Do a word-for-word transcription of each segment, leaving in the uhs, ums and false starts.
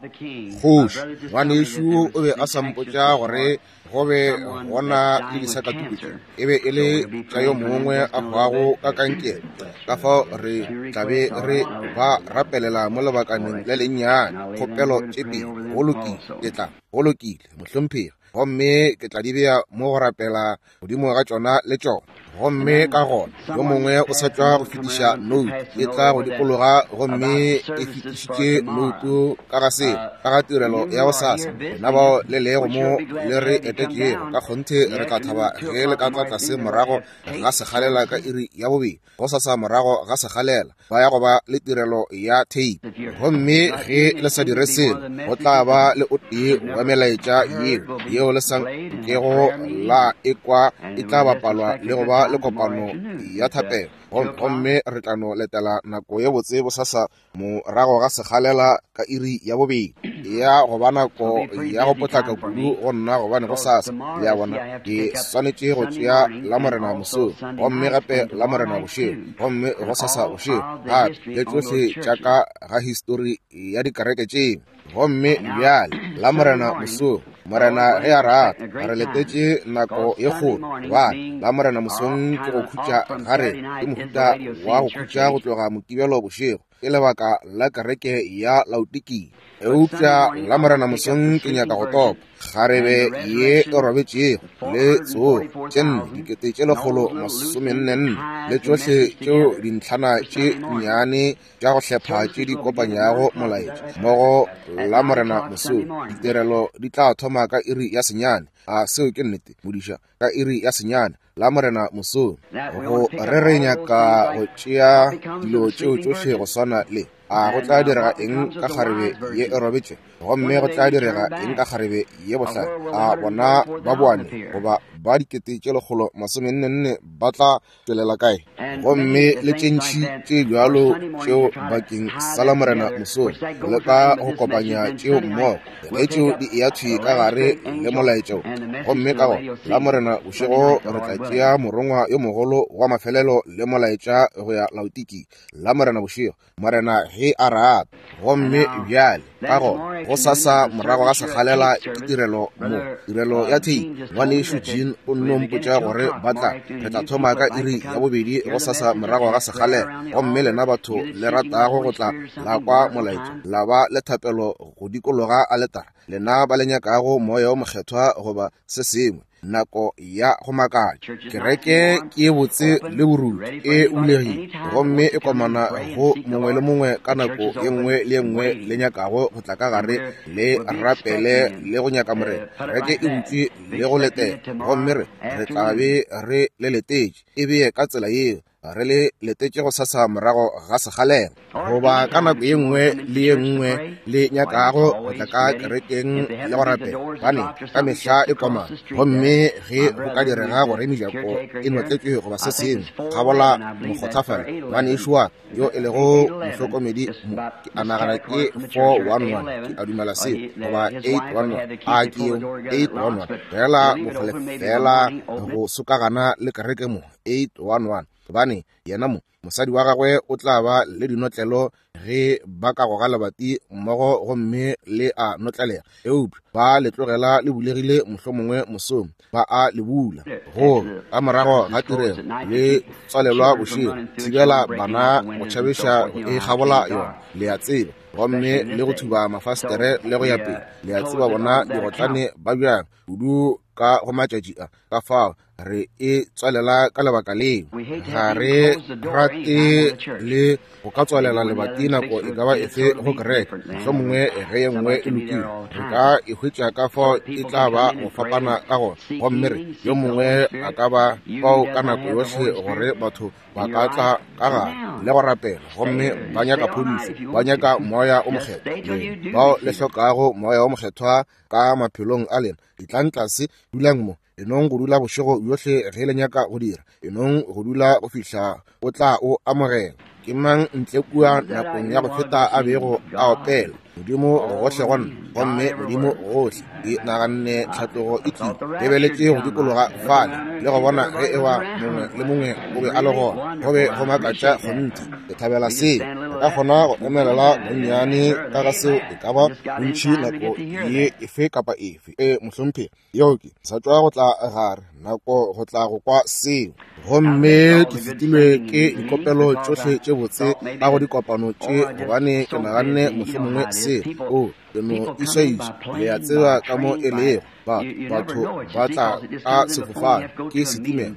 Kgoši ngwanešu o be a sa mpotša gore go be gona le disakatuku tše e be e le tša yo mongwe a hwago ka kankere. Ka fao re tla be re ba rapelela mo lebakaneng le lennyane. Kgopelo tše pedi. Go lokile, ke tla. Go lokile, mohlomphegi. Gomme ke tla di bea mo go rapela godimo ga tšona le tšona. Gomme ka gona yo mongwe o sa tšwa go fetiša note e tla go dikologa, gomme e fetišitše note ka ga seo, ka ga tirelo ya gosasa. Lena bao le lego mo le re etetšego, ka kgonthe re tla thaba ge le ka tla tlase morago ga sekgalela ka iri ya bobedi gosasa morago ga sekgalela ba ya go ba le tirelo ya tape. Gomme ge le sa dire selo, go tla ba le o tee wa melaetša yeo yeo le sa nkego la ekwa e tla bapalwa le go ba le kopano ya thapelo. Gomme re tla no letela nako ye botse bosasa morago ga sekgalela ka iri ya bobedi ya go ba nako ya go potlaka kudu go nna, gobane gosasa le a bona ke swanetše go tšea Lamorena mosong, gomme gape Lamorena bošego, gomme gosasa bošego gape, le tšohle tša ka ga histori ya dikereke tšeo. Gomme bjale Lamorena mosong, Morena ge a rata, re letetše nako ye kgolo, gobane Lamorena mosong ke go khutša ga rena, ke mohuta wa go khutša go tloga Mokibelo bošego, ke lebaka la kereke ya Laodikia. Eupša Lamorena mosong ke nyaka go topa kgarebe ye e robetšego le tsogo tše nne dikete tše lekgolo masomenne nne le tšohle tšeo dintlhana tše nnyane tša go hlepha tše di kopanyago molaetša mmogo Lamorena mosong. Ditirelo di tla thoma ka iri ya senyane. A seo ke nnete, modiša? Ka iri ya senyane Lamorena mosong. Go re re nyaka go tšea dilo tšeo tšohle go swana le a go tla direga eng ka kgarebe ye e robetše, gomme go tla direga eng ka kgarebe ye bohlale. A bona ba boane goba ba dikete tše lekgolo masomenne nne ba tla tšwelela kae? Gomme le tše ntši tše bjalo tšeo bakeng sa Lamorena mosong, le ka go kopanya tšeo mmogo ge tšeo di eya thwi ka gare le molaetša wo. Gomme ka gona Lamorena bošego re tla tšea morongwa yo mogolo wa mafelelo le molaetša go ya Laodikia Lamorena bošego, Morena ge a rata. Gomme bjale ka gona gosasa morago ga sekgalela ke tirelo mo, tirelo ya tape. Ngwanešu Jean o nno mpotša gore ba tla re tla thoma ka iri ya bobedi gosasa morago ga sekgalela. Gomme lena batho le ratago go tla la kwa molaetša, la ba le thapelo go dikologa aletara, lena ba le nyakago moya o mokgethwa goba se sengwe, nako ya go makatša. Kereke ke botse le borutho, e bulegile gomme e komana go mongwe le mongwe ka nako ye nngwe le ye nngwe le nyakago go tla ka gare le rapele le go nyaka Morena. Kereke e butšwe le go letela, gomme re re tla be re le letetše. E beye ka tsela yeo, re le letetše gosasa morago ga sekgalela, goba ka nako ye nngwe le ye nngwe le nyakago go tla ka kerekeng le go rapela, gobane ka mehla e komana. Gomme ge go ka direga gore mejako e notletšwe goba se sengwe, kgabola mokgothafale, ngwanešu wa ka yo e lego mohlokomedi mo, ke a nagana ke four one one, ke a dumela seo, goba eight one one, a ke yeo eight one one, fela bokgole fela go sokagana le kereke mo, eight one one, gobane yena mo mosadi wa gagwe o tla ba le dinotlelo ge ba ka goga lebati mmogo gomme le a notlelega, eupša ba le tlogela le bulegile mohlomongwe mosong ba a le bula. Go ka morago ga tirelo le tswalelwa bošego, thibela bana go tšhabiša e kgabola yona, le a tseba, gomme le go thuba mafastere le go ya pele. Le a tseba bona digotlane ba bjang kudu ka go matšatši a, ka fao re e tswalela ka lebaka leo. Ga re rate le go ka tswalela lebati nako e ka ba efe go kereke, mohlomongwe ge ye nngwe e lokile re ka e hwetša ka fao e tla ba go fapana ka gona. Gomme re yo mongwe a ka ba fao ka nako yohle gore batho ba ka tla ka gare le go rapela, gomme ba nyaka phodišo, ba nyaka moya o mokgethwa. Bao le hlokago moya o mokgethwa ka maphelong a lena, etlang tlase, dulang mo. Enong go dula bošego bjohle ge le nyaka go dira, enong go dula go fihla o tla o amogela. Ke mang ntle kua nakong ya go feta a bego a opela Modimo gohle go nna, gomme Modimo gohle? Ke naganne tlhatlogo e tlile, lebeletše go dikologa fale le go bona ge eba mongwe le mongwe o be a le gona. Go be go makatša kgonthe. Ke thabela seo. Re Ka kgona go emelela bonnyane ka ga seo e ka ba bontši nako ye efe kapa efe. E mohlomphegi, yeo ke sa tšwa go tla gare nako go tla go kwa seo. Gomme ke fetilwe ke dikopelo tšohle tše botse ka go dikopano tše, gobane ke naganne mohlomongwe se o ke no iswaiša. Le a tseba ka mo e lego, ba batho ba tla ka sefofane ke setimela,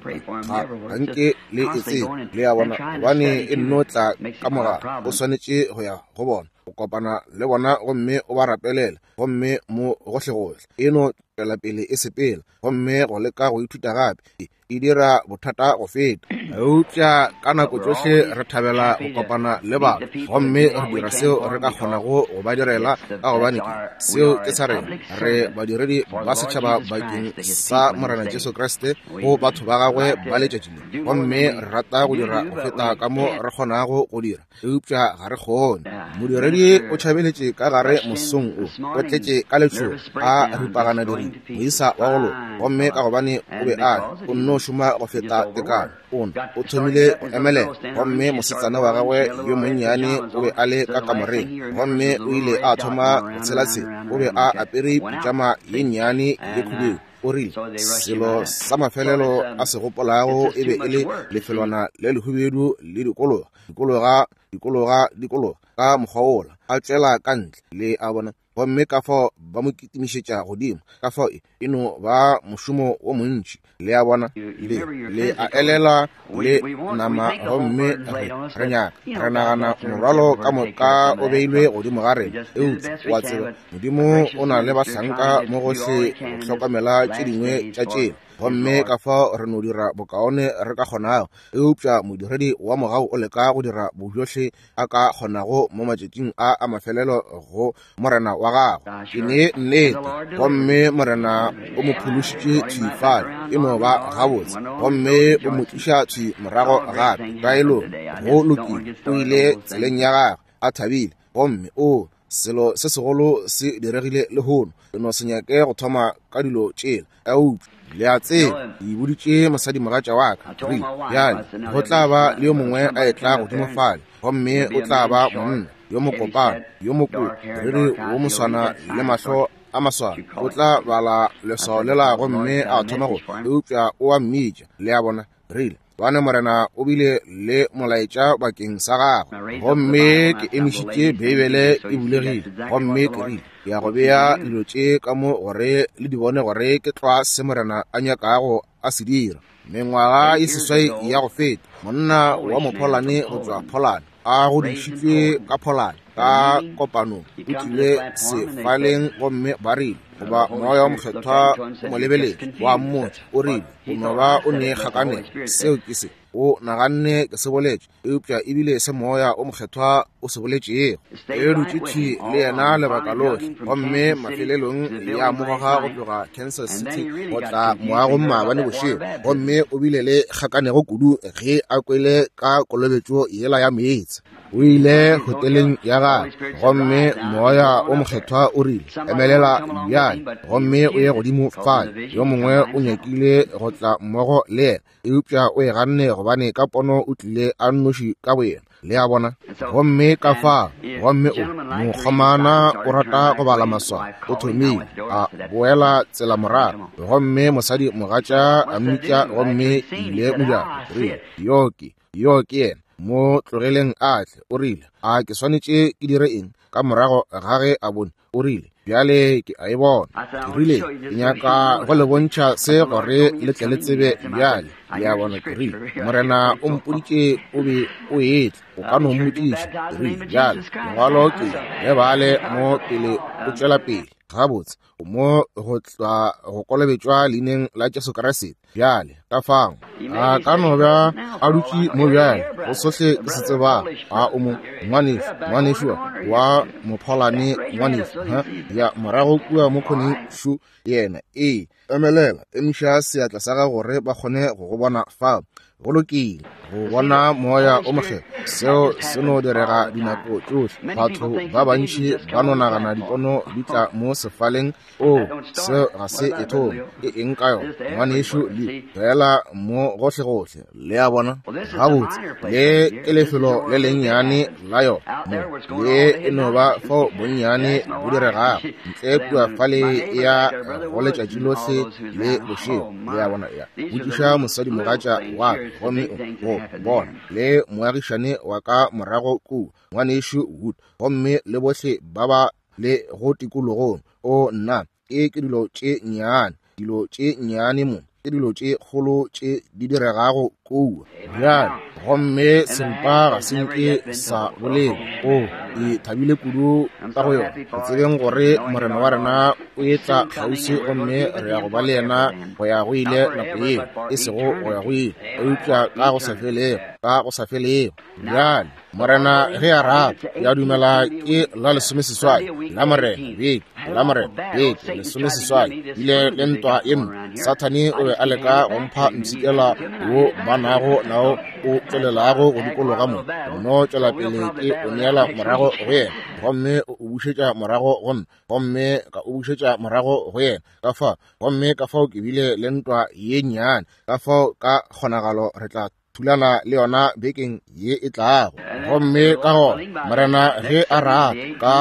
ga ga nke le e tsebe, le a bona, gobane e nno tla ka mogala. O swanetše go ya go bona, o kopana le bona gomme o ba rapelela, gomme mo gohlegohle e no tšwela pele e sepela, gomme go leka go ithuta gape e dira bothata go feta. Eupša ka nako tšohle re thabela go kopana le batho, gomme re dira seo re ka kgonago go ba direla, ka gobane ke seo ke sa rena. Re badiredi ba setšhaba bakeng sa Morena Jesu Kriste go batho ba gagwe ba letšatši le, gomme re rata go dira go feta ka mo re kgonago go dira, eupša ga re kgone. Modiredi o tšhabeletše ka gare mosong o, o tletše ka letšhogo, a ripagana diripa, moisa wa go loka, gomme ka gobane o be a o nno šoma go feta tekano, o o thomile go emelela. Gomme mosetsana wa gagwe yo monnyane o be a le ka kamoreng, gomme o ile a thoma go tshelatshela. O be a apere pitšama ye nnyane ye khubedu. O rile selo sa mafelelo a se gopolago e be e le lefelwana le lehubedu le dikologa dikologa dikologa dikologa ka mokgwa wola, a tšwela ka ntle, le a bona. Gomme ka fao ba mo kitimišetša godimo, ka fao e no ba mošomo wo montši, le a bona. Le le a elela le nama, gomme re re nyaka re nagana morwalo ka moka o beilwe godimo ga rena. Eupša wa tseba, Modimo o na le bahlanka mo gohle go hlokomela tše dingwe tša tšela, gomme ka fao re no dira bokaone re ka kgonago. Eupša modiredi wa mogau o leka go dira bojohle a ka kgonago mo matšatšing a a mafelelo go Morena wa gagwe. Ke ne nnete, gomme Morena o mo phološitše thwi fale, e no ba gabotse, gomme o mo tliša thwi morago gape taelong. Go lokile, o ile tseleng ya gagwe a thabile, gomme o selo se segolo se diregile lehono. Ke no se nyake go thoma ka dilo tšela, eupša le a tseba, ke boditše mosadimogatša wa ka, rile bjale go tla ba le yo mongwe a etla godimo fale, gomme o tla ba monna yo mokopana, yo mokopi, moriri wo moswana le mahlo a maswana, o tla bala leswao lela gomme a thoma go, eupša o a mmitša, le a bona. Rile bane Morena o bile le molaetša bakeng sa gagwe, gomme ke emišitše Beibele e bulegile, gomme ke rile ke ya go bea dilo tše ka mo gore le di bone gore ke tlwa se Morena a nyakago a se dira. Mengwaga e seswai ya go feta, monna wa Mopholane go tšwa Pholane, a godišitšwe ka Pholane, ka kopanong, o tlile sefaleng, gomme ba rile goba moya wa mokgethwa o mo lebeletše, wa mmotša, o rile o no ba o ne kgakanelo. Seo ke se o naganne ke se boletše, eupša ebile se moya o mokgethwa o se boletšego. E dutše thwi le yena lebaka lohle, gomme mafelelong ya mogoga go tloga Kansas City go tla moagong maabane bošego, gomme o bile le kgakanego kudu ge a kwele ka kolobetšo yela ya meetse. O ile hoteleng ya gagwe, gomme moya o mokgethwa o rile emelela bjale gomme o ye godimo fale. Yo mongwe o nyakile go tla mmogo le yena, eupša o e ganne gobane ka pono o tlile a nnoši ka boyena, le a bona. Gomme ka fa, gomme o mokgomana o rata go bala maswao, o thomile a boela tsela morago, gomme mosadi mogatša a mmitša, gomme ile mojako, rile yo ke yo ke yena, mo tlogeleng a tle. O rile a ke swanetše ke dire eng? Ka morago ga ge a bone, o rile bjale ke a e bona. Ke rile ke nyaka go le bontšha se gore le tle le tsebe bjale, le a bona. Ke rile Morena o mpoditše o be o etla, o ka no mmotšiša. Ke rile bjale lengwalo ke le bale mo pele o tšwela pele. Gabotse o mo go tla go kolobetšwa leineng la Jesu Kriste. Bjale ka fao a ka no ba a dutše mo bjale go sohle ke se tsebang. A o mo ngwanešu, ngwanešu wa Mopholane, ngwanešu ha ya morago kua mo khoneng šu yena. Ee, emelela, emiša seatla sa gago gore ba kgone go go bona fao. Go lokile go bona moya o mokgethwa, seo se no direga dinako tšohle. Batho ba bantši ba no nagana dipono di tla mo sefaleng. O seo ga se e thome, e eng ka yona ngwanešu le fela sepela mo gohlegohle. Le a bona? Gabotse, le ke lefelo le lennyane la yona mo, le e no ba fao bonnyane bo diregago ntle kua fale ya go letšatši lohle le bošego. Le a bona? Ya botšiša mosadimogatša wa ka, gomme go bona le moagišane wa ka morago kua, ngwanešu Wood, gomme le bohle ba ba le go tikologong. O nna, ke ke dilo tše nnyane, dilo tše nnyane mo, ke dilo tše kgolo tše di diregago kua. Bjale, gomme sempa ga se nke sa bolela. O e thabile kudu ka go yona, go tsebeng gore Morena wa rena o etla kgauswi, gomme re ya go ba le yena go ya go ile nako yeo, e sego go ya go ile, eupša ka go sa felego, ka go sa felego. Bjale, Morena ge a rata, ya dumela ke la lesomeseswai la Morena beke, la Morena beke lesomeseswai ile le ntwa ye mpe. Sathane o be a leka go mpha mpshikela wo ba nago nao o tšwelelago go dikologa mo, no tšwela pele ke o neela morago go yena, gomme o bušetša morago go nna, gomme ka o bušetša morago go yena. Ka fao, gomme ka fao ke bile le ntwa ye nnyane, ka fao ka kgonagalo re tla thulana le yona bekeng ye e tlago. Gomme ka gona Morena ge a rata, ka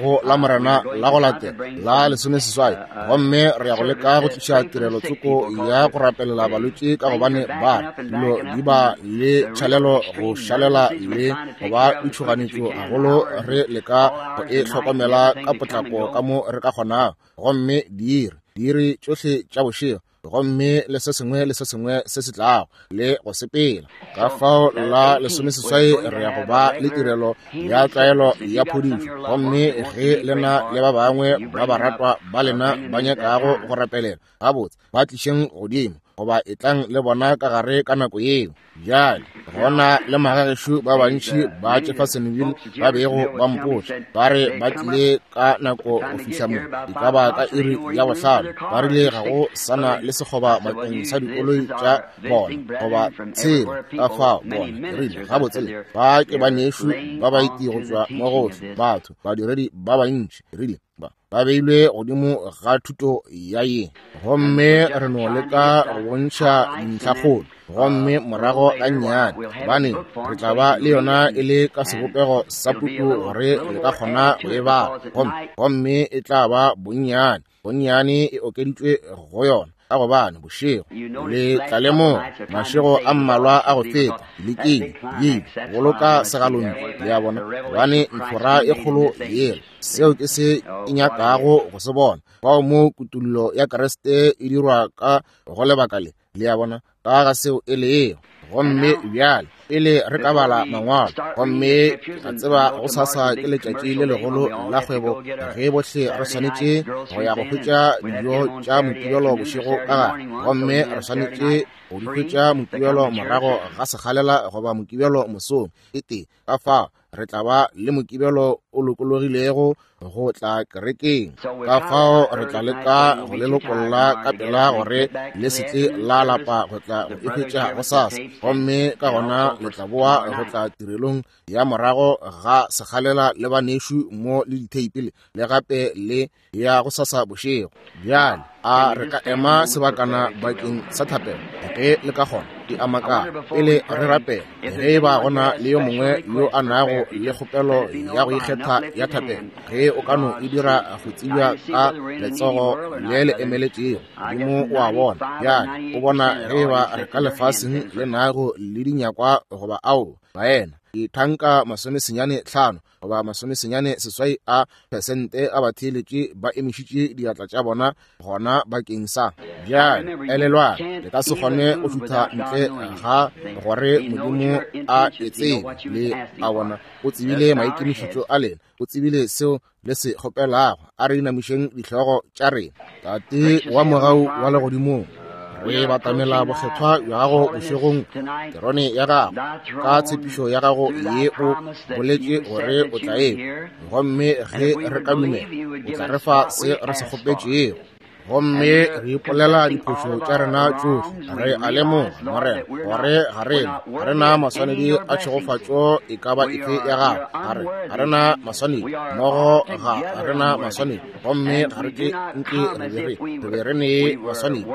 go la Morena la go latela la lesomeseswai, gomme re ya go leka go tliša tirelo tsoko ya go rapelela balwetši, ka gobane ba dilo di ba le tšhalelo go šalela le go ba ditšhoganetšo gagolo, re leka go e hlokomela ka potlako ka mo re ka kgonago. Gomme diiri diiri tšohle tša bošego, gomme le se sengwe le se sengwe se se tlago le go sepela. Ka fao la lesomeseswai re ya go ba le tirelo ya tlwaelo ya phodišo, gomme ge lena le ba bangwe ba baratwa ba lena ba nyakago go rapelela, gabotse ba tlišeng godimo, goba etlang le bona ka gare ka nako yeo. Bjale, gona le magagešo ba bantši ba Jeffersonville ba bego ba mpotša, ba re ba tlile ka nako go fihla mo, e ka ba ka iri ya bohlano, ba rile ga go sana le sekgoba bakeng sa dikoloi tša bona goba tshela. Ka fao bona rile gabotse le ba ke banešu ba baeti go tšwa mo gohle, batho badiredi ba bantši, rile ba ba beilwe godimo ga thuto ya ye, gomme re no leka go bontšha dintlhakgolo, gomme morago ga nnyane, gobane re tla ba le yona e le ka sebopego sa puku gore le ka kgona go e bala, gomme gomme e tla ba bonnyane bonnyane e okeditšwe go yona, ka gobane bošego le tla lemoga mašego a mmalwa a go feta lekile bile boloka segalontšu, le a bona, gobane ntlhora e kgolo yela, seo ke se e nyakago go se bona, fao mo kutullo ya Kriste e dirwa ka go lebaka le, le a bona, ka ga seo e lego. Gomme bjale pele re ka bala mangwalo, gomme ka tseba go sasa ke letšatši le legolo la kgwebo, ge bohle re swanetše go ya go hwetša dijo tša Mokibelo bošego ka gare, gomme re swanetše go di hwetša Mokibelo morago ga sekgalela goba Mokibelo mosong e tee. Ka fao re tla ba le Mokibelo o lokologilego go tla kerekeng. Ka fao re tla leka go le lokolla ka pela gore le se tle la lapa go tla go e hwetša gosasa, gomme ka gona le tla boa go tla tirelong ya morago ga sekgalela le banešu mo le ditheipi le gape le ya gosasa bošego. Bjale a re ka ema sebakana bakeng sa thapelo ge le ka kgona, di a makala pele re rapela, ge e ba gona le yo mongwe yo a nago le kgopelo ya go ikgetha ya thapelo, ge o ka no e dira go tsebja ka letsogo le le emeletšego Modimo o a bona. Bjale o bona ge e ba re ka lefaseng le nago le dinyakwa goba ao, baena dithanka masomesenyane hlano goba masomesenyane seswai a pesente a batheeletši ba emišitše diatla tša bona gona bakeng sa. Bjale elelwang, le ka se kgone go šutha ntle ga gore Modimo a e tsebe. Le a bona, o tsebile maikemišetšo a lena, o tsebile seo le se kgopelago. A re inamišeng dihlogo tša rena. Tate wa mogau wa legodimong, re batamela bokgethwa bja gago bošegong, terone ya gago, ka tshepišo ya gago ye o boletše gore o tla e, gomme ge re ka dumela o tla re fa se re se kgopetšego. Gomme re ipolela diphošo tša rena tšohle. Re a lemoga, Morena, gore ga rena ga rena maswanedi a tšhegofatšo e ka ba efe ya gago. Ga re ga rena maswanedi mmogo, ga rena maswanedi, gomme ga re ke nke re be re re be re ne maswanedi,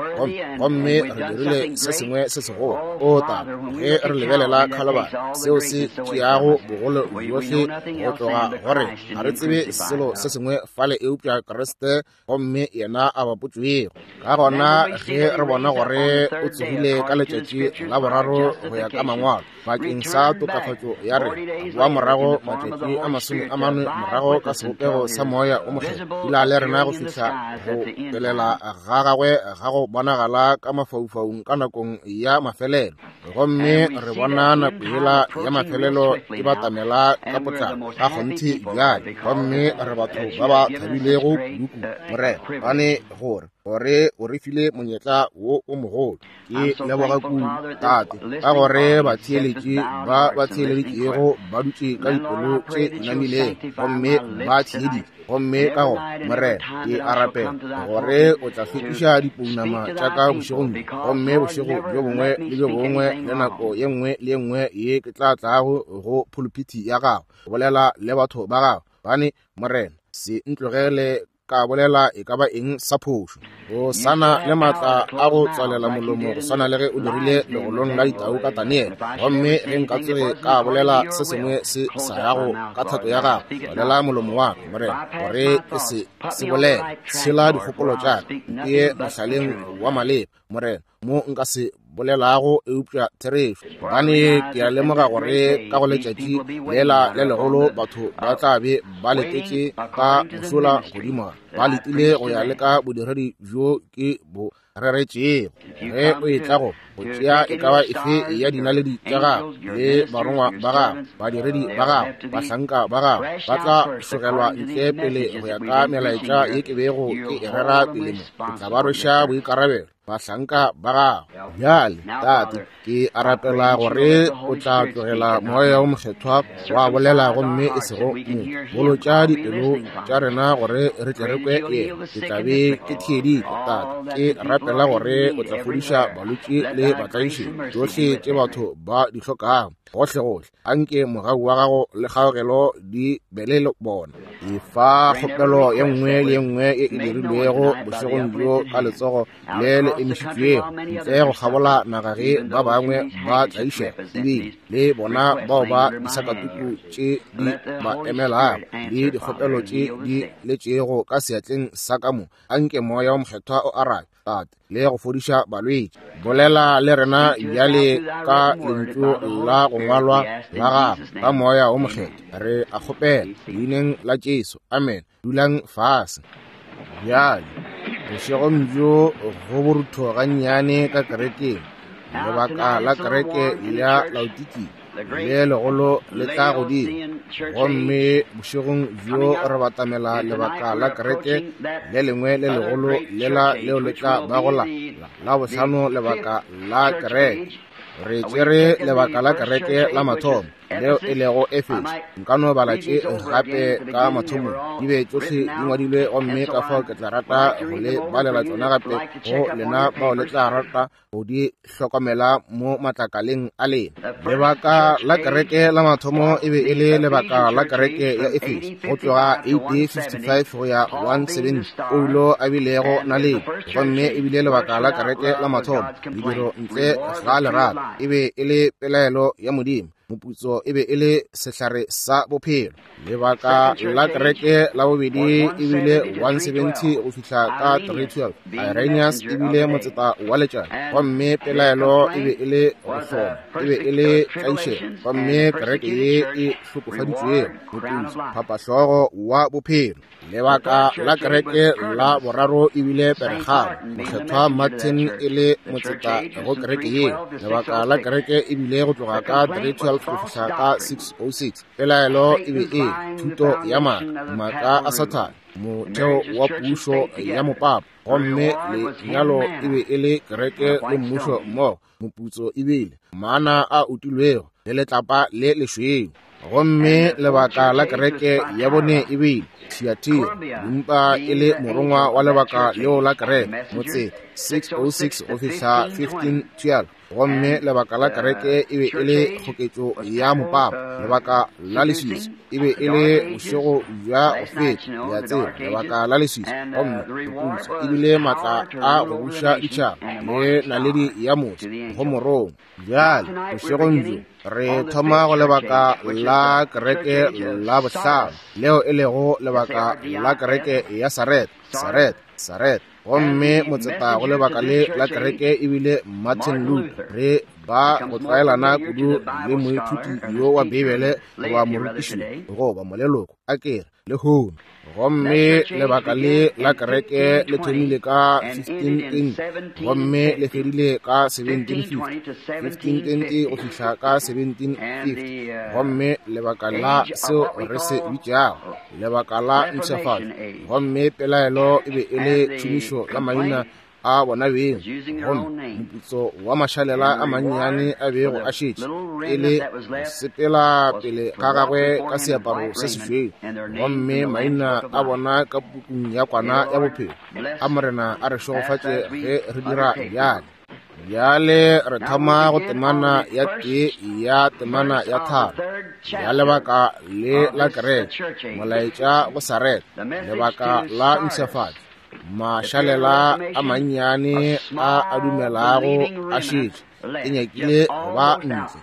gomme re dirile se sengwe se segolo. O Tate, ge re lebelela Khalibari, seo se tšeago bogolo bjohle go tloga gore ga re tsebe selo se sengwe fale eupša Kriste, gomme yena a bapotšwego. Ka gona ge re bona gore o tsogile ka letšatši la boraro go ya ka mangwalo bakeng sa tokafatšo ya rena, a boa morago matšatši a masome a mane morago ka sebopego sa Moya o Mokgethwa, dula le rena go fihla go pelela ga gagwe ga go bonagala ka mafaufaung ka nakong ya mafelelo. Gomme re bona nako yela ya mafelelo e batamela ka potlako ka kgonthe bjale, gomme re batho ba ba thabilego kudukudu, Morena, gobane gore gore o re file monyetla wo o mogolo. Ke leboga kudu, Tate, ka gore batheeletši ba ba theeleditšego ba dutše ka dipelo tše namilego gomme ba theeditše. Gomme ka gona, Morena, ke a rapela gore o tla hlwekiša dipounama tša ka bošegong bjo, gomme bošego bjo bongwe le bjo bongwe le nako ye nngwe le ye nngwe ye ke tla tlago go phuluphithi ya gago go bolela le batho ba gago. Gobane, Morena, se ntlogele ka bolela e ka ba eng sa phošo. O sana le maatla a go tswalela molomo go swana le ge o dirile legolong la ditau ka Daniele. Gomme ge nka tsoge ka bolela se sengwe se sa yago ka thato ya gago, tswalela molomo wa ka, Morena, gore ke se se bolele. Tshela dikgopolo tša ka, mpee mohlaleng wa maleba, Morena, mo nka se bolelago eupša therešo. Gobane ke a lemoga gore ka go letšatši lela le legolo batho ba tla be ba letetše ka mošola godimo, ba letile go ya le ka bodiredi bjo ke bo reretšego. Ge o etla go go tšea e ka ba efe ya dinaledi tša gago le barongwa ba gago, badiredi ba gago, bahlanka ba gago, ba tla šogelwa ntle pele go ya ka melaetša ye ke bego ke e rera pele mo. Ke tla ba rweša boikarabelo bahlanka ba gago. Bjale, Tate, ke a rapela gore o tla tlogela Moya o Mokgethwa wa bolela gomme e sego motho. Bolotša dipelo tša rena gore re tle re kwe yena. Ke tla be ke theeditše, Tate. Ke rapela gore o tla fodiša balwetši le batlaišegi, tšohle tše batho ba di hlokago gohlegohle. Anke mogau wa gago le kgaogelo di be le bona. Efa kgopelo ye nngwe le ye nngwe ye e dirilwego bošegong bjo ka letsogo le le emišitšwego ntle go kgabola naga ge ba bangwe ba tlaišega, ebile le bona bao ba disakatuku tše di ba emelago le dikgopelo tše di letšego ka seatleng sa ka mo. Anke Moya o Mokgethwa o arabe, Tate, le go fodiša balwetši. Bolela le rena bjale ka lentšu la go ngwalwa la gago ka Moya o Mokgethwa. Re a kgopela leineng la Jesu, amen. Dulang fase. Bjale bošegong bjo go borutho gannyane ka kerekeng. Lebaka la kereke ya Laodikia le legolo le tla godimo, gomme bošegong bjo re batamela lebaka la kereke le lengwe le legolo lela leo le tla bago la la bohlano, lebaka la kereke. Re tšere lebaka la kereke la mathomo leo e lego Efeso. Nka no bala tše gape ka mathomong, di be tšohle di ngwadilwe, gomme ka fao ke tla rata go le balela tšona gape go lena bao le tla rata go di hlokomela mo matlakaleng a lena. Lebaka la kereke la mathomo e be e le lebaka la kereke ya Efeso go tloga A D fifty-five go ya one seventy, Paulo a bilego naledi, gomme e bile lebaka la kereke la mathomo. Mediro ntle ga lerato e be e le pelaelo ya Modimo, moputso e be e le sehlare sa bophelo. Lebaka la kereke la bobedi e bile one seventy go fihla ka three twelve. Irenaeus e bile motseta wa letšatši, gomme pelaelo e be e le go hloma, e be e le tlaišego, gomme kereke ye e hlokofaditšwego, moputso phapahlogo wa bophelo. Lebaka la kereke la boraro e bile Peregamo, Mokgethwa Martin e le motseta go kereke yeo. Lebaka la kereke e bile go tloga ka three twelve go fihla ka six oh six. Pelaelo e be e thuto ya maaka, maaka a Sathane, motheo wa pušo ya mopapa, gomme lenyalo e be e le kereke le mmušo mmogo. Moputso e bile mana a utilwego le letlapa le lešweu. Gomme lebaka la kereke ya bone e bile Thiatira, dimpa e le morongwa wa lebaka leo la kereke, motse six oh six go fihla fifteen twelve. Gomme lebaka la kereke e be e le kgoketšo ya mopapa. Lebaka la leswiswi e be e le bošego bja go feta, le a tseba, lebaka la leswiswi. Gomme moputso e bile maatla a go buša ditšhaba le naledi ya motse go morongwa. Bjale bošegong bjo re thoma go lebaka la kereke la bohlano, leo e lego lebaka la kereke ya Sareta, Sareta, Sareta. Gomme motseta go lebaka le la kereke e bile Martin Luther. Re ba go tlwaelana kudu le moithuti yo wa Bibele goba morutiši goba moleloko a kere lehono. Gomme lebaka le la kereke le thomile ka fifteen twenty gomme le fedile ka seventeen fifty, fifteen twenty go fihla ka seventeen fifty. Gomme lebaka la seo re se bitšago lebaka la mpshafatšo. Gomme pelaelo e be e le tšhomišo ya maina a bona beng, gomme moputso wa mašalela a mannyane a bego a šetše e le sepela pele ga gagwe ka seaparo se sešweu, gomme maina a bona ka pukung ya kwana ya bophelo. A Morena a re šegofatše ge re dira bjale. Bjale re thoma go temana ya tee ya temana ya tharo ya lebaka le la kereke, molaetša go Sareta, lebaka la mpshafatšo. Mašalela a mannyane a a dumelago a šetše e nyakile go ba ntle.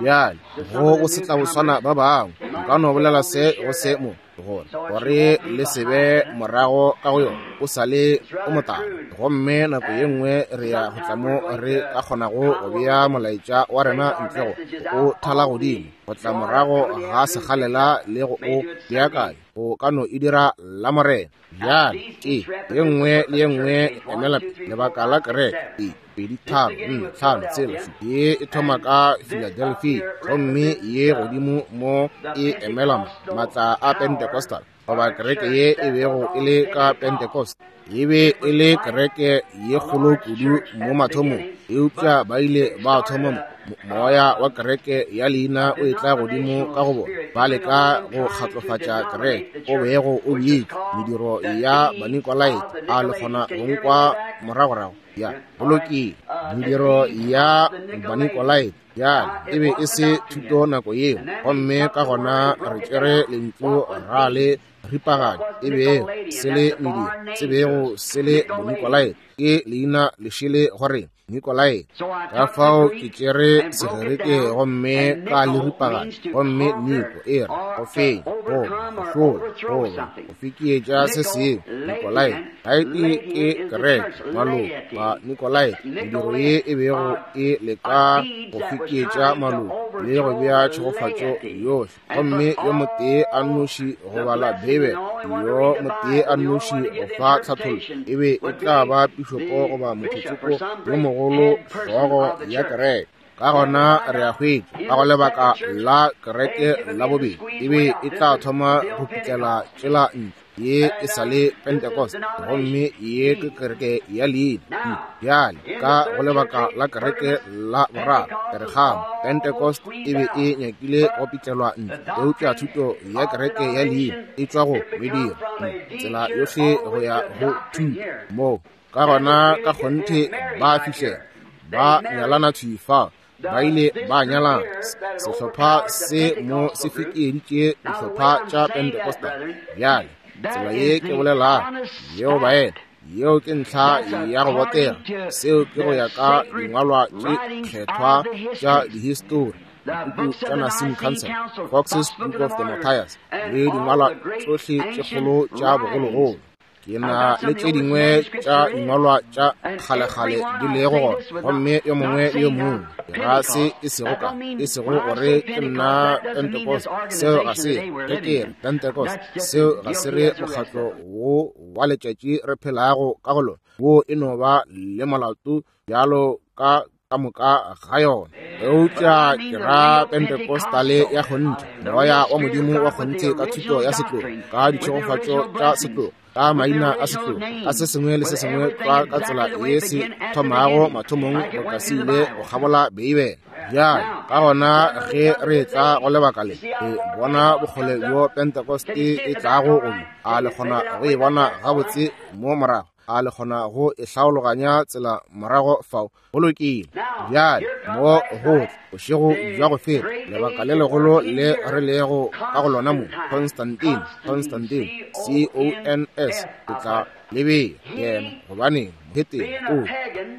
Bjale go go se tla boswana ba bangwe, nka no bolela se go se mo gore gore le se be morago ka go yona, o sa le o motala. Gomme nako ye nngwe re ya go tla mo re ka kgonago go bea molaetša wa rena ntle go o thala godimo, go tla morago ga segalela le go o beakanya, go ka no e dira la Morena. Bjale ke ye nngwe le ye nngwe emela lebaka la kereke e pedi tharo nne tlhano tshela šupa. Ye e thoma ka Philadelphia, gomme ye godimo mo e emela maatla a Pentecostal, goba kereke ye e bego e le ka Pentecost. E be e le kereke ye kgolo kudu mo mathomong, eupša ba ile ba thoma mo moya wa kereke ya leina o etla godimo ka go bona, ba leka go kgatlofatša kereke o bego o beetšwe mediro ya Banikolaite. A le kgona go nkwa moragorago? Ya go lokile. Mediro ya Banikolaite bjale e be e se thuto nako yeo, gomme ka gona re tšere lentšu ra le ripaganya, e bego se le mediro, se bego se le Bonikolaite, ke leina lešele gore Nikolaite. Ka fao ke tšere Segerike gomme ka le ripaganya, gomme Niko e re go fenya, goba go hlola, goba go fekietša se sengwe. Nikolaite gaete ke kereke, maloko ba Nikolaite, mediro ye e bego e leka go fekietša maloko le go bea tšhegofatšo yohle. Gomme yo motee a nnoši go bala Bibele, yo motee a nnoši go fa tlhathollo, e be e tla ba pišopo goba mothotsoko yo mogolo, hlogo ya kereke. Ka gona re a hwetša ka go lebaka la kereke la bobedi e be e tla thoma go pitlela tšela ntle, ye e sa le Pentecost, gomme ye ke kereke ya leina. Bjale ka go lebaka la kereke la boraro, Peregamo, Pentecost e be e nyakile go pitlelwa ntle, eupša thuto ya kereke ya leina e tšwa go mediro, tsela yohle go ya go thuto mo. Ka gona ka kgonthe ba fihlela ba nyalana thwi fa, ba ile ba nyalana. Sehlopha se mo se fekeeditše dihlopha tša Pentecostal. Bjale tsela ye ke bolelago yeo baena, yeo ke ntlha ya go botega. Seo ke go ya ka dingwalwa tše kgethwa tša dihistori, dipuku tša Nicene Council, Fox's Book of the Martyrs, le dingwalwa tšohle tše kgolo tša bogologolo. Ke na le tše dingwe tša dingwalwa tša kgalekgale di lego gona, gomme yo mongwe le yo mongwe ga se e sego ka e sego gore ke nna Pentecost. Seo ga se ge ke re Pentecost, seo ga se re mokgatlo wo wa letšatši re phelago ka go lona, wo e no ba le molato bjalo ka ka moka ga yona. Eupša ke ra Pentecostale ya kgonthe, moya wa Modimo wa kgonthe ka thuto ya setlogo, ka ditšhegofatšo tša setlogo, ka maina a setlogo, ka se sengwe le se sengwe tlwa ka tsela ye se thomago mathomong boka se ile go kgabola Beibele. Bjale ka gona ge re tla go lebaka le, re bona bokgole bjo Pentecost e tlago gomme a le kgona go e bona gabotse mo morago, a le kgona go e hlaologanya tsela morago fao. Go lokile. Bjale mo go tla bošego bja go feta, lebaka le legolo le re lego ka go lona mo, Constantine, Constantine, C O N S, ke tla lebea yena gobane mohetene o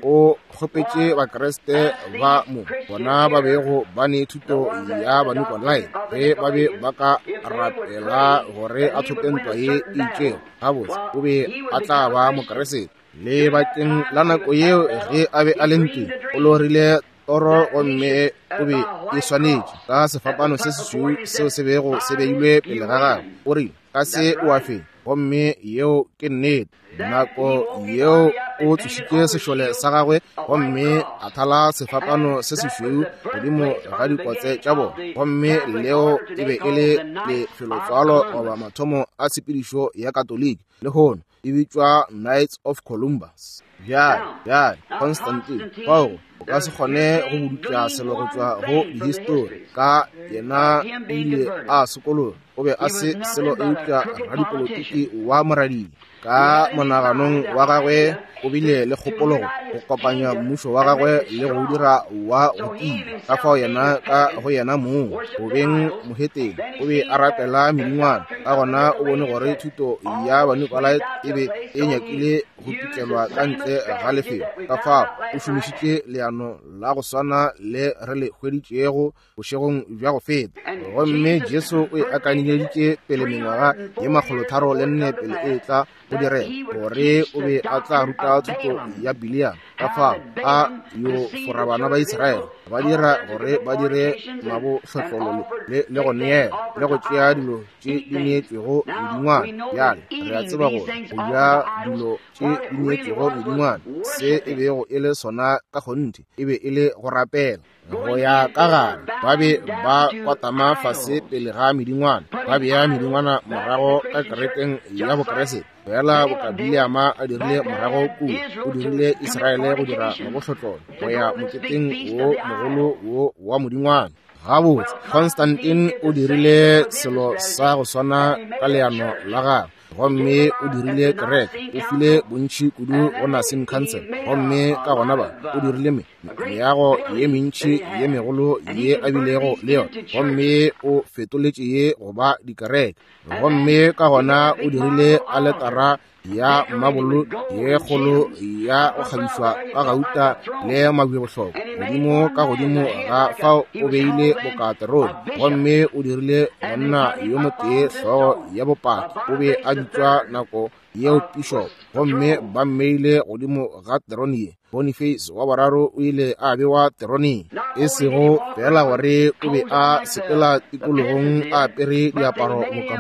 o kgopetše Bakreste ba mo bona ba bego ba ne thuto ya Banikolaite ge ba be ba ka rapela gore a thope ntwa ye e itšego. Gabotse o be a tla ba Mokreste. Lebakeng la nako yeo ge a be a le ntweng, o lorile toro gomme o be e swanetše ka sefapano se sešweu seo se bego se beilwe pele ga gagwe. O rile, ka se o a fenya, gomme yeo ke nnete. Nako yeo o tlošitše sešole sa gagwe gomme a thala sefapano se sešweu godimo ga dikotse tša bona, gomme leo e be e le lefelotswalo goba mathomo a tshepedišo ya Katoliki. Lehono e bitšwa Knights of Columbus. Bjale, bjale Constantine fao o ka se kgone go bodutla selo go tšwa go dihistori ka yena o ile a sokologa. O be a se selo eupša radipolotiki wa moradile. Ka monaganong wa gagwe o bile le kgopolo go kopanya mmušo wa gagwe le go dira wa go tia. Ka fao yena ka go yena mong go beng mohetene o be a rapela medingwana. Ka gona o bone gore thuto ya Banikolaite e be e nyakile go pitlelwa ka ntle ga lefelo. Ka fao o šomišitše leano la go swana le re le hweditšego bošegong bja go feta. Gomme Jesu o e akanyeditše pele mengwaga ye makgolotharo le nne pele e tla go direga, gore o be a tla ruta thuto ya Bileam. Ka fao a yo fora bana ba Israele, ba dira gore ba dire mabohlotlolo le, le go neela le go tšea dilo tše di neetšwego medingwana. Bjale re a tseba gore go ja dilo tše di neetšwego medingwana, se e bego e le sona ka kgonthe, e be e le go rapela. Go ya ka gare ba be ba kwatama fase pele ga medingwana, ba bea medingwana morago ka kerekeng ya Bokreste. Fela boka Bileama a dirile morago kua, o dirile Israele go dira mabohlotlolo go ya moketeng wo mogolo wo wa modingwana. Gabotse Constantine o dirile selo sa go swana ka leano la gagwe, gomme o dirile kereke, o file bontši kudu go Nicene Council, gomme ka gona ba o dirile me meago ye mentši ye megolo ye a bilego le yona, gomme o fetoletše ye go ba dikereke. Gomme ka gona o dirile aletara ya mabolo ye kgolo ya go kgabišwa ka gauta le mabjebohlokwa godimo ka godimo ga fao o beile bokaterone, gomme o dirile monna yo motee hlogo ya bopaki, o be a bitšwa nako yeo bishop, gomme ba mmeile godimo ga terone ye. Boniface wa boraro o ile a bewa teroneng, e sego fela gore o be a sepela tikologong a apere diaparo boka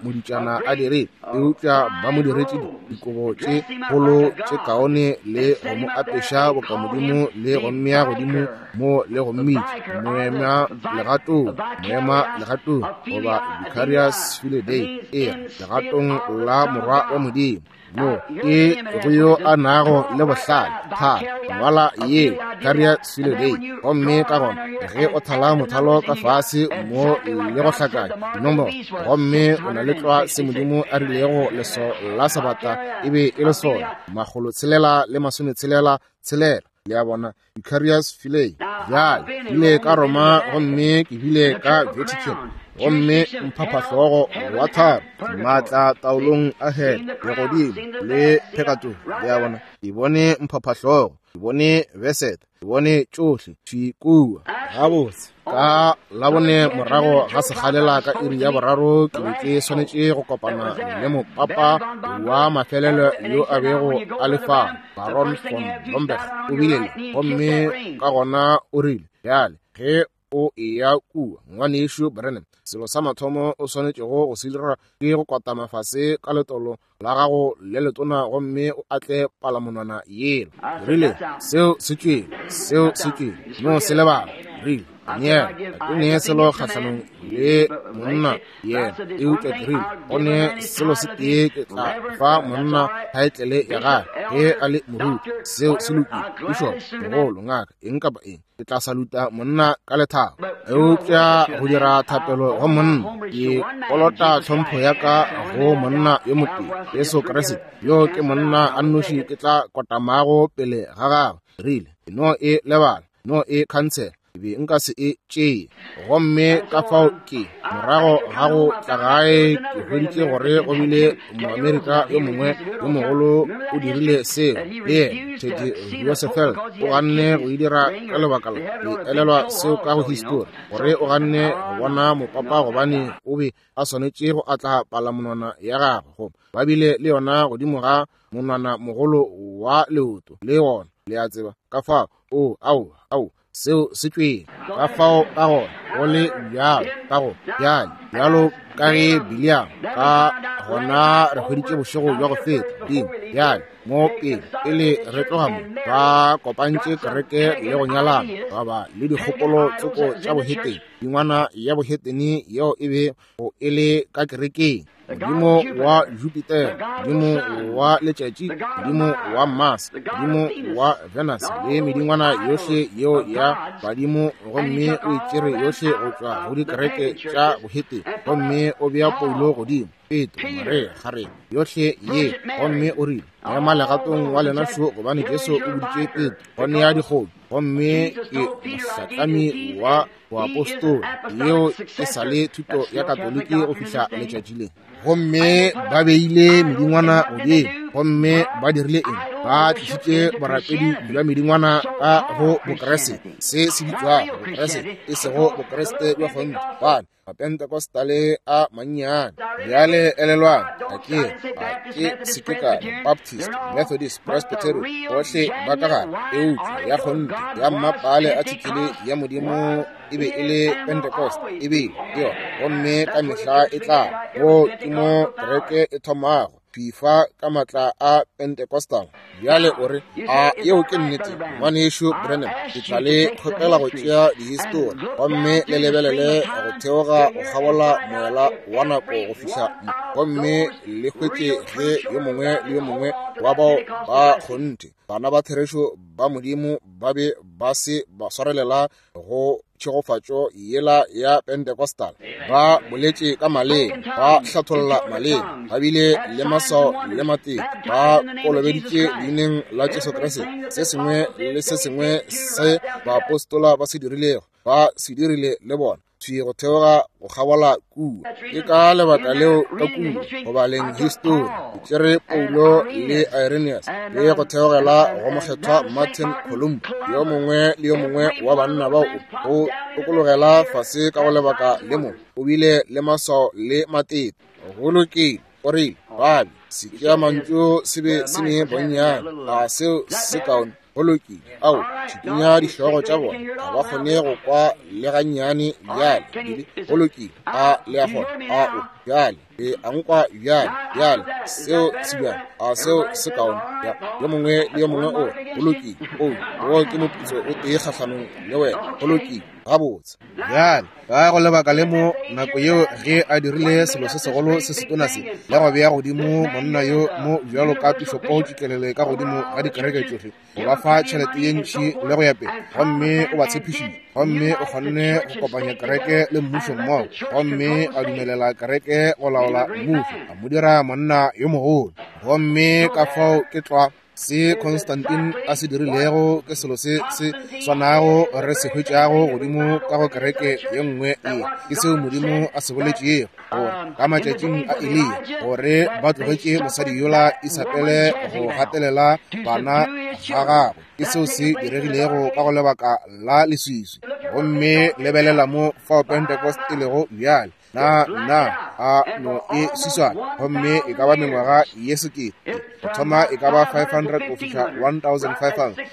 moditšana a dire, eupša ba mo diretše dikobo tše kgolo tše kaone le go mo apeša boka modimo le go mmea godimo mo le go mmitša moema legatong, moema legatong goba Vicarius Filii Dei, e legatong la morwa wa Modimo. Mo ke go yo a nago le bohlale, thala ngwala ye Vicarius Filii Dei, gomme ka gona ge o thala mothalo ka fase mo le go hlakanya dinomoro, gomme o na le tlwa se Modimo a rilego leso la sabata e be e le sona, makgolo tshelela le masometshelela tshelela. Le a bona, Vicarius Filii. Bjale ke ile ka Roma gomme ke bile ka Vatican, gomme mphaphahlogo wa tharo maatla taolong a hele legodimo le phekato. Le a bona, ke bone mphaphahlogo, ke bone besete, ke bone tšohle thwi kua. Gabotse ka labone morago ga sekgalela ka iri ya boraro ke be ke swanetše go kopana le mopapa wa mafelelo yo a bego a le fa, Baron von Blomberg. O bile le, gomme ka gona o rile, bjale ge o eya kua ngwanešu Branham, selo sa mathomo o swanetšego go se dira ke go kwatama fase ka letolo la gago le letona gomme o atle palamonwana yela. Ke rile, seo se tšwele, seo se tšwele, no se lebala. Rile yeah, ke ne selo kgahlanong le monna yena, eupša ke rile go ne selo se tee ke tla fa monna thaetlele ya gagwe ge a le moruti. Seo se lokile, bishop, mogolo, ngaka, eng kapa eng, ke tla saluta monna ka lethabo. Eupša go dira thapelo go monna, ke kolota tlhompho ya ka go monna yo motee, Jesu Kriste, yo ke monna a nnoši ke tla kotamago pele ga gagwe. Rile no e lebala, no e khansela, be nka se e tšee. Gomme ka fao ke morago ga go tla gae ke hweditše gore go bile Moamerika yo mongwe yo mogolo o dirile seo le yena, Teddy Roosevelt. O ganne go e dira ka lebaka la ke elelwa seo ka go histori, gore o ganne go bona mopapa gobane o be a swanetše go atla palamonwana ya gagwe, goba ba bile le yona godimo ga monwana mogolo wa leoto le gona, le a tseba. Ka fao o ao ao seo se tšwele ka fao ka gona go le bjalo ka go bjale bjalo ka ge Biliam ka gona re hweditše bošego bja go feta dimo bjale mo pele pele re tloga mo ba kopantše kereke le go nyalana ba ba le dikgopolo tsoko tša bohetene, dingwana ya bohetene yeo e be go e le ka kerekeng, modimo wa Jupiter, modimo wa letšatši, modimo wa Mars, modimo wa Venus, le medingwana yohle yeo ya badimo. Gomme o e tšere yohle go tšwa go dikereke tša bohetene, gomme o bea Paulo godimo, Petro, Maria, gare yohle ye, gomme o rile ema legatong wa lena šo, gobane Jesu o boditše Petro go nea dikgomo, gomme ke mohlatlami wa boapostola. Yeo e sa le thuto ya Katoliki go fihla letšatši le. Gomme ba beile medingwana godimo, gomme ba dirile eng? Ba tlišitše borapedi bja medingwana ka go Bokreste, se se bitšwago Bokreste, e sego Bokreste bja kgonthe, gobane Mapentecostale a mannyane. Bjale elelwang, a ke a ke se ke ka Baptist, Methodist, Presbyterian, bohle ba ka gare, eupša ya kgonthe ya mmapale a thikile ya Modimo e be e le Pentecost, e bile ke yona, gomme ka mehla e tla go ke mo kereke e thomago fifa ka matla a Pentecostal. Bjale o re, a yeo ke nnete, ngwanešu Branham? Ke tla le kgopela go tšea dihistori gomme le lebelele go theoga go kgabola moela wa nako go fihla mo, gomme le hwetše ge yo mongwe le yo mongwe wa bao ba kgonthe bana ba therešo ba Modimo ba be ba se ba swarelela go tšhegofatšo yela ya Pentecostal. Ba boletše ka maleme, ba hlatholla maleme, ba bile le maswao le matete, ba kolobeditše leineng la Jesu Kriste. Se sengwe le se sengwe se baapostola ba se dirilego, ba se dirile le bona thwi go theoga go kgabola kua. Ke ka lebaka leo ka kua go baleng histori ke tšere Paulo le Irenaeus le go theogela go mokgethwa Martin Columba, yo mongwe le yo mongwe wa banna bao o tokologela fase ka go lebaka le mo o bile le maswao le matete. Go lokile, o rile babi setšea mantšu se be se ne bonnyane, ga seo se kaone. Go lokile, ao tšhikinya dihlogo tša bona, ga ba kgone go kwa le gannyane bjale. Go lokile, a le a kgona? A o bjale le a nkwa bjale? Bjale seo se bjale, a seo se kaone? Ya, yo mongwe le yo mongwe o go lokile. O wo ke moputso o tee kgahlanong le wena. Go lokile, gabotse. Bjale ka go lebaka le mo nako yeo ge a dirile selo se segolo se setona se le go bea godimo monna yo mo bjalo ka pišopo tšitlelele ka godimo ga dikereke tšohle, go ba fa tšhelete ye ntši le go ya pele, gomme o ba tshepišitše, gomme o kgonne go kopanya kereke le mmušo mmogo, gomme a dumelela kereke go laola mmušo, a mo dira monna yo mogolo. Gomme ka fao ke tlwa se Constantine a se dirilego, ke selo se se swanago re se hwetšago godimo ka go kereke ye nngwe ye. Ke seo Modimo a se boletšego gore ka matšatšing a Eliya, gore ba tlogetše mosadi yola Isabele go gatelela bana ga gagwe. Ke seo se diregilego ka go lebaka la leswiswi. Gomme lebelela mo fao Pentecost e lego bjale. Na na a no e swiswana, gomme e ka ba mengwaga ye sekete go thoma e ka ba five hundred go fihla one thousand five hundred,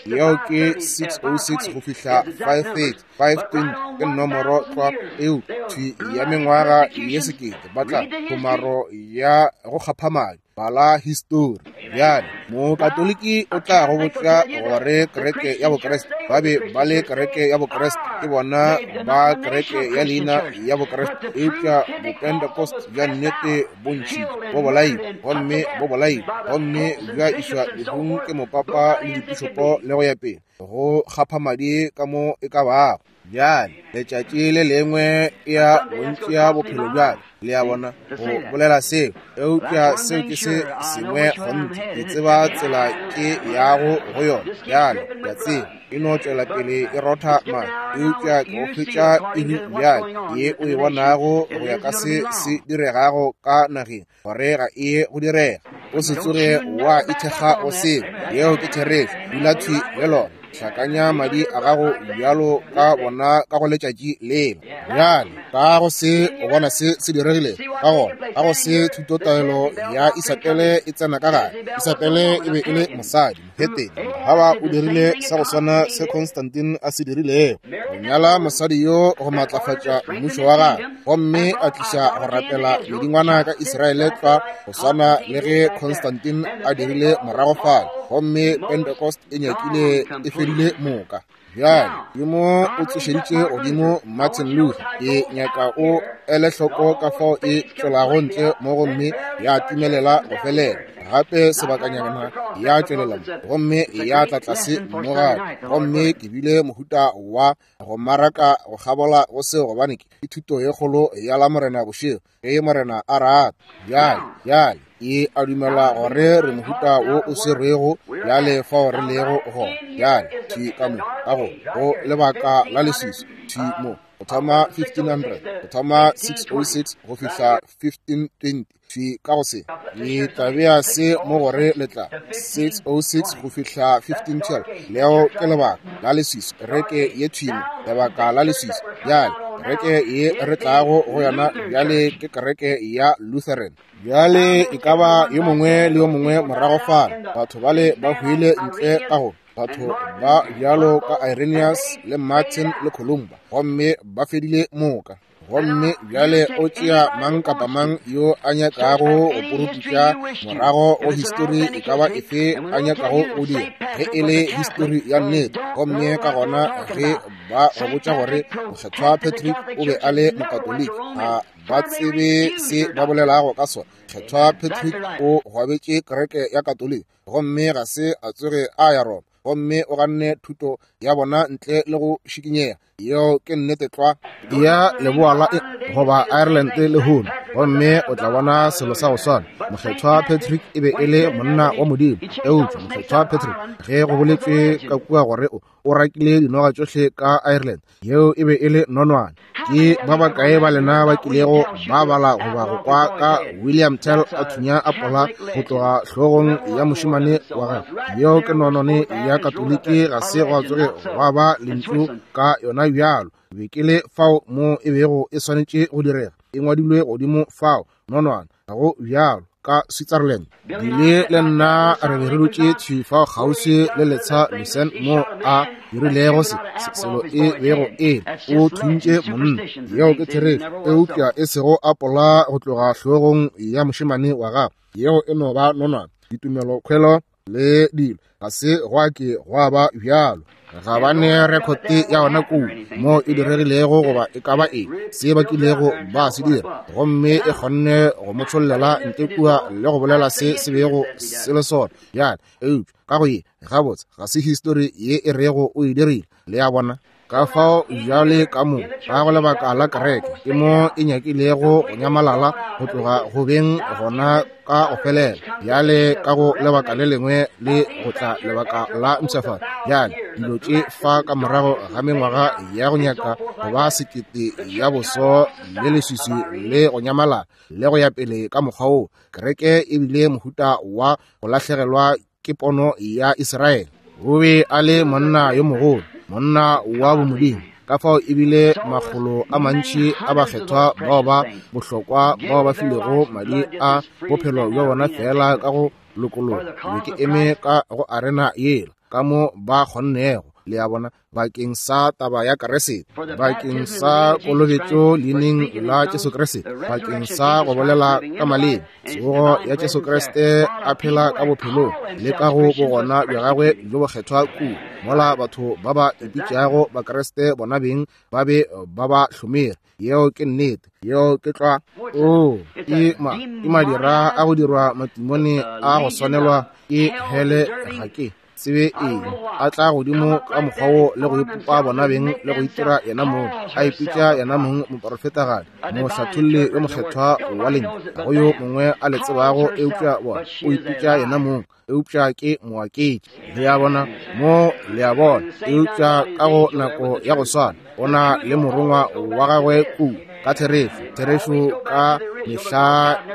yeo ke six oh six go fihla five thirty, five twenty ke nomoro tlwa eo thwi ya mengwaga ye sekete. Ba tla komaro ya go kgapha madi, bala histori. Bjale Mokatoliki o tla go botša gore kereke ya Bokriste, ba be ba le kereke ya Bokriste, ke bona ba kereke ya leina ya Bokriste, eupša Bopentecost bja nnete bo ntšhitšwe, bo bolailwe, gomme bo bolailwe, gomme bja išwa lehung ke mopapa le dipišopo le go ya pele, go kgapha madi ka mo e ka bago. Bjale letšatši le lengwe e ya bontšea bophelo bjale, le a bona, go bolela seo, eupša seo ke se sengwe kgonthe. Ke tseba tsela ke yago go yona bjale, ke a tseba e no tšwela pele e rotha madi, eupša ke go hwetša iri bjale ye o e bonago go ya ka se se diregago ka nageng, gore ga e go direga. O se tsoge wa ithekga go seo, yeo ke therešo. Dula thwi le lona, hlakanya madi a gago bjalo ka bona ka go letšatši lela. Bjale ka go se o bona se se diregile, ka gona ka go se thutotaelo ya Isabele e tsena ka gare. Isabele e be e le mosadi mohetene. Haba o dirile sa go swana se Constantine a se dirilego, go nyala mosadi yo go matlafatša mmušo wa gagwe, gomme a tliša go rapela medingwana ka Israele tlwa go swana le ge Constantine a dirile morago fale, gomme Pentecost e nyakile e fedile moka. Bjale Modimo o tsošeditše godimo Martin Luther. Ke nyaka o ele hloko ka fao e tšwelago ntle mo gomme ya timelela go felela, gape sebakanyana ya tšwelela mo gomme ya tla tlase mo gape. Gomme ke bile mohuta wa go maraka go kgabola go seo, gobane ke thuto ye kgolo ya la Morena bošego, ge Morena a rata. Bjale bjale e a dumela gore re mohuta wo o swerwego bjale fao re lego gona bjale, thwi ka mo ka go go lebaka la leswiswi, thwi mo go thoma fifteen hundred, go thoma six oh six go fihla fifteen twenty, thwi ka go se ke tla bea se mo gore le tla six oh six go fihla fifteen twelve. Leo ke lebaka la leswiswi, kereke ye thwi mo, lebaka la leswiswi. Bjale kereke ye re tlago go yona bjale ke kereke ya Lutheran. Bjale e ka ba yo mongwe le yo mongwe morago fale, batho bale ba hwile ntle ka go batho ba bjalo ka Irenaeus le Martin le Columba, gomme ba fedile moka. Gomme bjale o tšea mang kapa mang yo a nyakago go porofeta morago go histori e ka ba efe a nyakago go dira, ge e le histori ya nnete. Gomme ka gona ge ba go botša gore Mokgethwa Patrick o be a le Mokatoliki, ga ba tsebe se ba bolelago ka sona. Mokgethwa Patrick o gwabetše kereke ya Katoliki, gomme ga se a tsoge a ya Roma, gomme o ganne thuto ya bona ntle le go šikinyega. Yeo ke nnete tlwa ya leboa la goba Ireland lehono, gomme o tla bona selo sa go swana. Mokgethwa Patrick e be e le monna wa Modimo, eupša Mokgethwa Patrick ge go boletšwe ka kua gore o o rakile dinoga tšohle ka Ireland, yeo e be e le nonwane. Ke ba bakae ba lena ba kilego ba bala goba go kwa ka William Tell a thunya apola go tloga hlogong ya mošemane wa gagwe? Yeo ke nonwane ya Katoliki, ga se gwa tsoge gwa ba lentšu ka yona bjalo. Be ke le fao mo e bego e swanetše go direga, e ngwadilwe godimo fao, nonwane, ga go bjalo ka Switzerland. Bile le nna re be re dutše thwi fao kgauswi le letsha Lucerne mo a dirilego se selo e bego e o thuntše monna. Yeo ke therešo, eupša e sego apola go tloga hlogong ya mošemane wa gagwe. Yeo e no ba nonwane, ditumelokhwelo le dilo ga se gwa ke gwa ba bjalo. Ga ba ne rekhote ya yona kua mo e diregilego goba e ka ba eng se ba kilego ba se dira, gomme e kgonne go mo tšhollela ntle kua le go bolela se se bego se le sona. Bjale eupša ka go ye gabotse ga se histori ye e rego o e dirile, le a bona. Ka fao bjale ka mo ka go lebaka la kereke ke mo e nyakilego go nyamalala go tloga go beng gona ka go felela. Bjale ka go lebaka le lengwe le go tla lebaka la mpshafatšo. Bjale dilo tše fa ka morago ga mengwaga ya go nyaka go ba sekete ya boso le leswiswi le go nyamalala le go ya pele ka mokgwa wo, kereke e bile mohuta wa go lahlegelwa ke pono ya Israele. O be a le monna yo mogolo, monna wa bomodimo. Ka fao e bile makgolo a mantši a bakgethwa bao ba bohlokwa bao ba filego madi a bophelo bja bona fela ka go lokologa. Ke be ke eme ka go arena yela ka mo ba kgonnego Le a bona, bakeng sa taba ya Kriste, bakeng sa kolobetšo leineng la Jesu Kriste, bakeng sa go bolela ka maleme, tsogo ya Jesu Kriste a phela ka bophelong le ka go bogona bja gagwe bjo bokgethwa kudu, mola batho ba ba ipitšago Bakriste bona beng ba be ba ba hlomere. Yeo ke nnete, yeo ke tlwa. O ke ma ke madira a go dirwa matimone a go swanelwa ke hele, ga ke tsebe eng, a tla godimo ka mokgwa wo le go ipopa bona beng le go itira yena mong, a ipitša yena mong moporofetagadi, mohlatholli yo mokgethwa wa lentšu, ga go yo mongwe a le tsebago eupša bona o ipitša yena mong, eupša ke moaketši. Le a bona mo, le a bona, eupša ka go nako ya go swana o na le morongwa wa gagwe ku ka therešo. Therešo ka mehla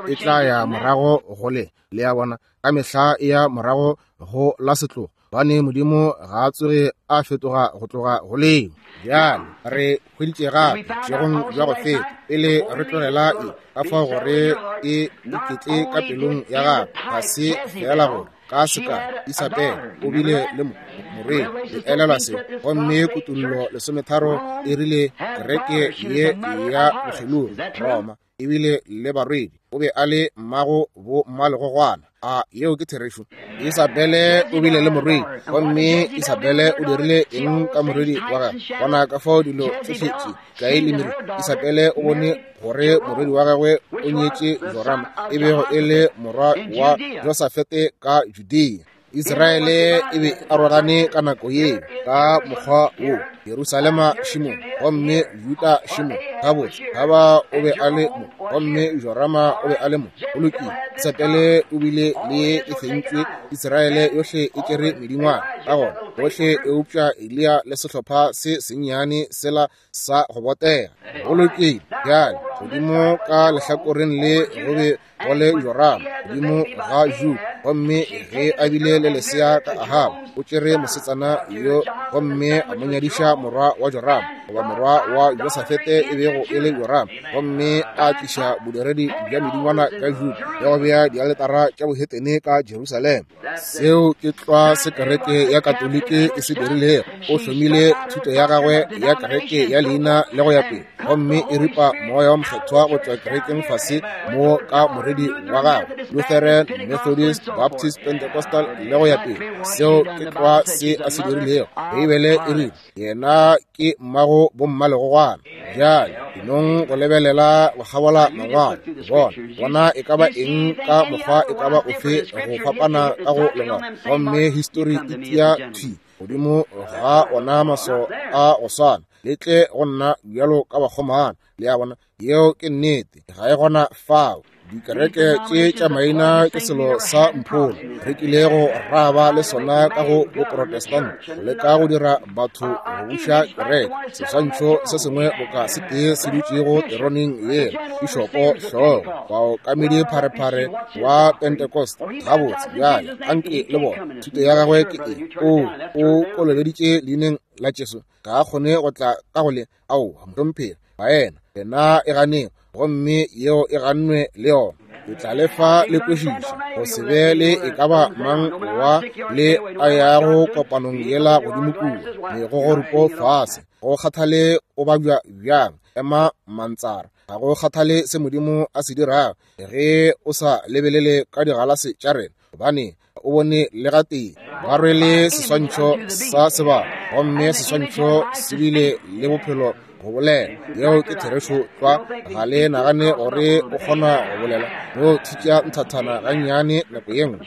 e tla ya morago go le, le a bona, ka mehla e ya morago go la setlogo, bane Modimo ga a tsoge a fetoga go tloga go leo. Bjale re hweditše gape bošegong bja go feta, pele re tlogela e, ka fao gore e iketle ka pelong ya gagwe, ga se fela gore ka seka Isabele o bile le morwedi, le elelwa se, gomme Kutullo lesometharo e rile kereke ye ya bokgelogi Roma ebile le barwedi, o be a le mmago bo mmalegogwana. A yeo ke therešo? Isabele o bile le morwedi, gomme Isabele o dirile eng ka morwedi wa gagwe? Bona ka fao dilo tsohle tše kae le mere. Isabele o bone gore morwedi wa gagwe o nyetše Jorama, e bego e le morwa wa Josafete ka Judea. Israele e be arogane ka nako yeo ka mokgwa wo, Jerusalema šimo gomme Juda šimo. Gabotse, Ahaba o be a le mo gomme Jorama o be a le mo. Go lokile, Isabele o bile le e fentšwe, Israele yohle e tšere medingwana ka gona bohle eupša Eliya le sehlopha se sennyane sela sa go botega. Go lokile, bjale godimo ka lehlakoreng le go be go le Jorama godimo ga Juda, gomme ge a bile le lesea ka Ahaba, o tšere mosetsana yo gomme a mo nyadiša morwa wa Jorama, goba morwa wa Josafete e bego e le Jorama, gomme a tliša bodiredi bja medingwana ka Juda le go bea dialetara tša bohetene ka Jerusalema. Seo ke tlwa se kereke ya Katoliki e se dirilego. O hlomile thuto ya gagwe ya kereke ya leina le go ya pele, gomme e ripa moya wa mokgethwa go tšwa kerekeng fase mo ka moredi wa gagwe, Lutheran, Methodist, Baptist, Pentecostal le go ya pele. Seo ke tlwa se a se dirilego. Beibele e rile yena ke mmago bommalegogwana. Bjale dinong go lebelela go kgabola mangwalo, bona bona e ka ba eng ka mokgwa e ka ba ofe go fapana ka go lengwalo, gomme histori e tia thwi godimo ga ona maso a go swana, le tle go nna bjalo ka bakgomana. Le a bona, yeo ke nnete, ga e gona fao. Dikereke tše tša maina ke selo sa mpholo re kilego ra ba le sona ka go boprotestant, go leka go dira batho go buša kereke. Seswantšho se sengwe boka se tee se dutšego teroneng yela, pišopo hlogo, baokamedi pharephare wa Pentecost. Gabotse, bjale anke le bona thuto ya gagwe ke eng? O o kolobeditše leineng la Jesu, ga a kgone go tla ka go le aowa mohlomphegi, baena lena e ganeng, gomme yeo e gannwe le yona. Ke tla le fa le kwešiša go se be le e ka ba mang wa le a yago kopanong yela godimo kua megogorupo fase, go kgathale o babja bjang, ema mantsara, ga go kgathale se Modimo a se dirago ge o sa lebelele ka digalase tša rena, gobane o bone le gatee ba rwele seswantšho sa sebaka, gomme seswantšho se bile le bophelo go bolela. Yeo ke therešo tlwa. Ga le nagane gore o kgona go bolela no thitša nthathana gannyane nako ye nngwe,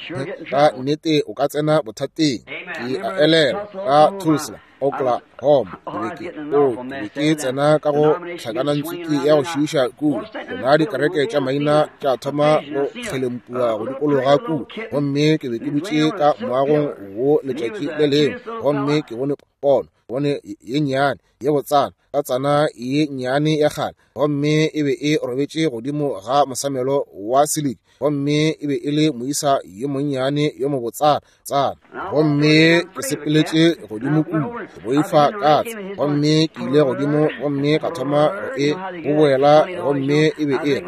ka nnete o ka tsena bothateng. Ke a elelwa ka Tulsa, Oklahoma, ke be ke o ke be ke tsena ka go tlhakanantswiki ya go šiiša kua. Tsona dikereke tša maina tša thoma go kgelempua go dikologa kua, gomme ke be ke dutše ka moagong wo letšatši le lengwe, gomme ke bone pono, bone ye nnyane ye botsana, ka tsana ye nnyane ya kgale, gomme e be e robetše godimo ga mosamelo wa siliki, gomme e be e le moisa yo monnyane yo mobotsana tsana. Gomme ke sepeletše godimo kua, ke boifa katse, gomme ke ile godimo gomme ka thoma go e boboela, gomme e be e re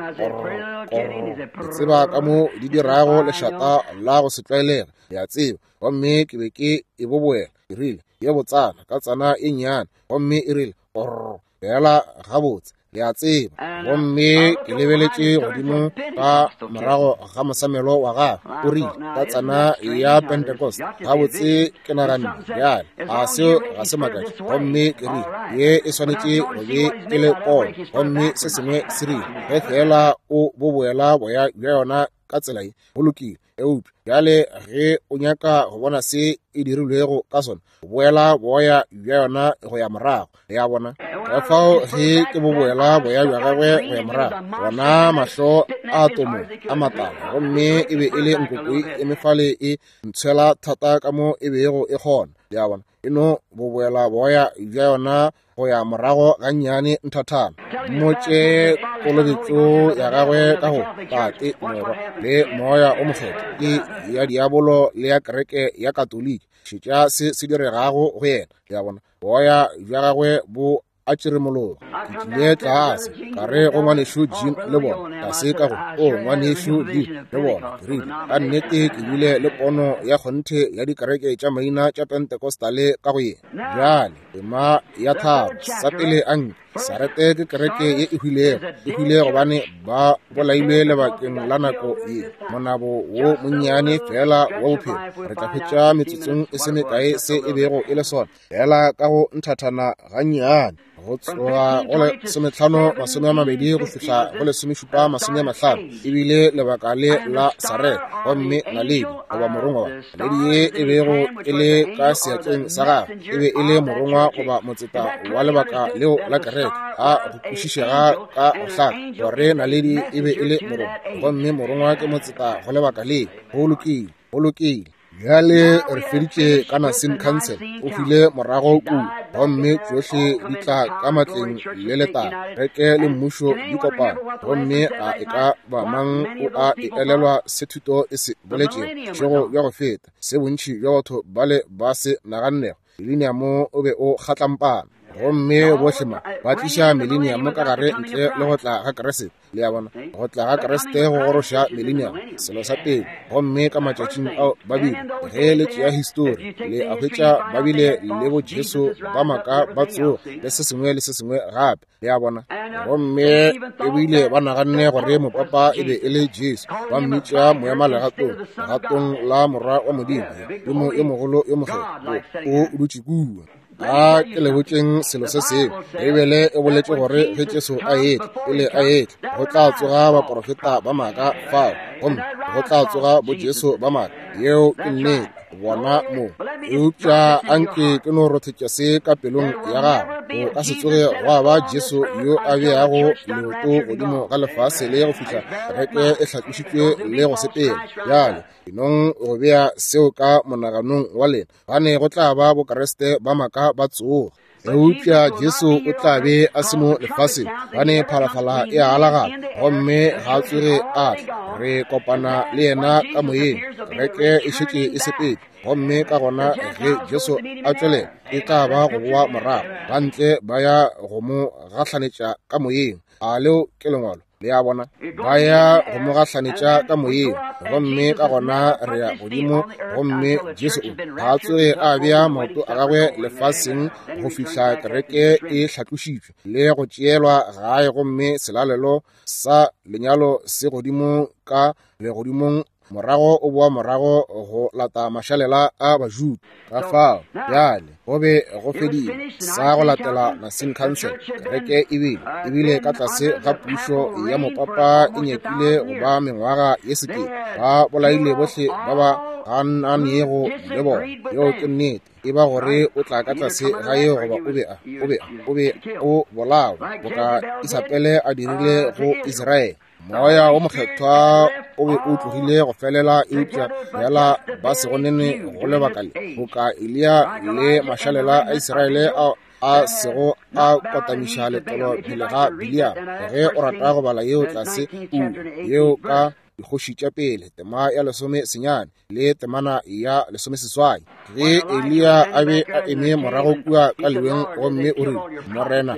korr, ke tseba ka mo di dirago lešata la go se tlwaelege, le a tseba, gomme ke be ke e boboela. Ke rile, ye botsana ka tsana e nnyane, gomme e rile orr fela gabotse, le a tseba. Gomme ke lebeletše godimo ka morago ga mosamelo wa gagwe, o rile ka tsana ya Pentecost. Gabotse ke naganne bjale a seo ga se makatše. Gomme ke rile ye e swanetše go be e le pono. Gomme se sengwe se rile ge fela o boboela boya bja yona ka tsela ye, go lokile. Eupša bjale ge o nyaka go bona se e dirilwego ka sona, boela boya bja yona go ya morago, le a bona. Ka fao ge ke boboela boya bja gagwe go ya morago, bona mahlo a tomo a matala, gomme e be e le nkokoi e mefale e ntshwela thata ka mo e bego e kgona, le a bona. E no boboela boya bja yona go ya morago gannyane nthathana, mmotše kolobetšo ya gagwe ka go Tate, Morwa le Moya o Mokgethwa ke ya diabolo le ya kereke ya Katoliki. Šetša se se diregago go yena, le a bona. Boya bja gagwe bo a tšeremologa. Ke tlile tlase ka re go ngwanešu Jim le bona, tlase ka go o ngwanešu Jim le bona, ke rile ka nnete ke bile le pono ya kgonthe ya dikereke tša maina tša Pentecostale ka go yena. Bjale tema ya tharo sa pele a nke Sarete ke kereke ye e hwilego, e hwile gobane ba bolailwe lebakeng la nako ye, monabo wo monnyane fela wa bophelo. Re tla hwetša metsotsong e se mekae se e bego e le sona, fela ka go nthathana gannyane, go tloga go lesometlhano masome a mabedi go fihla go lesomešupa masome a mahlano, ebile lebaka le la Sarete. Gomme naledi goba morongwa, naledi ye e bego e le ka seatleng sa gagwe e be e le morongwa goba motseta wa lebaka leo la kereke. A go kwešišega ka go hlaka gore naledi e be e le morongwa, gomme morongwa ke motseta go lebaka le. Go lokile, go lokile. Bjale re feditše ka Nicene Council, o hwile morago kua, gomme tšohle di tla ka matleng le letala. Kereke le mmušo di kopana, gomme a e ka ba mang o a e elelwa se thuto e se boletšego bošego bja go feta, se bontši bja batho bale ba se nagannego. Mileniamo o be o kgatlampana, gomme bohle ma ba tliša mileniamo ka gare ntle le go tla ga Kriste. Le a bona, go tla ga Kriste go goroša mileniamo, selo sa pele. Gomme ka matšatšing ao ba bile, ge le tšea histori, le a hwetša ba bile le bo Jesu ba maaka ba tsoga le se sengwe le se sengwe gape, le a bona. Gomme ebile ba naganne gore mopapa e be e le Jesu, ba mmitša moema legatong, legatong la morwa wa Modimo, Modimo yo mogolo yo mokgethwa, o dutše kua. A ke le botšeng selo se sengwe. Beibele e boletše gore ge Jesu a etla, pele a etla, go tla tsoga baprofeta ba maaka fao, gomme go tla tsoga bo Jesu ba maaka. Yeo ke nnete, bona mo. Eupša anke ke no rothetša se ka pelong ya gago, go ka se tsoge gwa ba Jesu yo a beago leoto godimo ga lefase le go fihla kereke e hlatlošitšwe le go sepela. Bjale enong go bea seo ka monaganong wa lena, gane go tla ba bokreste ba maaka ba tsoga. Eupša Jesu o tla be a se mo lefaseng, gane phalafala e a alagala, gomme ga a tsoge a tla. Re kopana le yena ka moyeng, kereke e šetše e sepetse, gomme ka gona ge Jesu a tšwelela e tla ba go boa morago, ba ntle ba ya go mo gahlanetša ka moyeng. A leo ke lengwalo, le a bona, ba ya go mo gahlanetša ka moyeng, gomme ka gona re ya godimo. Gomme Jesu o ga a tsoge a bea maoto a gagwe lefaseng go fihla kereke e hlatlošitšwe le go tšeelwa gae, gomme selalelo sa lenyalo se godimo ka legodimong. Morago o boa morago go lata mašalela a Bajuda. Ka fao bjale go be go fedile sa go latela Nicene Council. Kereke ebile ebile ka tlase ga pušo ya mopapa e nyakile go ba mengwaga ye sekete. Ba bolaile bohle ba ba gananego le bona. Yeo ke nnete. E ba gore o tla ka tlase ga yeo goba o be a o be o be o bolawa boka Isabele a dirile go Israele. Moya o mokgethwa o be o tlogile go felela, eupša fela ba se gonene go lebaka le, boka Eliya le mašalela a Israele a a sego a kotamiša letlolo pele ga Biliam. Ge o rata go bala yeo tlase kua, yeo ka dikgoši tša pele tema ya lesome senyane le temana ya lesomeseswai, ge Eliya a be a eme morago kua ka leweng, gomme o rile, Morena,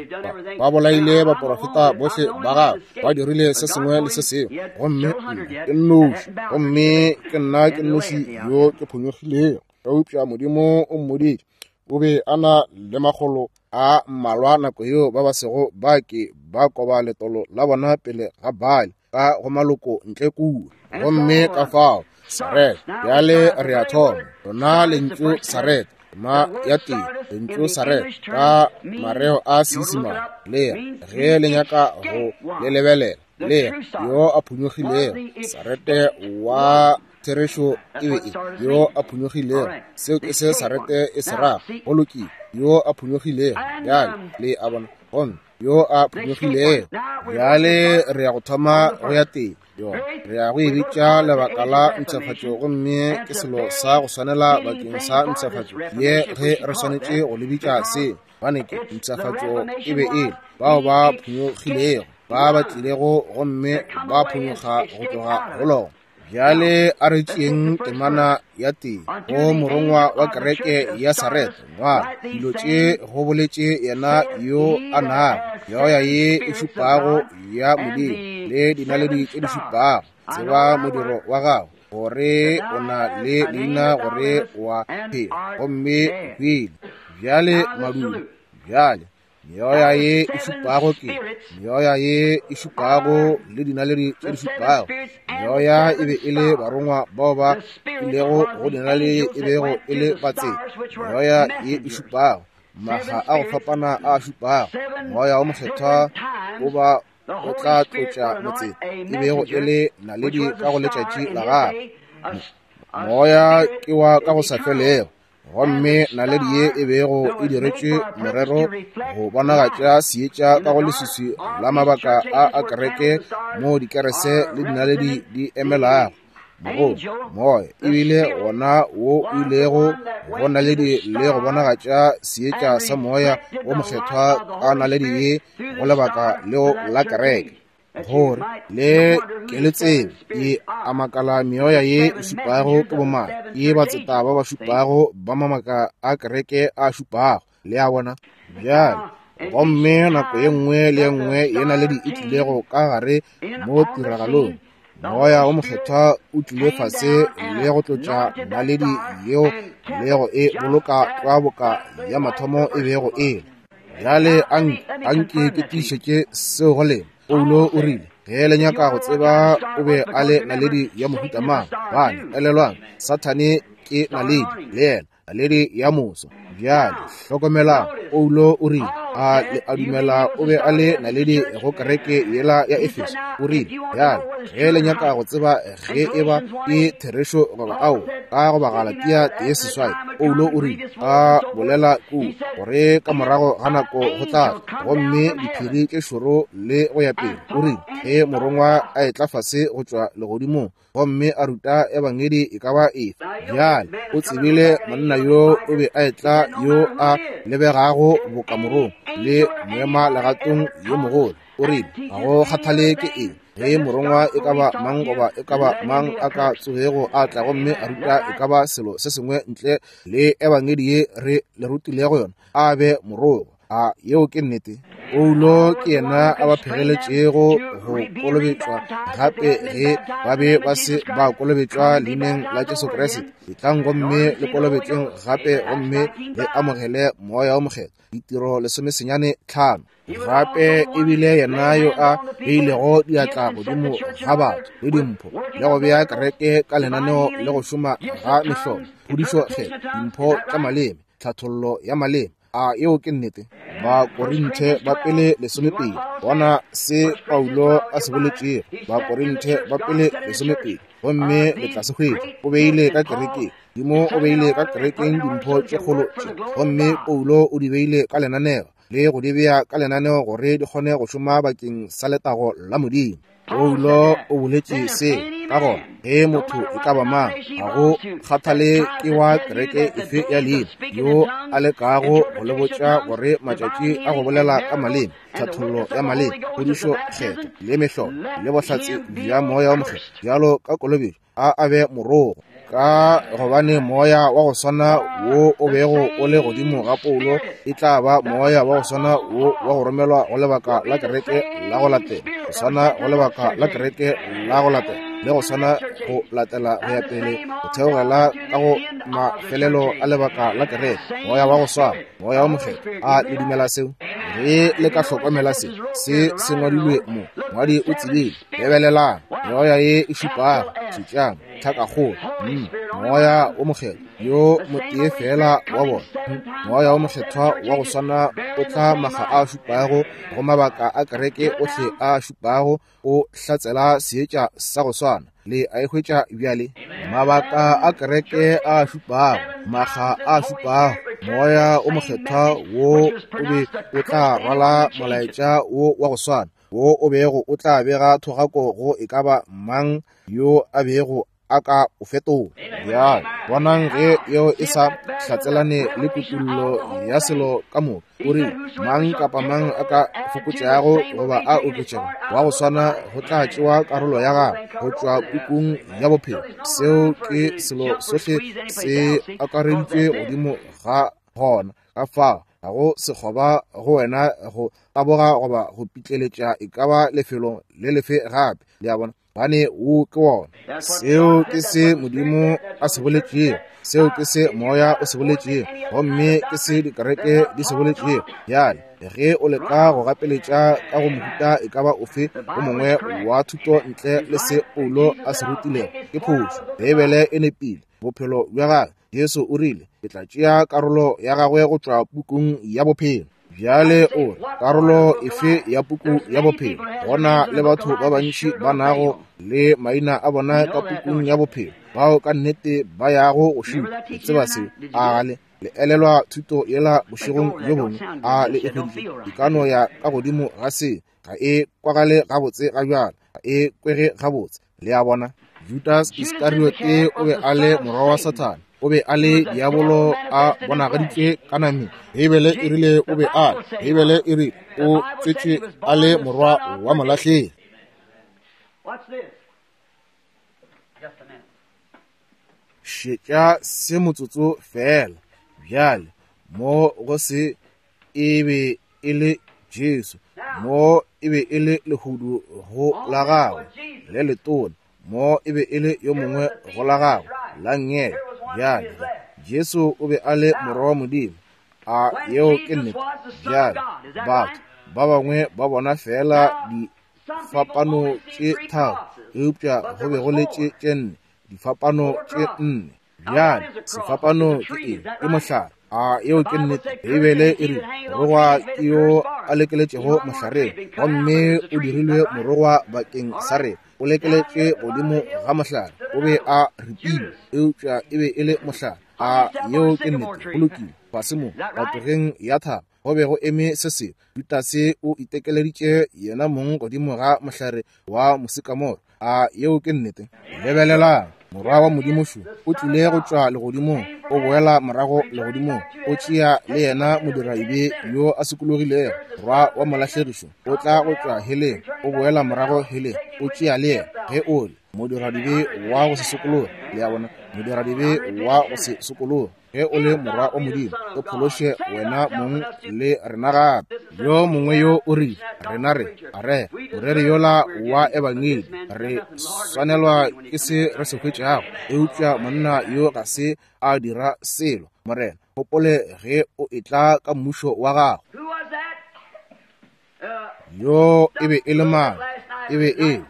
ba bolaile baprofeta bohle ba gago, ba dirile se sengwe le se sengwe, gomme nna ke nnoši, gomme ke nna ke nnoši yo ke phonyokgilego. Eupša Modimo o mmoditše, O be a na le makgolo a mmalwa nako yeo ba ba sego ba ke ba koba letolo la bona pele ga Baali ka go maloko ntle kua. Gomme ka fao Sarete, bjale re a thoma lona lentšu Sarete, ma ya tee lentšu Sarete ka mareo a Seisemane lea ge le nyaka go le lebelela lea yo a phonyokgilego. Sarete wa therešo e be e yo a phonyokgilego. Seo ke se Sarete e se rago. Go lokile, yo a phonyokgilego. Bjale le a bona, gomme yo a phonyokgilego. Bjale re ya go thoma go ya teng yona, re ya go e bitša lebaka la mpshafatšo, gomme ke selo sa go swanela bakeng sa mpshafatšo ye ge re swanetše go le bitša seo, gobane ke mpshafatšo e be e bao ba phonyokgilego, ba ba tlilego gomme ba phonyokga go tloga go lona. Bjale a re tšeeng temana ya tee go morongwa wa kereke ya Sarete. Ngwala dilo tše go boletše yena yo a nago meoya ye e šupago ya Modimo le dinaledi tše di šupago. Tseba modiro wa gago, gore o na le leina gore wa phela, gomme o hwile. Bjale madulo, bjale meoya ye e šupago ke meoya ye e šupago le dinaledi tše di šupago. Meoya e be e le barongwa bao ba ilego go dinaledi e bego e le batseta. Meoya ye e šupago, maga a go fapana a šupago. Moya wo Mokgethwa o ba o tla tlotša motseta e bego e le naledi ka go letšatši la gagwe. Moya ke wa ka go sa felego, gomme naledi ye e bego e diretšwe morero go bonagatša seetša ka go leswiswi la mabaka a a kereke mo dikerese le dinaledi di emelago. Mogolo moya ebile gona wo o ilego go naledi le go bonagatša seetša sa moya wo mokgethwa ka naledi ye go lebaka leo la kereke, gore le ke le tsebe e a makala meoya ye e šupago ke bomang, ke batseta ba ba šupago ba mabaka a kereke a šupago. Le a bona? Bjale gomme nako ye nngwe le ye nngwe ye naledi e tlilego ka gare mo tiragalong, moya wo mokgethwa o tlile fase le go tlotša naledi yeo le go e boloka tlwa boka ya mathomo e bego e le. Bjale anke ke tiišetše seo go lena. Paulo o rile ge le nyaka go tseba o be a le naledi ya mohuta mang, bane elelwang Sathane ke naledi le yena naledi ya moso. Bjale hlokomelang, Paulo o rile a le a dumela o be a le naledi go kereke yela ya Efeso. O rile bjale ge le nyaka go tseba ge e ba ke therešo goba ao, ka go Bagalatia tee seswai, Paulo o rile a bolela kua gore ka morago ga nako go tla gomme diphiri tše šoro le go ya pele. O rile ge morongwa a etla fase go tšwa legodimong gomme a ruta ebangedi e ka ba efe. Bjale o tsebile monna yo o be a etla yo a lebegago boka morongwa le moema legatong yo mogolo. O rile ga go kgathale ke eng ge morongwa e ka ba mang goba e ka ba mang a ka tsogego a tla gomme a ruta e ka ba selo se sengwe ntle le ebangedi ye re le rutilego yona, a be morongwa. A yeo ke nnete? Paulo ke yena a ba phegeletšego go kolobetšwa gape ge ba be ba se ba kolobetšwa leineng la Jesu Kriste. Etlang gomme le kolobetšweng gape gomme le amogele moya wo mokgethwa. Ditiro lesomesenyane tlhano. Gape ebile yena yo a beilego diatla godimo ga batho le dimpho le go bea kereke ka lenaneo le go šoma ga mehlolo, phodišo kgetho, dimpho tša maleme, tlhathollo ya maleme. A yeo ke nnete? Bakorinthe ba pele lesomepedi. Bona se Paulo a se boletšego. Bakorinthe ba pele lesomepedi, gomme le tla se hwetša. O beile ka kerekeng Modimo o beile ka kerekeng dimpho tše kgolo tše, gomme Paulo o di beile ka lenaneo le go di bea ka lenaneo gore di kgone go šoma bakeng sa letago la Modimo. Paulo o boletše se ka gona ge motho e ka ba mang, ga go kgathale ke wa kereke efe ya leina, yo a lekago go le botša gore matšatši a go bolela ka maleme, tlhathollo ya maleme, phodišo kgetho le mehlolo le bohlatse bja moya wo mokgethwa bjalo ka kolobetšo, a a be morogo. Ka gobane moya wa go swana wo o bego o le godimo ga Paulo e tla ba moya wa go swana wo wa go romelwa go lebaka la kereke la go latela, go swana go lebaka la kereke la go latela. le go swana go latela go ya pele go theogela ka go mafelelo a lebaka la kereke. Moya wa go swana, Moya wo Mokgethwa. A le dumela seo? Ge le ka hlokomela se, se se ngwadilwe mo, ngwadi o tsebile. Lebelelang, meoya ye e šupago, šetšang, tlhakakgolo, mm, Moya wo Mokgethwa, yo motee fela wa bona. Moya wo Mokgethwa wa go swana o tla maga a šupago go mabaka a kereke ohle a šupago, o hlatsela seetša sa go swana. Le a e hwetša bjale? Mabaka a kereke a šupago, maga a šupago, Moya o Mokgethwa wo o be o tla rwala molaetša wo wa go swana, wo o bego o tla bega thogako go e ka ba mang yo a bego a ka o fetola. Bjale bonang ge yeo e sa hlatselane le kutullo ya selo ka moka. O rile mang kapa mang a ka fokotšago goba a oketšego wa go swana go tla tšewa karolo ya gagwe go tšwa pukung ya bophelo. Seo ke selo sohle se akareditšwe godimo ga gona. Ka fao ga go sekgoba go wena go taboga goba go pitleletša e ka ba lefelo le lefe gape. Le a bona? Bane wo ke wona. Seo ke se Modimo a se boletšego, seo ke se Moya o se boletšego, gomme ke se dikereke di se boletšego. Bjale ge o leka go gapeletša ka go mohuta e ka ba ofe o mongwe wa thuto ntle le se Paulo a se rutilego, ke phošo. Beibele e nepile. Bophelo bja gagwe, Jesu o rile, ke tla tšea karolo ya gagwe go tšwa pukung ya bophelo. Bjale o re, karolo efe ya puku ya bophelo? Gona le batho ba bantši ba nago le maina a bona ka pukung ya bophelo, bao ka nnete ba yago go šupa. Le tseba seo? A le le elelwa thuto yela bošegong bjo bongwe? A le e hweditše? E ka no ya ka godimo ga se, ga e kwagale gabotse ga bjale, ga e kwege gabotse. Le a bona? Judas Iskariote o be a le morwa wa Sathane, o be a le diabolo a bonagaditšwe ka nameng. Beibele e rile o be a, Beibele e rile o tswetšwe a le morwa wa molahlegi. Šetša se motsotso fela. Bjale mo go se e be e le Jesu, mo e be e le lehudu go la gagwe le letona, mo e be e le yo mongwe go la gagwe la nngele. Bjale Jesu o be a le morwa wa Modimo. A yeo ke nnete? Bjale batho ba bangwe ba bona fela difapano tše tharo, eupša go be go le tše tše nne, difapano tše nne. Bjale sefapano ke eng? Ke mohlare. A yeo ke nnete? Beibele e rile morogwa ke yo a lekeletšego mohlareng, gomme o dirilwe morogwa bakeng sa rena. O lekeletšwe godimo ga mohlare, o be a ripilwe, eupša e be e le mohlare. A yeo ke nnete? Go lokile. Fase mo patogeng ya thaba go be go eme se sengwe. Judase o itekeleditše yena mong godimo ga mohlare wa mosikamoro. A yeo ke nnete? Lebelelang, morwa wa Modimo šo o tlile go tšwa legodimong, o boela morago legodimong, o tšea le yena modiraibe yo a sokologilego. Morwa wa molahlegišo o tla go tšwa heleng, o boela morago heleng, o tšea le yena. Ge o le modiradibe wa go se sokologe, le a bona, modiradibe wa go se sokologe, ge o le morwa wa Modimo, o phološe wena mong le rena gape. Yo mongwe yo o rile, rena re a re moreri yola wa ebangedi, re swanelwa ke se re se hwetšago, eupša monna yo ga se a dira selo. Morena, gopole ge o etla ka mmušo wa gago. Yo e be e le mang? E be e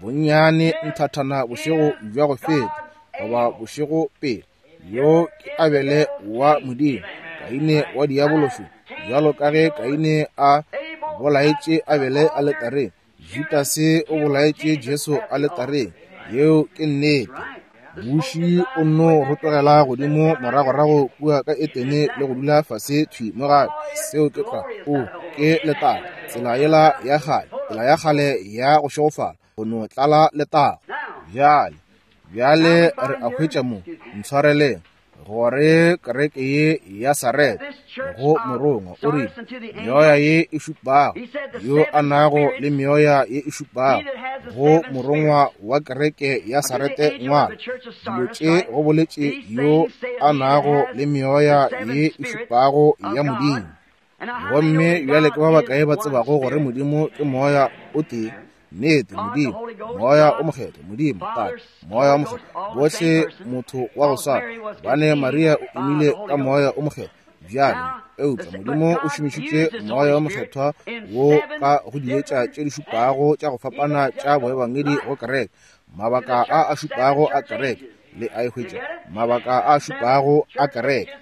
bonnyane nthathana bošego bja go feta goba bošego pele. Yo ke Abele wa Modimo, Kaine wa diabološo. Bjalo ka ge Kaine a bolaetše Abele aletareng, Judase o bolaetše Jesu aletareng. Yeo ke nnete. Buši o nno rotogela godimo moragorago kua ka Etene le go dula fase thwi mo gape. Seo ke tlwa. O ke letago, tsela yela ya kgale, tsela ya kgale ya go šegofala, go no tlala letago. Bjale bjale re a hwetša mo, ntshwareleng, gore kereke ye ya Sarete go morongwa o rile, meoya ye e šupago, yo a nago le meoya ye e šupago, go morongwa wa kereke ya Sarete ngwala dilo tše go boletše yo a nago le meoya ye e šupago ya Modimo. Gomme bjale ke ba bakae ba tsebago gore Modimo ke moya o tee? Nnete, Modimo, Moya o Mokgethwa, Modimo, Tate, Moya o Mokgethwa, bohle motho wa go swana. Gobane Maria o imile ka Moya o Mokgethwa. Bjale, eupša Modimo o šomišitše Moya o Mokgethwa wo ka go dietša tše di šupago tša go fapana tša boebangedi go kereke, mabaka a a šupago a kereke, le a e hwetša, mabaka a šupago a kereke.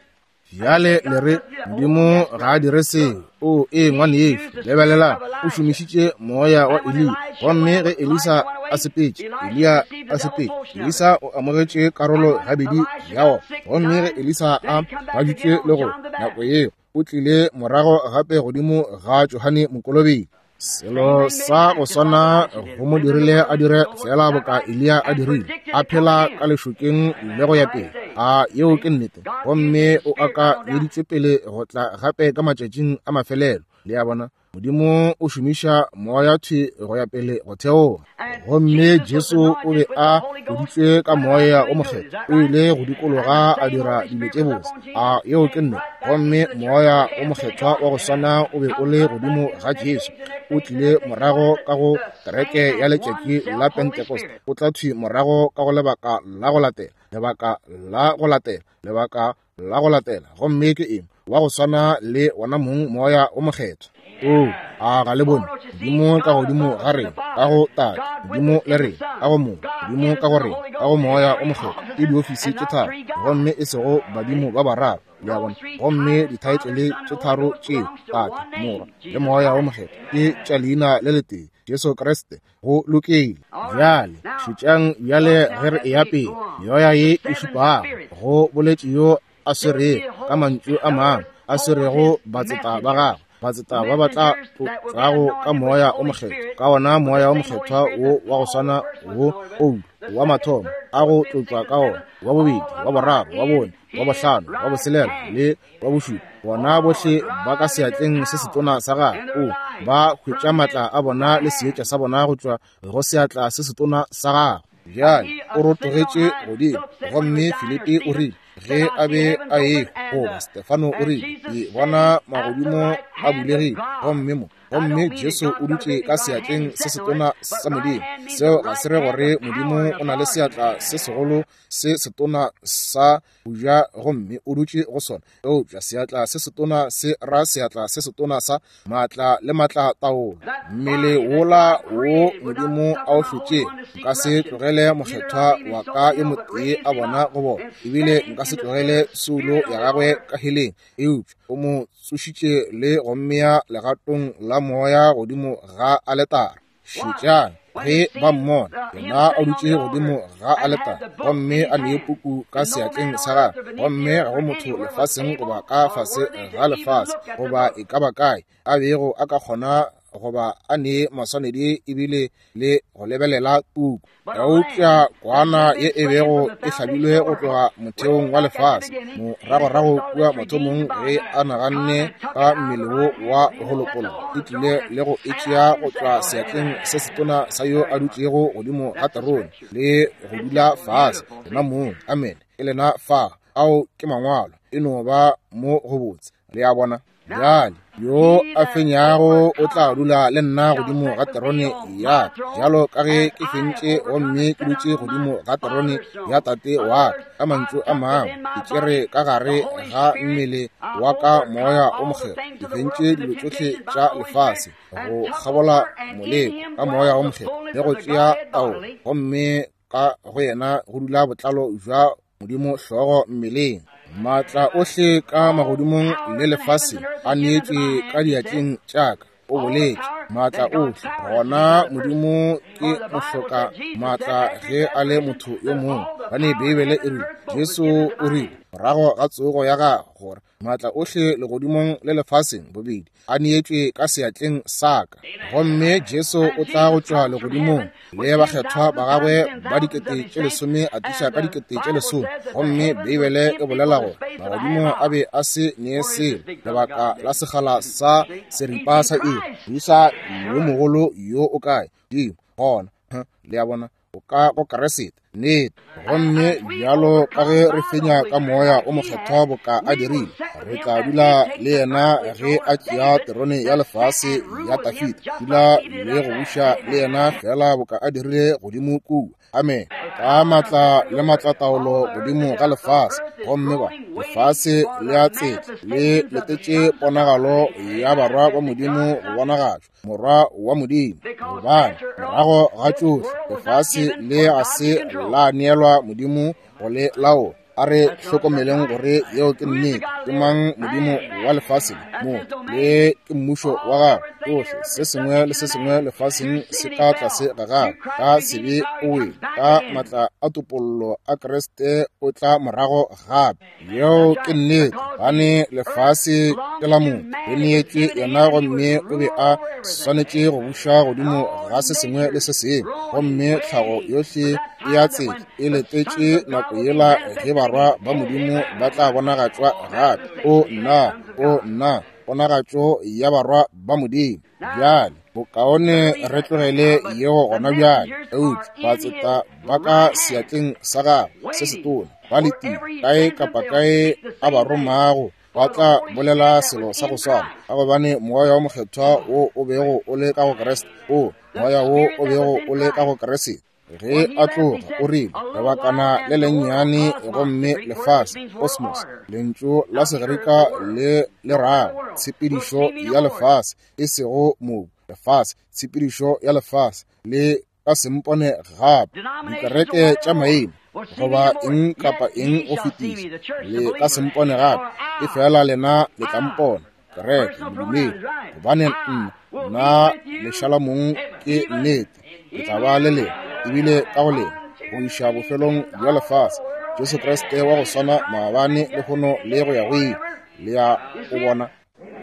Bjale le re Modimo ga a dire seo. O ee, ngwanešu, lebelela, o šomišitše moya wa Eliya. Gomme ge Elisa a sepetše, Eliya a sepetše, Elisa o amogetše karolo gabedi ya ona. Gomme ge Elisa a baditše le go nako yeo, o tlile morago gape godimo ga Johane Mokolobetši. Selo sa go swana go mo dirile a dire fela boka Eliya a dirile, a phela ka lešokeng le go ya pele. A yeo ke nnete. Gomme o akanyeditšwe pele go tla gape ka matšatšing a mafelelo. Le a bona, Modimo o šomiša moya thwi go ya pele go theoga. Gomme Jesu o be a tloditšwe ka Moya o Mokgethwa, o ile go dikologa a dira dilo tše botse. A yeo ke nnete. Gomme Moya o Mokgethwa wa go swana o be o le godimo ga Jesu, o tlile morago ka go kereke ya letšatši la Pentecost, o tla thwi morago ka go lebaka la go latela, lebaka la go latela, lebaka la go latela. Gomme ke eng? Wa go swana le wona mong Moya o Mokgethwa. O, a ga le bone Modimo ka godimo ga rena, ka go Tate, Modimo le rena, ka go Morwa, Modimo ka go rena, ka go Moya o Mokgethwa. Ke diofisi tše tharo, gomme e sego badimo ba bararo. Le a bona? Gomme dithaetlele tše tharo tšeo, Tate, Morwa le Moya o Mokgethwa, ke tša leina le letee, Jesu Kriste. Go lokile. Bjale šetšang bjale ge re eya pele. Meoya ye e šupago, go boletše yo a swerego, ka mantšu a mangwe, a swerego batseta ba gagwe, batseta ba ba tla tlotšwago ka Moya o Mokgethwa, ka wona Moya o Mokgethwa wo wa go swana wo Paulo wa mathomo a go tlotšwa ka wona, wa bobedi, wa boraro, wa bone, wa bohlano, wa boselela le wa bošupa, bona bohle ba ka seatleng se setona sa gagwe. O ba hwetša matla a bona le seetša sa bona go tšwa go seatla se setona sa gagwe. Bjale o rotogetše godimo, gomme Filipi o rile ge a be a ehwa, goba Stefano o rile, ke bona magodimo a bulegile, gomme mo, gomme Jesu o dutše ka seatleng se setona sa Modimo. Seo ga se re gore Modimo o na le seatla se segolo se setona sa boja gomme o dutše go sona, eupša seatla se setona se ra seatla se setona sa maatla le maatla taolo. Mmele wola wo Modimo a o hlotšego, nka se tlogele mokgethwa wa ka yo motee a bona go bona, ebile nka se tlogele soulo ya gagwe ka heleng, eupša o mo tsošitše le go mmea legatong la moya godimo ga aletara. Šetšang ge ba mmona yena a dutše godimo ga aletara, gomme a ne puku ka seatleng sa gagwe, gomme ga go motho lefaseng goba ka fase ga lefase goba e ka ba kae a bego a ka kgona goba a ne maswanedi ebile le go lebelela puku. Eupša kwana ye e bego e hlabilwe go tloga motheong wa lefase moragorago kua mathomong ge a naganne ka mmele wo wa go lopollwa, e tlile le go e tšea go tšwa seatleng se setona sa yo a dutšego godimo ga terone le go dula fase yena mong. Amen. E lena fa. Ao ke mangwalo, e no ba mo go botse. Le a bona? Bjale yo a fenyago o tla dula le nna godimo ga terone ya ka, bjalo ka ge ke fentše gomme ke dutše godimo ga terone ya Tate wa ka. Ka mantšu a mangwe, ke tšere ka gare ga mmele wa ka Moya o Mokgethwa, ke fentše dilo tšohle tša lefase go kgabola moleko ka Moya o Mokgethwa le go tšea taolo, gomme ka go yena go dula botlalo bja Modimo hlogo mmeleng. Maatla ohle ka magodimong le lefaseng a neetšwe ka diatleng tša ka, o boletše. Maatla ohle. Gona Modimo ke mohloka maatla ge a le motho yo mongwe, gobane Beibele e rile, Jesu o rile morago ga tsogo ya gagwe gore maatla ohle legodimong le lefaseng bobedi a neetšwe ka seatleng sa ka. Gomme Jesu o tla go tšwa legodimong le bakgethwa ba gagwe ba dikete tše lesome a tliša ka dikete tše lesome. Gomme Beibele e bolela gore magodimo a be a se nee selo lebaka la sekgala sa seripa sa iri. Moisa yo mogolo yo o kae? Dimo gona. Le a bona? O ka go Kriste. Nnete. Gomme bjalo ka ge re fenya ka Moya o Mokgethwa boka a dirile, re tla dula le yena ge a tšea terone ya lefase ya Dafida, dula le go buša le yena fela boka a dirile godimo kua. Amen. Ka matla le matlataolo godimo ga lefase, gomme ba lefase le a tsetla le letetše ponagalo ya barwa ba Modimo go bonagatšwa, morwa wa Modimo. Gobane morago ga tšohle lefase le ga se la neelwa Modimo go le laola. A re hlokomeleng gore yeo ke nnete. Ke mang Modimo wa lefase mo? Le ke mmušo wa gagwe. Tšohle se sengwe le se sengwe lefaseng se ka tlase ga gagwe. Ka sebe o wele, ka matla a topollo a Kriste o tla morago gape. Yeo ke nnete, gobane lefase ke la motho, le neetšwe yena, gomme o be a swanetše go buša godimo ga se sengwe le se sengwe. Gomme tlhago yohle e a tsetla, e letetše nako yela ge barwa ba Modimo ba tla bonagatšwa gape. O nna, o nna, ponagatšo ya barwa ba Modimo. Bjale bokaone re tlogele yeo gona bjale. Eupša batseta ba ka seatleng sa gagwe se setona ba letile kae kapa kae a ba romago, ba tla bolela selo sa go swana, ka gobane Moya wo Mokgethwa wo o bego o le ka go Kriste, o Moya wo o bego o le ka go Kriste, ge a tloga o rile, lebakana le lennyane gomme lefase, kosmos, lentšu la Segerika le le rago tshepedišo ya lefase, e sego mobu, lefase, tshepedišo ya lefase, le ka sempone gape. Dikereke tša maina goba eng kapa eng go fetiša, le ka sempone gape, e fela lena le tla mpona, kereke, modumedi, gobane nna, nna lešalamong ke nnete, ke tla ba le lena, ebile ka go lena, go iša bofelong bja lefase. Jesu Kriste wa go swana maabane, lehono le go ya go ile. Le ya o bona.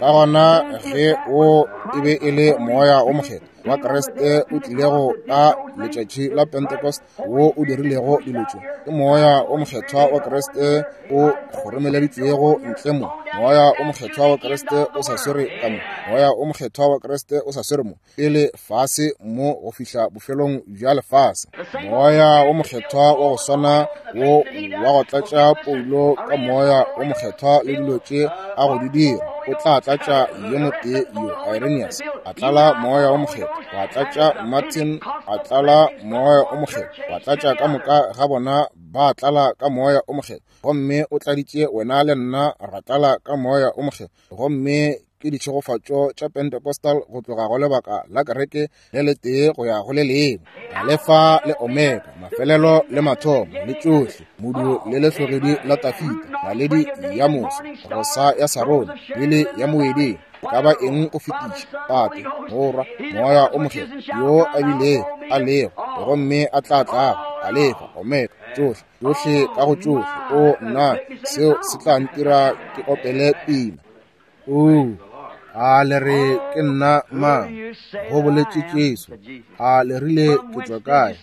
Ka gona ge o e be e le Moya o Mokgethwa wa Kriste o tlilego ka letšatši la Pentecost wo o dirilego dilo tše, ke Moya o Mokgethwa wa Kriste o kgoromeleditšwego ntle mo. Moya o Mokgethwa wa Kriste o sa swere ka mo. Moya o Mokgethwa wa Kriste o sa swere mo pele fase mo go fihla bofelong bja lefase. Moya o Mokgethwa wa go swana wo wa go tlatša Paulo ka Moya o Mokgethwa le dilo tše a go di dira, o tla tlatša yo motee yo, Irenaeus, a tlala Moya o Mokgethwa, wa tlatša Martin, a tlala Moya o Mokgethwa, wa tlatša ka moka ga bona ba tlala ka Moya o Mokgethwa. Gomme o tladitše wena le nna ra tlala ka Moya o Mokgethwa. Gomme ke ditšhegofatšo tša Pentecostal go tloga go lebaka la kereke le letee go ya go le lengwe, Alefa le Omega, mafelelo le mathomo, le tšohle, modu le lehlogedi la Dafida, naledi ya moso, rosa ya Sarone, lili ya moeding, e ka ba eng go fetiša, Tate, Morwa, Moya o Mokgethwa, yo a bilego, a lego, gomme a tla tlago, Alefa, Omega, tšohle, tšohle ka go tšohle. O nna, seo se tla ntira ke opele pina. O, a le re ke nna mang? Go boletše Jesu. A le rile ke tšwa kae?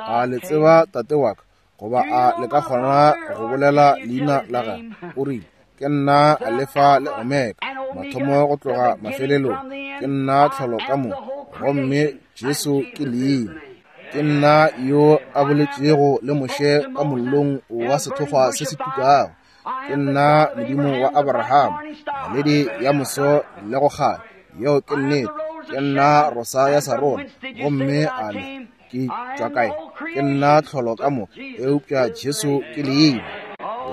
A le tseba tate wa ka? Goba a le ka kgona go bolela leina la gagwe? O rile, ke nna Alefa le Omega, mathomo go tloga mafelelong, ke nna tlholo ka moka, gomme Jesu ke leina. Ke nna yo a boletšego le Moshe ka mollong wa sethokgwa se se tukago. Ke nna Modimo wa Abraham, naledi ya moso le go kganya. Yeo ke nnete. Ke nna rosa ya Sarone, gomme a le ke tšwa kae? Ke nna tlholo ka moka, eupša Jesu ke leina.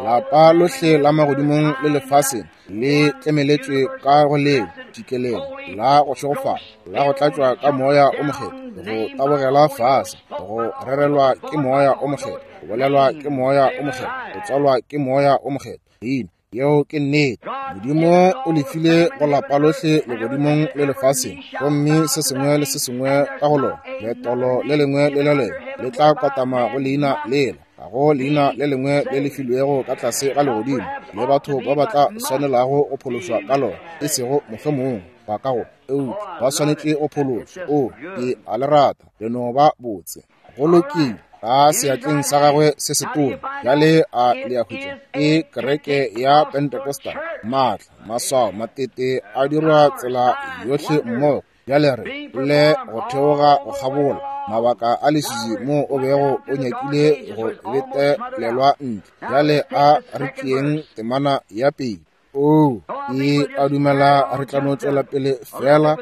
Lapa lohle la magodimong le lefaseng le tlemeletšwe ka go leo tikelelo la go šegofala, la go tlatšwa ka Moya o Mokgethwa, go tabogela fase, go rerelwa ke Moya o Mokgethwa, go bolelwa ke Moya o Mokgethwa, go tswalwa ke Moya o Mokgethwa. Leina, yeo ke nnete. Modimo o lefile go lapa lohle legodimong le lefaseng, gomme se sengwe le se sengwe ka go lona, letolo le lengwe le le lengwe le tla kwatama go leina lela. Ga go leina le lengwe le le filwego ka tlase ga legodimo le batho ba ba tla swanelago go phološwa ka lona, e sego mohlomongwe ba ka go, eupša ba swanetše go phološwa. O, ke a le rata, le no ba botse. Go lokile, ka seatleng sa gagwe se setona. Bjale a le a hwetša, ke kereke ya Pentecostal, maatla, maswao, matete a dirwa tsela yohle mmogo. Bjale re le go theoga go kgabola Mabaka a leswiswi mo o bego o nyakile go betelelwa ntle. Bjale a re tšeeng temana ya pele. Oo, ke a dumela re tla no tšwela pele fela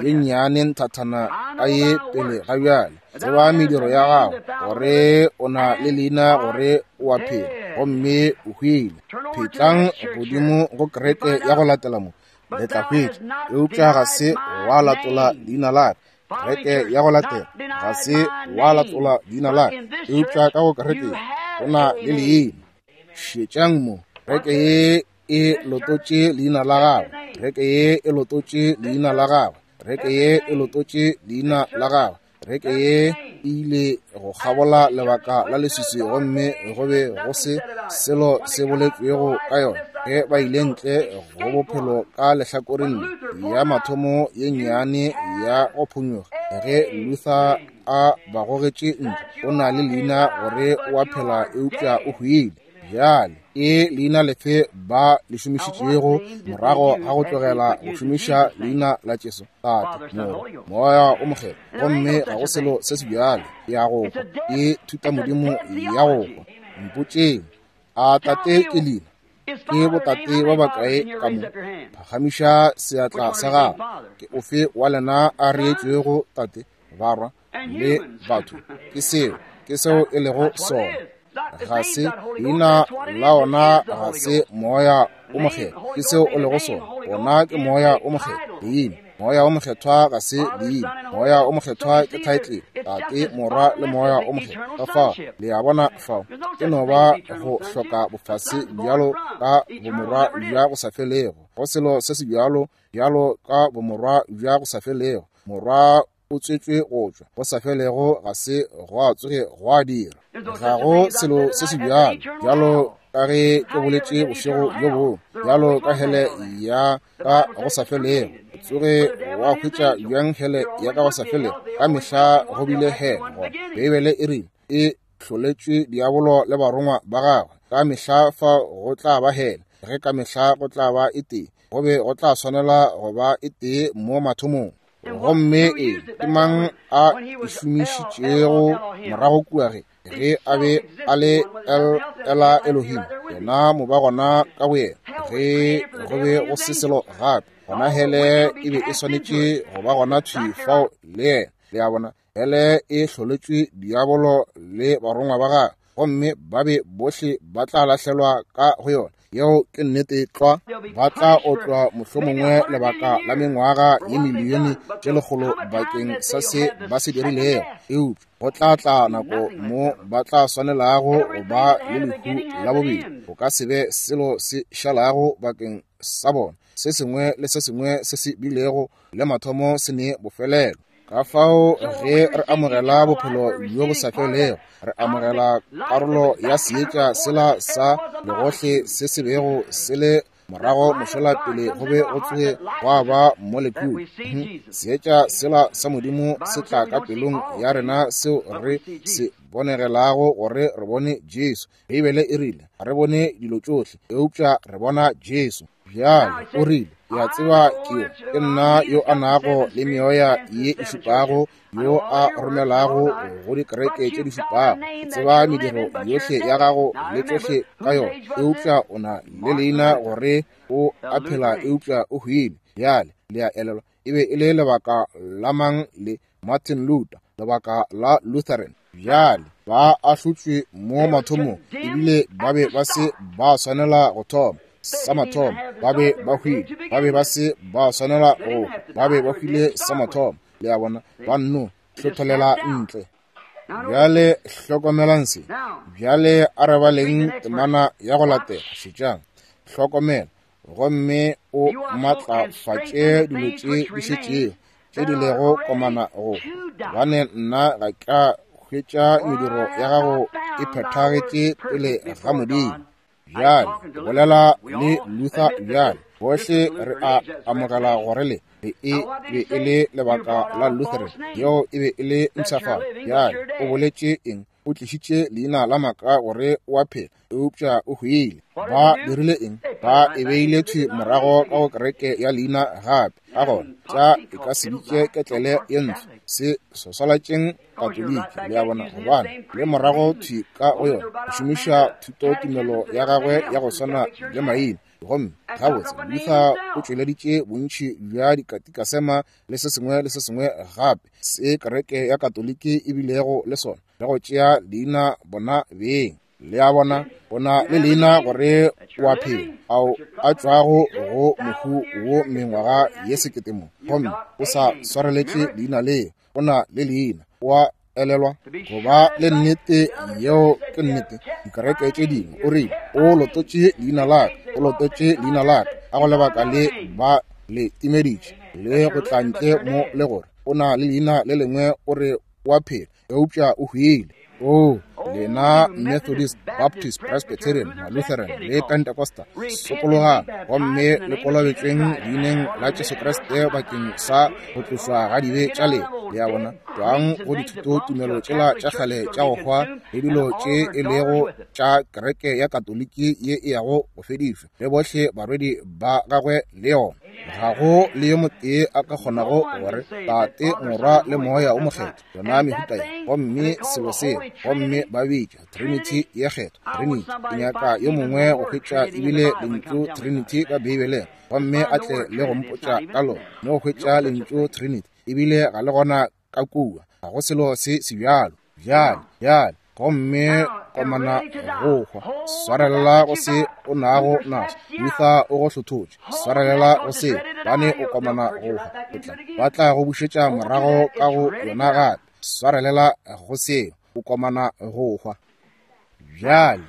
ye nnyane nthathana ka ye pele ga bjale. Tseba mediro ya gago, gore o na le leina gore o a phela, gomme o hwile. Phetlang godimo go kereke ya go latela mo, le tla hwetša. Eupša ga se wa latola leina la ka. Kereke ya go latela ga se wa latola leina la ka. Eupša ka go kereke o na le leina. Šetšang mo, kereke ye e lototše leina la gagwe. Kereke ye e lototše leina la gagwe. Kereke ye e lototše leina la gagwe. Kereke ye e ile go kgabola lebaka la leswiswi, gomme go be go se selo se boletšwego ka yona. Ge ba ile ntle go bophelo ka lehlakoreng ya mathomo ye nnyane ya go phonyokga, ge Luther a ba gogetše ntle, o na le leina gore o a phela eupša o hwile. Bjale ke leina lefe ba le šomišitšego morago ga go tlogela go šomiša leina la Jesu? Tate, Morwa, Moya o Mokgethwa. Gomme ga go selo se se bjalo ya go hwa, ke thutamodimo ya go hwa. Mpotšeng, a tate ke leina? Ke botate ba bakae ka mo? Phagamiša seatla sa gago. Ke ofe wa lena a reetšwego tate, barwa le batho? Ke seo, ke seo e lego sona. Ga se leina la ona, ga se Moya o Mokgethwa. Ke seo o lego sona. Ona ke Moya o Mokgethwa. Leina Moya o Mokgethwa ga se leina. Moya o Mokgethwa ke title, Tate, Morwa le Moya o Mokgethwa. Ka fao le a bona fao e no ba go hloka bofase bjalo ka bomorwa bja go sa felego. Go selo se se bjalo bjalo ka bomorwa bja go sa felego. Morwa o tswetšwe go tšwa go sa felego, ga se gwa tsoge gwa dira. Ga go selo se se bjalo bjalo ka ge ke boletše bošego bjo bongwe, bjalo ka hele ya ka go sa felego. Tsoge wa hwetša bjang hele ya ka go sa felego? Ka mehla go bile hele gona. Beibele e rile e hloletšwe diabolo le barongwa ba gagwe. Ka mehla fa go tla ba hele, ge ka mehla go tla ba e tee, go be go tla swanela go ba e tee mo mathomong. Gomme e ke mang a e šomišitšego morago kua ge ge a be a le El Ela Elohim, yena mo ba gona ka boyena, ge go be go se selo gape, gona hele e be e swanetše go ba gona thwi fao le yena. Le a bona, hele e hloletšwe diabolo le barongwa ba gagwe, gomme ba be bohle ba tla lahlelwa ka go yona. Yeo ke nnete tlwa. Ba tla otlwa mohlomongwe lebaka la mengwaga ye milione tše lekgolo bakeng sa se ba se dirilego, eupša go tla tla nako mo ba tla swanelago go ba le lehu la bobedi. Go ka se be selo se šalago bakeng sa bona. Se sengwe le se sengwe se se bilego le mathomo se ne bofelelo. Ka fao ge re amogela bophelo bjo bo sa felego, re amogela karolo ya seetša sela sa legohle se se bego se le morago mošola pele go be go tsoge gwa ba molekule. Seetša sela sa Modimo se tla ka pelong ya rena seo re se bonegelago gore re bone Jesu. Beibele e rile re bone dilo tšohle, eupša re bona Jesu. Bjale o rile, ke a tseba ke yo, ke nna yo a nago le meoya ye e šupago, yo a romelago go dikereke tše di šupago. Ke tseba mediro yohle ya gago le tšohle ka yona, eupša o na le leina gore o a phela, eupša o hwile. Bjale le a elelwa, e be e le lebaka la mang le? Martin Luther, lebaka la Lutheran. Bjale ba ahlotšwe mo mathomong, ebile ba be ba se ba swanela go thoma. Sa mathomo ba be ba hwile, ba be ba se ba swanela go, ba be ba hwile sa mathomo. Le a bona, ba nno hlotholela ntle. Bjale hlokomelang se. Bjale a re baleng temana ya go latela. Šetšang, hlokomela, gomme o matlafatše dilo tše di šetšego, tše di lego komana go, gobane nna ga ka hwetša mediro ya gago e phethagetše pele ga Modimo. Bjale bolela le Luther bjale. Bohle re a amogela gore le be e be e le lebaka la Lutheran, yeo e be e le mpshafalo. Bjale o boletše eng? O tlišitše leina la maaka gore o a phela, eupša o hwile. Ba dirile eng? Ba e beile thwi morago ka go kereke ya leina gape. Ka gona tša e ka se bitše ketlele ye ntsho, Se swaswalatšeng Katoliki, le a bona, gobane le morago thwi ka go yona, go šomiša thutotumelo ya gagwe ya go swana le maina. Gomme gabotse Luther o tšweleditše bontši bja dikatikasema le se sengwe le se sengwe gape se kereke ya Katoliki e bilego le sona, le go tšea leina bona beng. Le a bona, o na le leina gore o a phela, ao a tšwago go mohu wo mengwaga ye sekete mo, gomme o sa swareletše leina leo. O na le leina, o a elelwa go ba le nnete. Yeo ke nnete. Dikereke tše dingwe o rile o lototše leina la ka, o lototše leina la ka, ka go lebaka le ba le timeditše le go tla ntle mo le gore o na le leina le lengwe, o re o a phela, eupša o hwile. O lena Methodist, Baptist, Presbyterian, Lutheran le Pentecostal, sokologang gomme le kolobetšweng leineng la Jesu Kriste bakeng sa go tlošwa ga dibe tša lena. Le a bona, tšwang go dithutotumelo tšela tša kgale tša go hwa le dilo tše e lego tša kereke ya Katoliki ye e yago go fedišwa, le bohle barwedi ba gagwe le yona. Ga go le yo motee a ka kgonago gore Tate, Morwa le Moya o Mokgethwa, yona mehuta ye, gomme selo seo, gomme ba bitša Trinity ye kgethwa. Trinity, ke nyaka yo mongwe go hwetša ebile lentšu Trinity ka Beibeleng, gomme a tle le go mpotša ka lona. Mme go hwetša lentšu Trinity ebile ga le gona ka kua, ga go selo se se bjalo. Bjale, bjale, gomme komana go hwa, swarelela go se o nago naso. Luther o go hlothotše, swarelela go se, bane o komana go hwa, o tla ba tla go bušetša morago ka go yona gape. Swarelela go se, o komana go hwa. Bjale,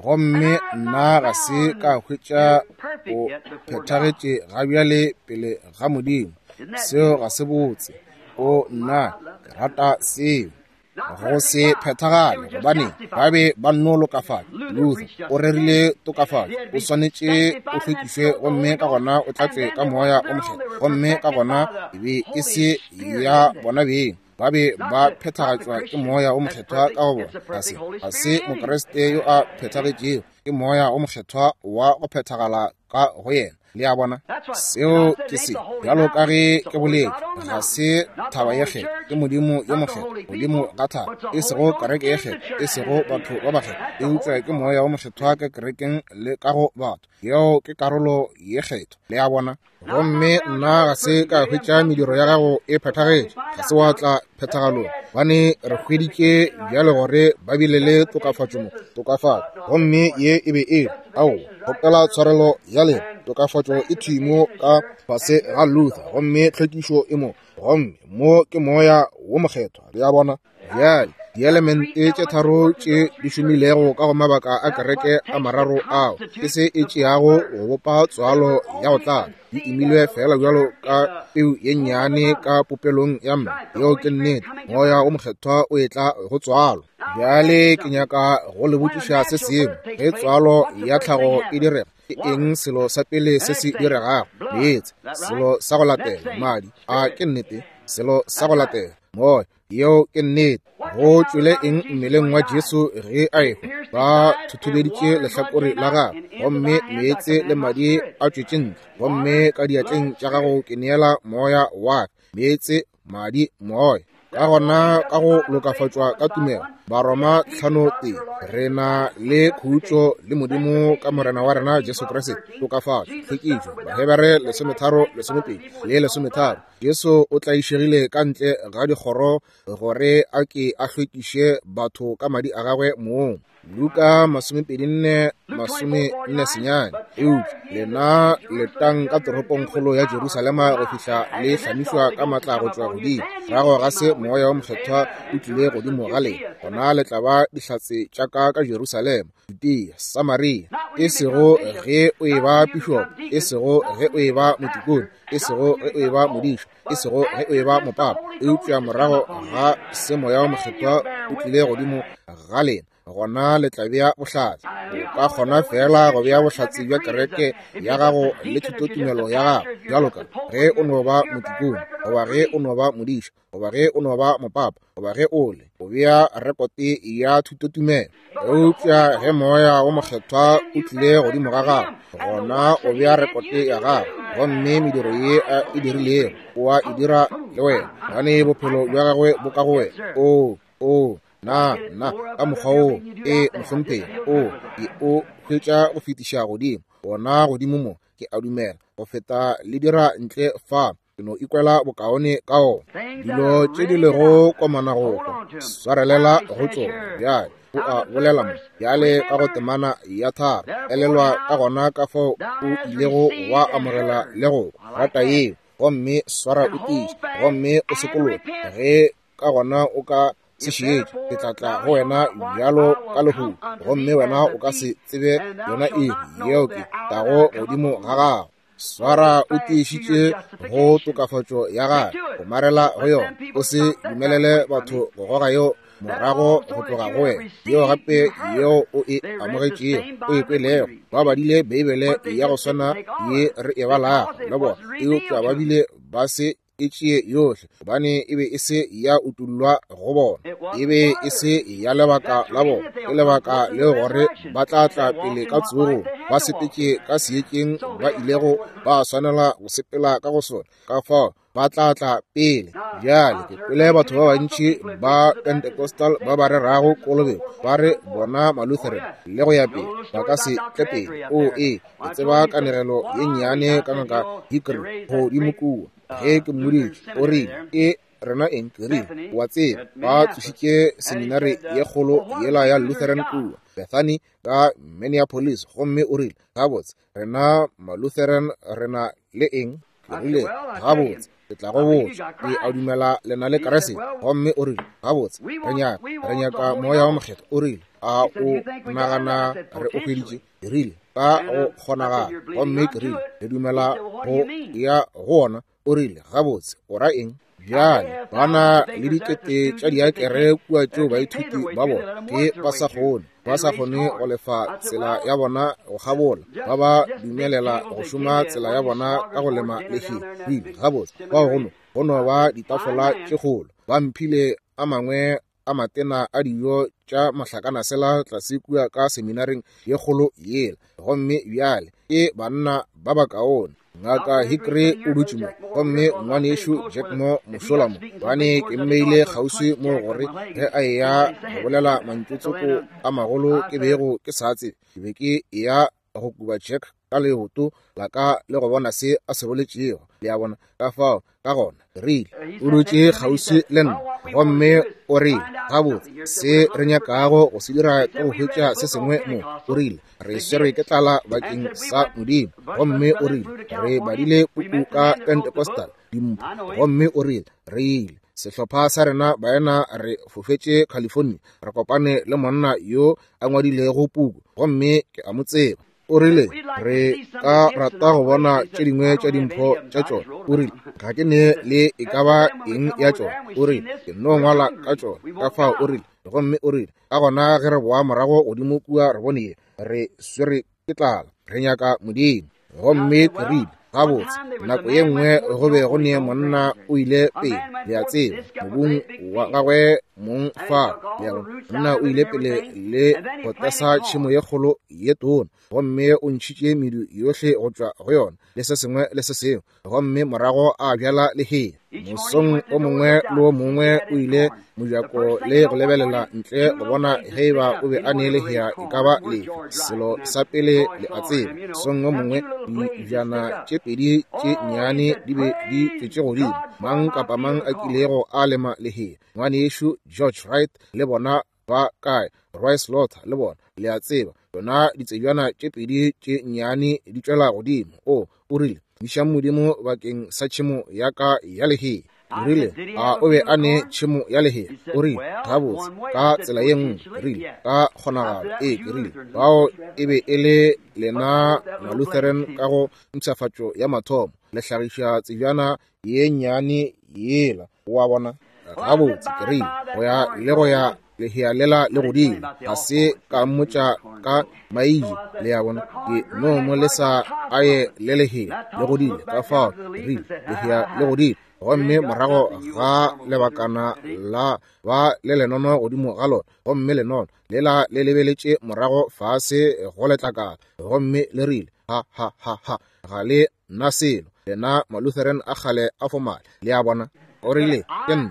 gomme nna ga se ka hwetša o phethagetše ga bjale pele ga Modimo. Seo ga se botse. O nna ke rata seo. Go se phethagale, gobane ba be ba nno lokafatša. Luther o rerile tokafatšo, o swanetše o hlwekišwe gomme ka gona o tlatšwe ka Moya o Mokgethwa, gomme ka gona e be e se ya bona beng, ba be ba phethagatšwa ke Moya o Mokgethwa ka go bona. Ga se, ga se Mokriste yo a phethagetšego, ke Moya o Mokgethwa wa go phethagala ka go yena. Le a bona, seo ke se. Bjalo ka ge ke boletše, ga se thaba ye kgethwa, ke Modimo yo mokgethwa godimo ga thaba, e sego kereke ye kgethwa, e sego batho ba bakgethwa, eupša ke Moya o Mokgethwa ka kerekeng le ka go batho. Yeo ke karolo ye kgethwa. Le a bona. Gomme nna ga se ka hwetša mediro ya gago e phethagetše, ga se wa tla phethagalong, gobane re hweditše bjale gore ba bile le tokafatšo mo, tokafatšo, gomme ye e be e ao kgopela tshwarelo ya lena. Tokafatšo e thwi mo ka fase ga Luther, gomme tlhwekišo e mo, gomme mo ke Moya wo Mokgethwa. Le a bona. Bjale dielemente tše tharo tše di šomilego ka go mabaka a kereke a mararo ao ke se e tšeago go bopa tswalo ya go tlala, di imilwe fela bjalo ka peu ye nnyane ka popelong ya mme. Yeo ke nnete. Moya o Mokgethwa o etla go tswalo. Bjale ke nyaka go le botšiša se sengwe. Ge tswalo ya tlhago e direga, ke eng selo sa pele se se diregago? Meetse. Selo sa go latela, madi. A ke nnete? Selo sa go latela, moya. Yeo ke nnete. Go tšwele eng mmeleng wa Jesu ge a ehwa? Ba thuthubeditše lehlakore la gagwe, gomme meetse le madi a tšwetše ntle. Gomme ka diatleng tša gago ke neela moya wa ka. Meetse, madi, moya. Ka gona ka go lokafatšwa ka tumelo, Baroma hlano tee, re na le khutšo le Modimo ka Morena wa rena Jesu Kriste. Tokafatšo, tlhwekišo, Bahebere lesometharo lesomepedi le lesometharo. Jesu o tlaišegile ka ntle ga dikgoro gore a ke a hlwekiše batho ka madi a gagwe mong. Luka masomepedi nne masome nne senyane. Eupša lena letang ka toropongkgolo ya Jerusalema go fihla le hlamišwa ka matla go tšwa godimo. Morago ga se Moya wo Mokgethwa o tlile godimo ga lena, gona le tla ba dihlatse tša ka ka Jerusalema, Judea, Samaria. E sego ge o eba pišopo, e sego ge o eba motikone, e sego ge o eba modiša, e sego ge o eba mopapa, eupša morago ga se Moya wo Mokgethwa o tlile godimo ga lena, gona le tla bea bohlatse. O ka kgona fela go bea bohlatse bja kereke ya gago le thutotumelo ya gago, bjalo ka ge o no ba motikone, goba ge o no ba modiša, goba ge o no ba mopapa, goba ge o le o bea rekote ya thutotumelo. Eupša ge Moya wo Mokgethwa o tlile godimo ga gago, gona o bea rekote ya gago, Gomme mediro ye a e dirilego o a e dira le wena, gobane bophelo bja gagwe bo ka go wena. O, o, na, na, ka mokgwa wo, e mohlomphegi, o, ke o hwetša go fetiša godimo, ona godimo mo, ke a dumela, go feta le dira ntle fa. Ke no ikwela bokaone ka ona. Dilo tše di lego komana go kwa, swarelela go tšona. Bjale o a bolela mo, bjale ka go temana ya tharo, elelwa ka gona ka fao o ilego wa amogela le go rata yeo, gomme swara o tiiše, gomme o sekologe. Ge ka gona o ka se šetše, ke tla tla go wena bjalo ka lehodu, gomme wena o ka se tsebe yona iri yeo ke tlago godimo ga gago. Swara o tiišitše go tokafatšo ya gagwe, go marela go yona. O se dumelele batho go goga yeo morago go tloga go wena, yeo gape yeo o e amogetšego, o e kwelego. Ba badile Beibele ya go swana ye re e balago le bona, eupša ba bile ba se e tšee yohle, gobane e be e se ya utullwa go bona, e be e se ya lebaka la bona. Ke lebaka leo gore ba tla tla pele ka tsogong, ba sepetše ka seetšeng ba ilego ba swanela go sepela ka go sona, ka fao ba tla tla pele. Bjale ke kwele batho ba bantši ba Pentecostal ba ba rerago kolobetšo ba re bona Malutheran le go ya pele ba ka se tle pele. O e, ke tseba kanegelo ye nnyane ka ngaka Hickory godimo kua. Ge ke mmoditše, o rile, ke rena eng? Ke rile, wa tseba, ba tsošitše seminari ye kgolo yela ya Lutheran kua Bethany ka Minneapolis, gomme o rile, gabotse, rena Malutheran rena le eng? Ke rile, gabotse, ke tla go botša, ke a dumela le na le Kriste. Gomme o rile, gabotse, re nyaka, re nyaka Moya wa Mokgethwa. O rile, a o nagana re o hweditše? Ke rile, ka go kgonagala. Gomme ke rile, re dumela go ya go ona. O rile, gabotse, o ra eng? Bjale ba na le dikete tša diakere kua tšeo baithuti ba bona ke ba sa kgone, ba sa kgone go lefa tsela ya bona go kgabola, ba ba dumelela go šoma tsela ya bona ka go lema lehea. Rile, gabotse, bao go no go no ba ditafola tše kgolo. Ba mphile a mangwe a matena a dijo tša mahlakanasela tlase kua ka seminaring ye kgolo yela. Gomme bjale ke banna ba bakaone. Ngaka Hickory o dutše mo, gomme ngwanešu Jack mo mošola mo, gobane ke mmeile kgauswi mo gore ge a eya go bolela mantšutsoko a magolo ke bego ke sa tsebe, ke be ke eya go kuba Jack ka leoto la ka le go bona se a se boletšego. Le a bona? Ka fao, ka gona rile, o dutše kgauswi le nna, gomme o rile, gabotse, se re nyakago go se dira ke go hwetša se sengwe mo. O rile, re swerwe ke tlala bakeng sa Modimo. Gomme o rile, re badile puku ka Pentecostal dimpho. Gomme o rile, re ile sehlopha sa rena baena re fofetše California, re kopane le monna yo a ngwadilego puku, gomme ke a mo tseba. O rile, re ka rata go bona tše dingwe tša dimpho tša tšona. O rile, ga ke ne le e ka ba eng ya tšona. O rile, ke no ngwala ka tšona. Ka fao o rile, gomme o rile, ka gona ge re boa morago godimo kua re bone ye, re swere ke tlala, re nyaka Modimo. Gomme ke rile, gabotse, nako ye nngwe go be go ne monna o ile pele, le a tseba, mobung wa gagwe mong fa, le a bona, monna o ile pele le go tlasa tšhemo ye kgolo ye tona, gomme o ntšhitše medu yohle go tšwa go yona le se sengwe le se sengwe, gomme morago a bjala lehea. Mosong o mongwe le o mongwe o ile mojako le go lebelela ntle go bona ge eba o be a ne lehea e ka ba lefe. Selo sa pele le a tseba, mosong o mongwe dibjana tše pedi tše nnyane di be di tšwetše godimo. Mang kapa mang a kilego a lema lehea, ngwanešu George Wright le bona ba kae, Roy Slaughter le bona, le a tseba, yona ditsebjana tše pedi tše nnyane di tšwela godimo. O, o rile, išang Modimo bakeng sa tšhemo ya ka ya lehea. O rile, a o be a ne tšhemo ya lehea? O rile, gabotse, ka tsela ye nngwe. Ke rile, ka kgonagalo. Ee, ke rile, bao e be e le lena Malutheran ka go mpshafatšo ya mathomo, le hlagiša tsebjana ye nnyane yela, wa bona. Gabotse, ke rile, go ya le go ya lehea lela le godimo, ga se ka mmotša ka maije, le a bona, ke no mo le sa aye le lehea le godile. Ka fao ke rile, lehea le godile, gomme morago ga lebakana la ba le lenono godimo ga lona, gomme lenono lela le lebeletše morago fase go letlakala, gomme le rile, ha ha ha ha, ga le nna selo, lena Malutheran a kgale a fomale. Le a bona? O rile, ke nna,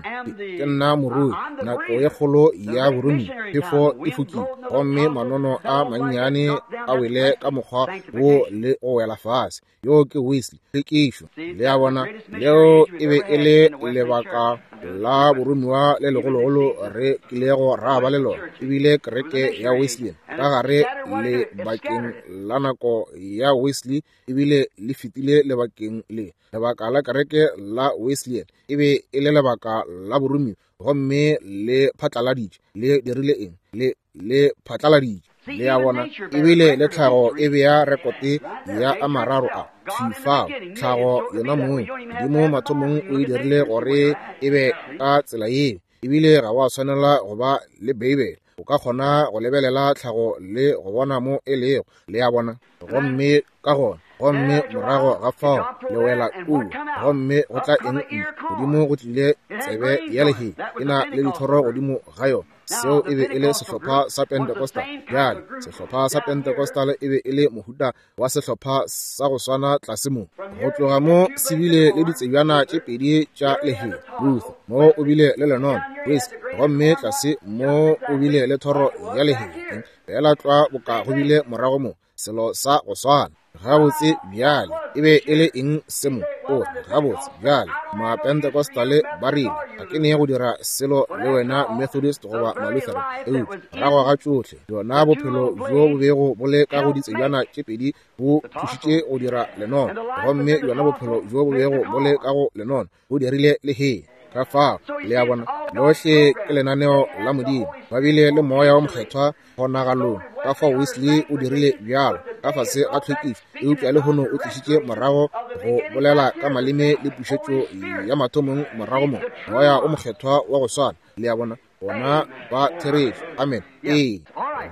ke nna morui, nako ye kgolo ya borumi, phefo e fokile, gomme manono a mannyane a wele ka mokgwa wo le go wela fase. Yo ke Wesley, hlwekišo. Le a bona? Leo e be e le lebaka la boromiwa le legologolo re kilego ra ba le lona, ebile kereke ya Wesleyan ka gare lebakeng la nako ya Wesley, ebile le fetile lebakeng le. Lebaka la kereke la Wesleyan e be e le lebaka la boromiwa, gomme le phatlaladitše. Le dirile eng? Le le phatlaladitše. Le a bona? Ebile le tlhago e bea rekote ya a mararo a fifao. Tlhago yona mong, Modimo mathomong o e dirile gore e be ka tsela yeo. Ebile ga wa swanela go ba le Beibele, o ka kgona go lebelela tlhago le go bona mo e lego. Le a bona? Gomme ka gona, gomme morago ga fao le wela kua, gomme go tla eng? Godimo go tlile tsebe ya lehea, e na le dithoro godimo ga yona. Seo e be e le sehlopha sa Pentecostal. Bjale, sehlopha sa Pentecostal e be e le mohuta wa sehlopha sa go swana tlase mo. Go tloga mo se bile le ditsebjana tše pedi tša lehea, Luther, mo o bile le lenono, Wesley, gomme tlase mo o bile le thoro ya lehea. Fela tlwa boka go bile morago mo, selo sa go swana. Gabotse bjale, e be e le eng se mo? O gabotse bjale, Mapentecostal ba rile, ga ke ne go dira selo le wena Methodist goba Malutheran, eupša morago ga tšohle bjona bophelo bjo bo bego bo le ka go ditsebjana tše pedi bo thušitše go dira lenono, gomme bjona bophelo bjo bo bego bo le ka go lenono bo dirile lehea. Ka fao, le a bona, lohle ke lenaneo la Modimo. Ba bile le Moya wa Mokgethwa kgonagalong. Ka fao Wesley o dirile bjalo ka fase ga tlhwekišo, eupša lehono o tlišitše morago go bolela ka maleme le pušetšo ya mathomong morago mo, Moya o Mokgethwa wa go swana. Le a bona, bona ba therešo. Amen. Ee,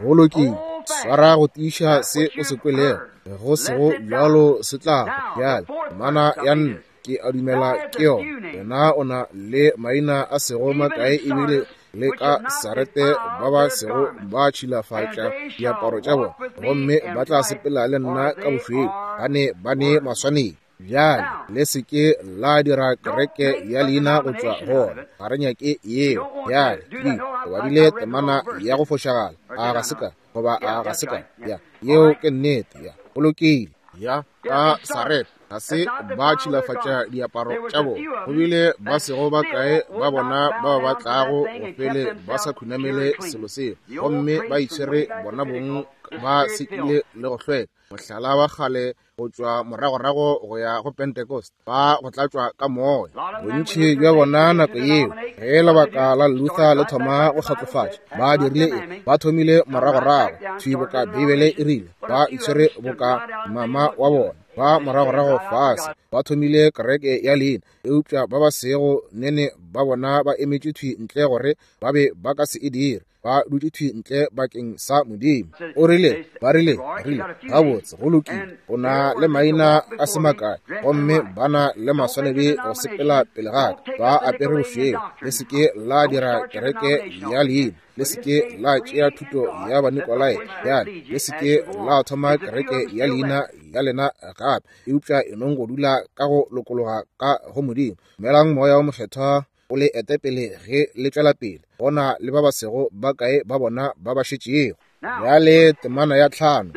go lokile. Swara go tiiša se o se kwelego, go sego bjalo se tla bjale. Temana ya nne, ke a dumela ke yona. Wena o na le maina a sego makae, ebile le ka Sarete ba ba sego ba tšhilafatša diaparo tša bona, gomme ba tla sepela le nna ka bošweu, ba ne ba ne maswanedi. Bjale le se ke la dira kereke ya leina go tšwa go ona, ga re nyake yeo. Bjale ke badile temana ya go fošagala, a ga se ka goba a ga se ka ya, yeo ke nnete. Ya, go lokile. Ya ka Sarete ga se ba tšhilafatša diaparo tša bona, go bile ba sego ba kae ba bona bao ba tlago go fele ba sa khunamele selo seo, gomme ba itshwere bona bong ba sekile le go hlweka. Mohlala wa kgale go tšwa moragorago go ya go Pentecost, ba go tlatšwa ka moya. Bontši bja bona nako yeo, ge lebaka la Luther le thoma go kgatlofatša, ba dirile eng? Ba thomile moragorago thwi boka Beibele e rile, ba itshwere boka mama wa bona. Ba moragorago fase ba thomile kereke ya leina, eupša ba ba sego nene ba bona ba emetše thwi ntle gore ba be ba ka se e dire. Ba dutše thwi ntle bakeng sa Modimo. O rile, ba rile, rile, gabotse, go lokile, o na le maina a se makae, gomme ba na le maswanedi go sepela pele ga ka, ba apere bošweu. Le se ke la dira kereke ya leina, le se ke la tšea thuto ya Banikolai. Bjale le se ke la thoma kereke ya leina ya lena gape, eupša e nong go dula ka go lokologa ka go Modimo. Dumelang Moya o Mokgethwa o le ete pele ge le tšwela pele. Gona le ba ba sego ba kae ba bona ba ba šetšego. Bjale temana ya tlhano,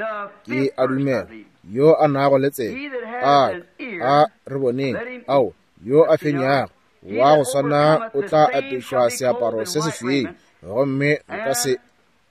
ke a dumela, yo a nago le tsebe, a a re boneng, ao, yo a fenyago wa go swana o tla apešwa seaparo se sešweu, gomme nka se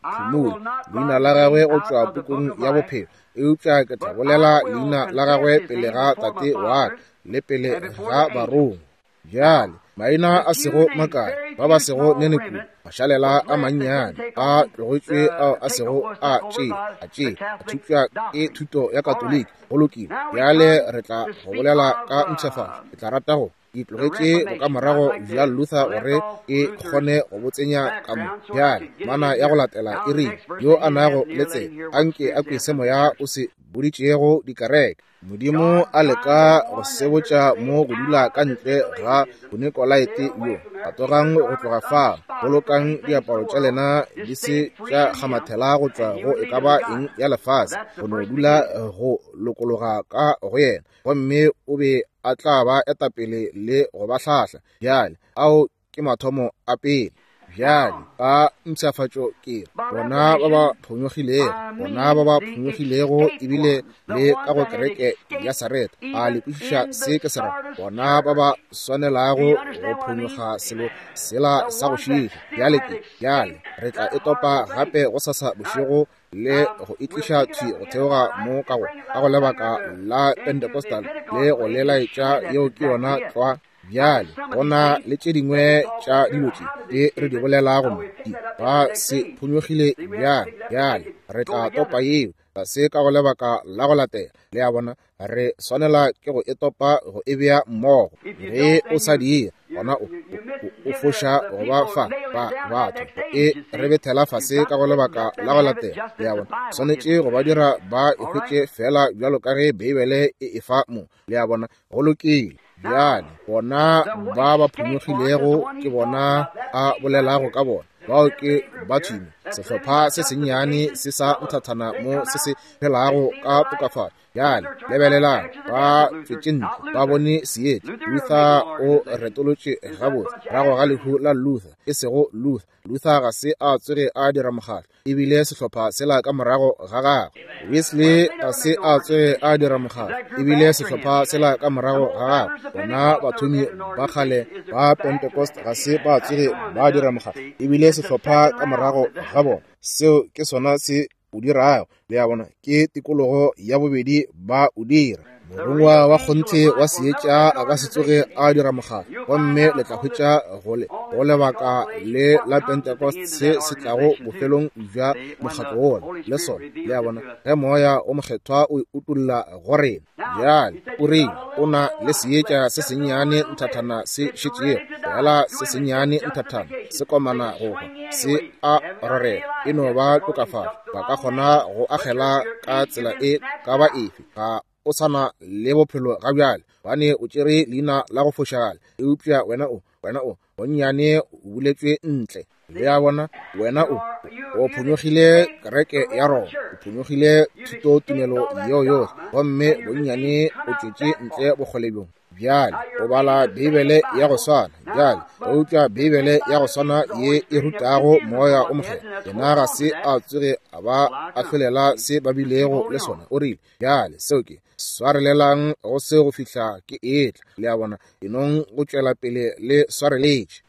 phumule leina la gagwe go tšwa pukung ya bophelo, eupša ke tla bolela leina la gagwe pele ga Tate wa ka le pele ga barongwa. Bjale maina a sego makae, ba ba sego nene kudu, mašalela a mannyane a tlogetšwe ao a sego a tše a tše a thupša ke thuto ya Katoliki. Go lokile. Bjale re tla go bolela ka mpshafatšo. Ke tla rata go Ke tlogetše bokamorago bja Luther gore ke kgone go bo tsenya ka mo. Bjale mana ya go latela e rile, yo a nago le tsebe anke a kwe se moya o se boditšego dikereke. Modimo a leka go sebotša mo go dula ka ntle ga Bonikolaite yo. Atogang go tloga fa, bolokang diaparo tša lena di se tša kgamathela go tšwa go e ka ba eng ya lefase, go no dula go lokologa ka go yena, gomme o be a tla ba etapele le go ba hlahla. Bjale ao ke mathomo a pele. Bjale ka mpshafatšo ke bona ba ba phonyogilego, bona ba ba phonyogilego ebile le ka go kereke ya Sareta. A le kwešiša se ke se ra? Bona ba ba swanelago go phonyoga selo sela sa go šiiša. Bjale ke bjale re tla e topa gape go sasa bošego le go itliša thwi go theoga mo ka go ka go lebaka la Pentecostal le go le laetša. Yeo ke yona tlwa. Bjale gona le tše dingwe tša dilo tše tše re di bolelago mo di ba se phonyogile. Bjale bjale re tla topa yeo se ka go lebaka la go latela. Le a bona, re swanela ke go e topa go e bea mmogo. Ge o sa die gona o, o, o foša go ba fa ba batho e re bethela fase ka go lebaka la go latela. Le a bona, swanetše go ba dira ba e hwetše fela bjalo ka ge Beibele e e fa mo. Le a bona, go lokile. Bjale bona ba ba phonyogilego ke bona a bolelago ka bona. Bao ke bathumi, sehlopha se sennyane se sa nthathana mo se se phelago ka tokafatšo. Bjale lebelelang, ba tšwetše ntle, ba bone seetša. Luther o retolotše gabotse morago ga lehu la Luther, e sego Luther. Luther ga se a tsoge a dira mokgatlo, ebile sehlopha sela ka morago ga gagwe. Wesley ga se a tsoge a dira mokgatlo, ebile sehlopha sela ka morago ga gagwe. Bona bathomi ba kgale ba Pentecost ga se ba tsoge ba dira mokgatlo, ebile sehlopha ka morago ga bona. Seo ke sona se o dirago. Le a bona, ke tikologo ya bobedi ba o dira. Morongwa wa kgonthe wa seetša a ka se tsoge a dira mokgatlo, gomme le tla hwetša go le go lebaka le la Pentecost se se tlago bofelong bja mokgatlo wola le sona. Le a bona, ge moya o mokgethwa o utolla go rena. Bjale o rile o na le seetša se sennyane nthathana se šetšego, fela se sennyane nthathana se komana go hwa, se a rorela, e no ba tokafatšo. Ba ka kgona go agela ka tsela e ka ba efe, ga o sana le bophelo ga bjale, bane o tšere leina la go fošagala, eupša wena o wena o bonnyane o buletšwe ntle. Le a bona, wena o o phonyogile kereke ya Roma, o phonyogile thutotumelo yeo yohle, gomme bonnyane o tšwetše ntle bokgole bjong. Bjale o bala Beibele ya go swana bjale, eupša Beibele ya go swana ye e rutago moya o mokgethwa, yena ga se a tsoge a ba ahlolela se ba bilego le sona. O rile, bjale seo ke swarelelang go se go fihla ke etla. Le a bona, enong go tšwela pele le swareletše.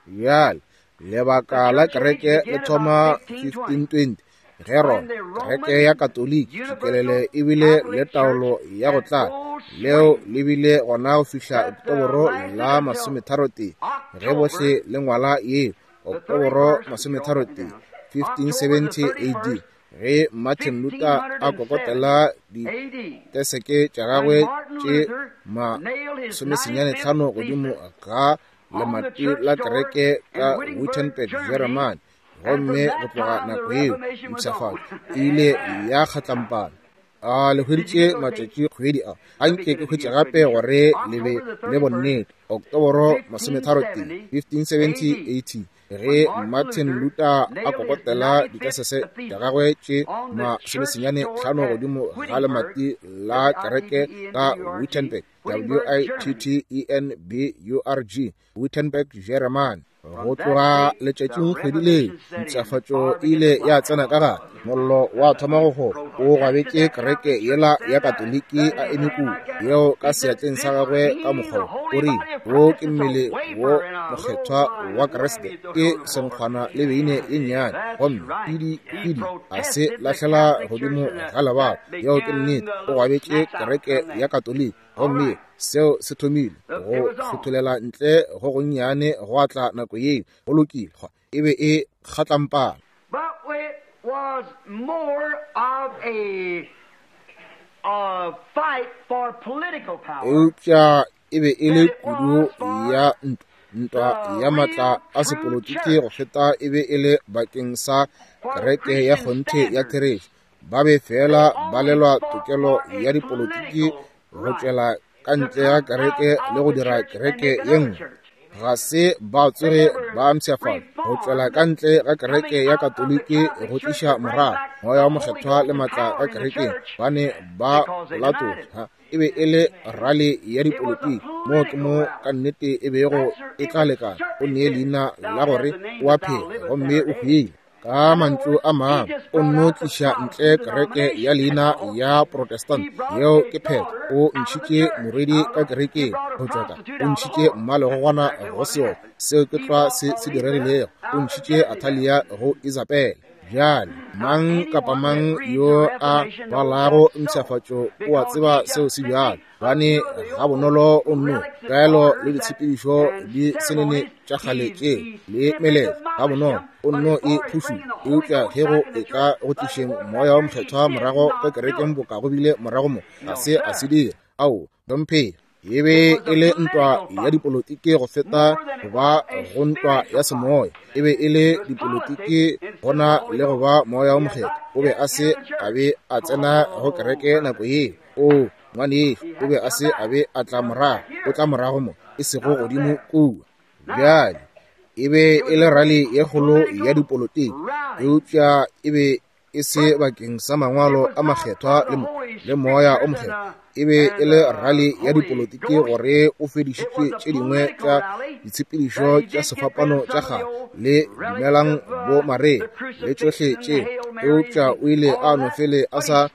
Bjale lebaka la kereke le thoma fifteen twenty ge Roma, kereke ya Katoliki tšikelele ebile le taolo ya go tlala, leo le bile gona go fihla Oktoboro la masometharotee, ge bohle le ngwala yeo, Oktoboro masometharotee fifteen seventy A D, ge Martin Luther a kokotela diteseke tša gagwe tše masomesenyane tlhano godimo ga lemati la kereke ka Wittenberg, Germany. Gomme go tloga nako yeo mpshafatšo e ile ya kgatlampana. A le hweditše matšatši kgwedi a anke ke hwetše gape gore le be le bonnete. Oktoboro masometharotee fifteen seventy A D, ge Martin Luther a kokotela dikasese tša gagwe tše masomesenyane tlhano godimo ga lemati la kereke ka Wittenberg, W I T T E N B U R G, Wittenberg, Germany. Go tloga letšatšing kgwedi leo mpshafatšo e ile ya tsena ka gare. Mollo wa thoma go gola, o gwabetše kereke yela ya Katoliki a eme kua, yeo ka seatleng sa gagwe ka mokgwa o rile, wo ke mmele wo mokgethwa wa Kriste, ke senkgwana le beine ye nnyane, gomme pidi pidi a se lahlela godimo ga lebala. Yeo ke nnete, o gwabetše kereke ya Katoliki, gomme seo se thomile go hlotholela ntle go gonnyane go atla nako yeo. Go lokile, e be e kgatlampana. But it was more of a, a fight for political power. Eupša e be e le kudu ya ntwa, ntwa ya matla a sepolotiki go feta e be e le bakeng sa kereke ya kgonthe ya therešo. Ba be fela ba lelwa tokelo ya dipolotiki go tšwela ka ntle ya kereke le go dira kereke ye nngwe. Ga se ba tsoge ba mpshafatša go tšwela ka ntle ga kereke ya Katoliki go tliša morago moya wa mokgethwa le matla ka kerekeng, ba ne ba latola. E be e le rali ya dipolotiki, moo ke mo ka nnete e bego e tla lekana o nee leina la gore o a phela gomme o hwile. Ka mantšu a mangwe, o nno tliša ntle kereke ya leina ya Protestant. Yeo ke phetho. O ntšhitše morwedi ka kerekeng go tšwa ka, o ntšhitše mmalegogwana go seoka. Seo ke tlwa se se diregilego. O ntšhitše Athalia go Isabele. Bjale, mang kapa mang yo a balago mpshafatšo o a tseba seo se bjalo, bane ga bonolo o nno kaelo le ditshepedišo di senene tša kgale tše le meletlo ga bonolo o nno e phušula. Eupša ge go e tla go tlišeng moya wa mokgethwa morago ka kerekeng boka go bile morago mo, ga se a se dira. Ao, domphela. E be e le ntwa ya dipolotiki go feta go ba go ntwa ya semoya. E be e le dipolotiki gona le go ba moya wa mokgethwa. O be a se a be a tsena go kereke nako yeo. O ngwanešu, o be a se a be a tla morago, o tla morago mo, e sego godimo kua. Bjale, e be e le rali ye kgolo ya dipolotiki, eupša e be e se bakeng sa mangwalo a makgethwa le, mo, le moya o mokgethwa. E be e le rali ya dipolotiki gore o fedišitše tše dingwe tša ditshepedišo tša sefapano tša kgale le dumelang bo Maria le tšohle tše, eupša o ile a no fele a sa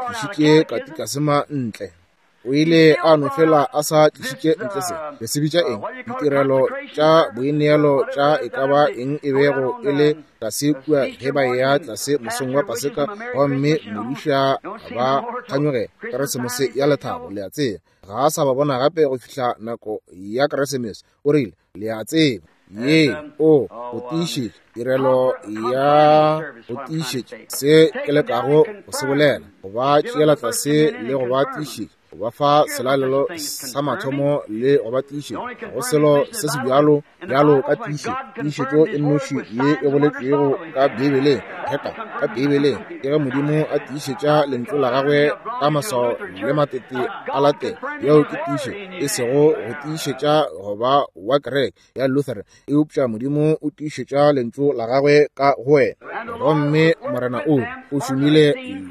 tlišitše katikasema ntle. O ile a no fela a sa tlišitše ntle se le se bitša eng, ditirelo tša boineelo tša e ka ba eng e bego e le tlase kua ge ba eya tlase mosong wa Paseka, gomme modiša ba kganyogela Keresemose ya lethabo. Le a tseba, ga a sa ba bona gape go fihla nako ya Keresemose. O rile, le a tseba, ye o go tiišetša tirelo ya go tiišetša se ke lekago go se bolela, go ba tšeela tlase le go ba tiišetša, go ba fa selalelo sa mathomo le go ba tiišetša. Go selo se se bjalo bjalo ka tiišetšo. Tiišetšo e nnoši ye e boletšwego ka Beibeleng, reka ka Beibeleng, ke ge Modimo a tiišetša lentšu la gagwe ka maswao le matete a latela. Yeo ke tiišetšo, e sego go tiišetša go ba wa kereke ya Lutheran, eupša Modimo o tiišetša lentšu la gagwe ka go wena. Gomme Morena o o šomile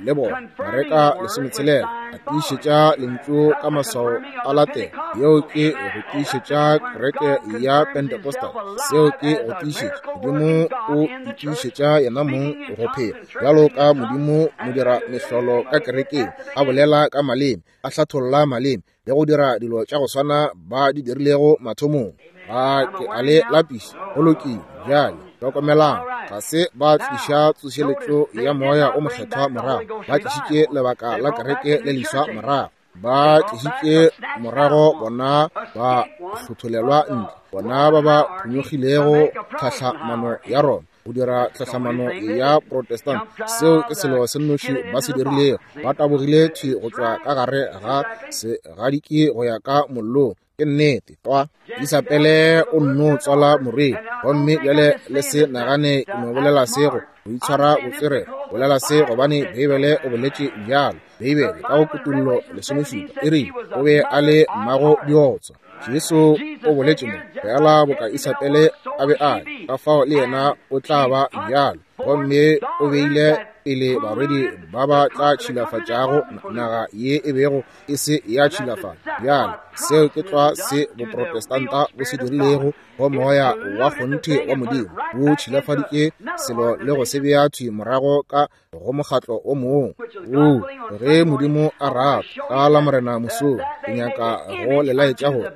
le bona, Mareka lesometshelela, a tiišetša lentšu ka maswao a latela. Yeo ke go tiišetša kereke ya Pentecostal. Seo ke go tiišetša. Modimo o itiišetša yena mong go phela bjalo ka Modimo modira mehlolo ka kerekeng, a bolela ka maleme, a hlatholla maleme, le go dira dilo tša go swana ba di dirilego mathomong. Ga ke a le lapiša. Go lokile. Bjale hlokomelang, ga se ba tliša tsošeletšo ya moya o mokgethwa morago, ba tlišitše lebaka la kereke le leswa morago. Ba tlišitše morago bona ba hlotholelwa ntle, bona ba ba phonyokgilego tlhahlamano ya Roma go dira tlhahlamano ya Protestant. Seo ke selo se nnoši ba se dirilego. Ba tabogile thwi go tšwa ka gare ga segadiki go ya ka mollong. Ke nnete twa. Isabele o nno tswala morwedi, gomme bjale le se nagane ke no bolela se go go itshwara botswerere. Bolela se gobane Beibele o boletše bjalo. Beibele ka go Kutullo lesomešupa e rile o be a le mmago diotswa. Jesu o boletše mo, fela boka Isabele a be a le, ka fao le yena o tla ba bjalo. Gomme o beile pele barwedi ba ba tla tšhilafatšago naga ye e bego e se ya tšhilafala. Bjale seo ke tlwa se boprotestanta bo se dirilego go moya wa kgonthe wa Modimo. Bo tšhilafaditše selo le go se bea thwi morago ka go mokgatlo o mongwe. O ge Modimo a rata, ka la Morena mosong, ke nyaka go le laetša gore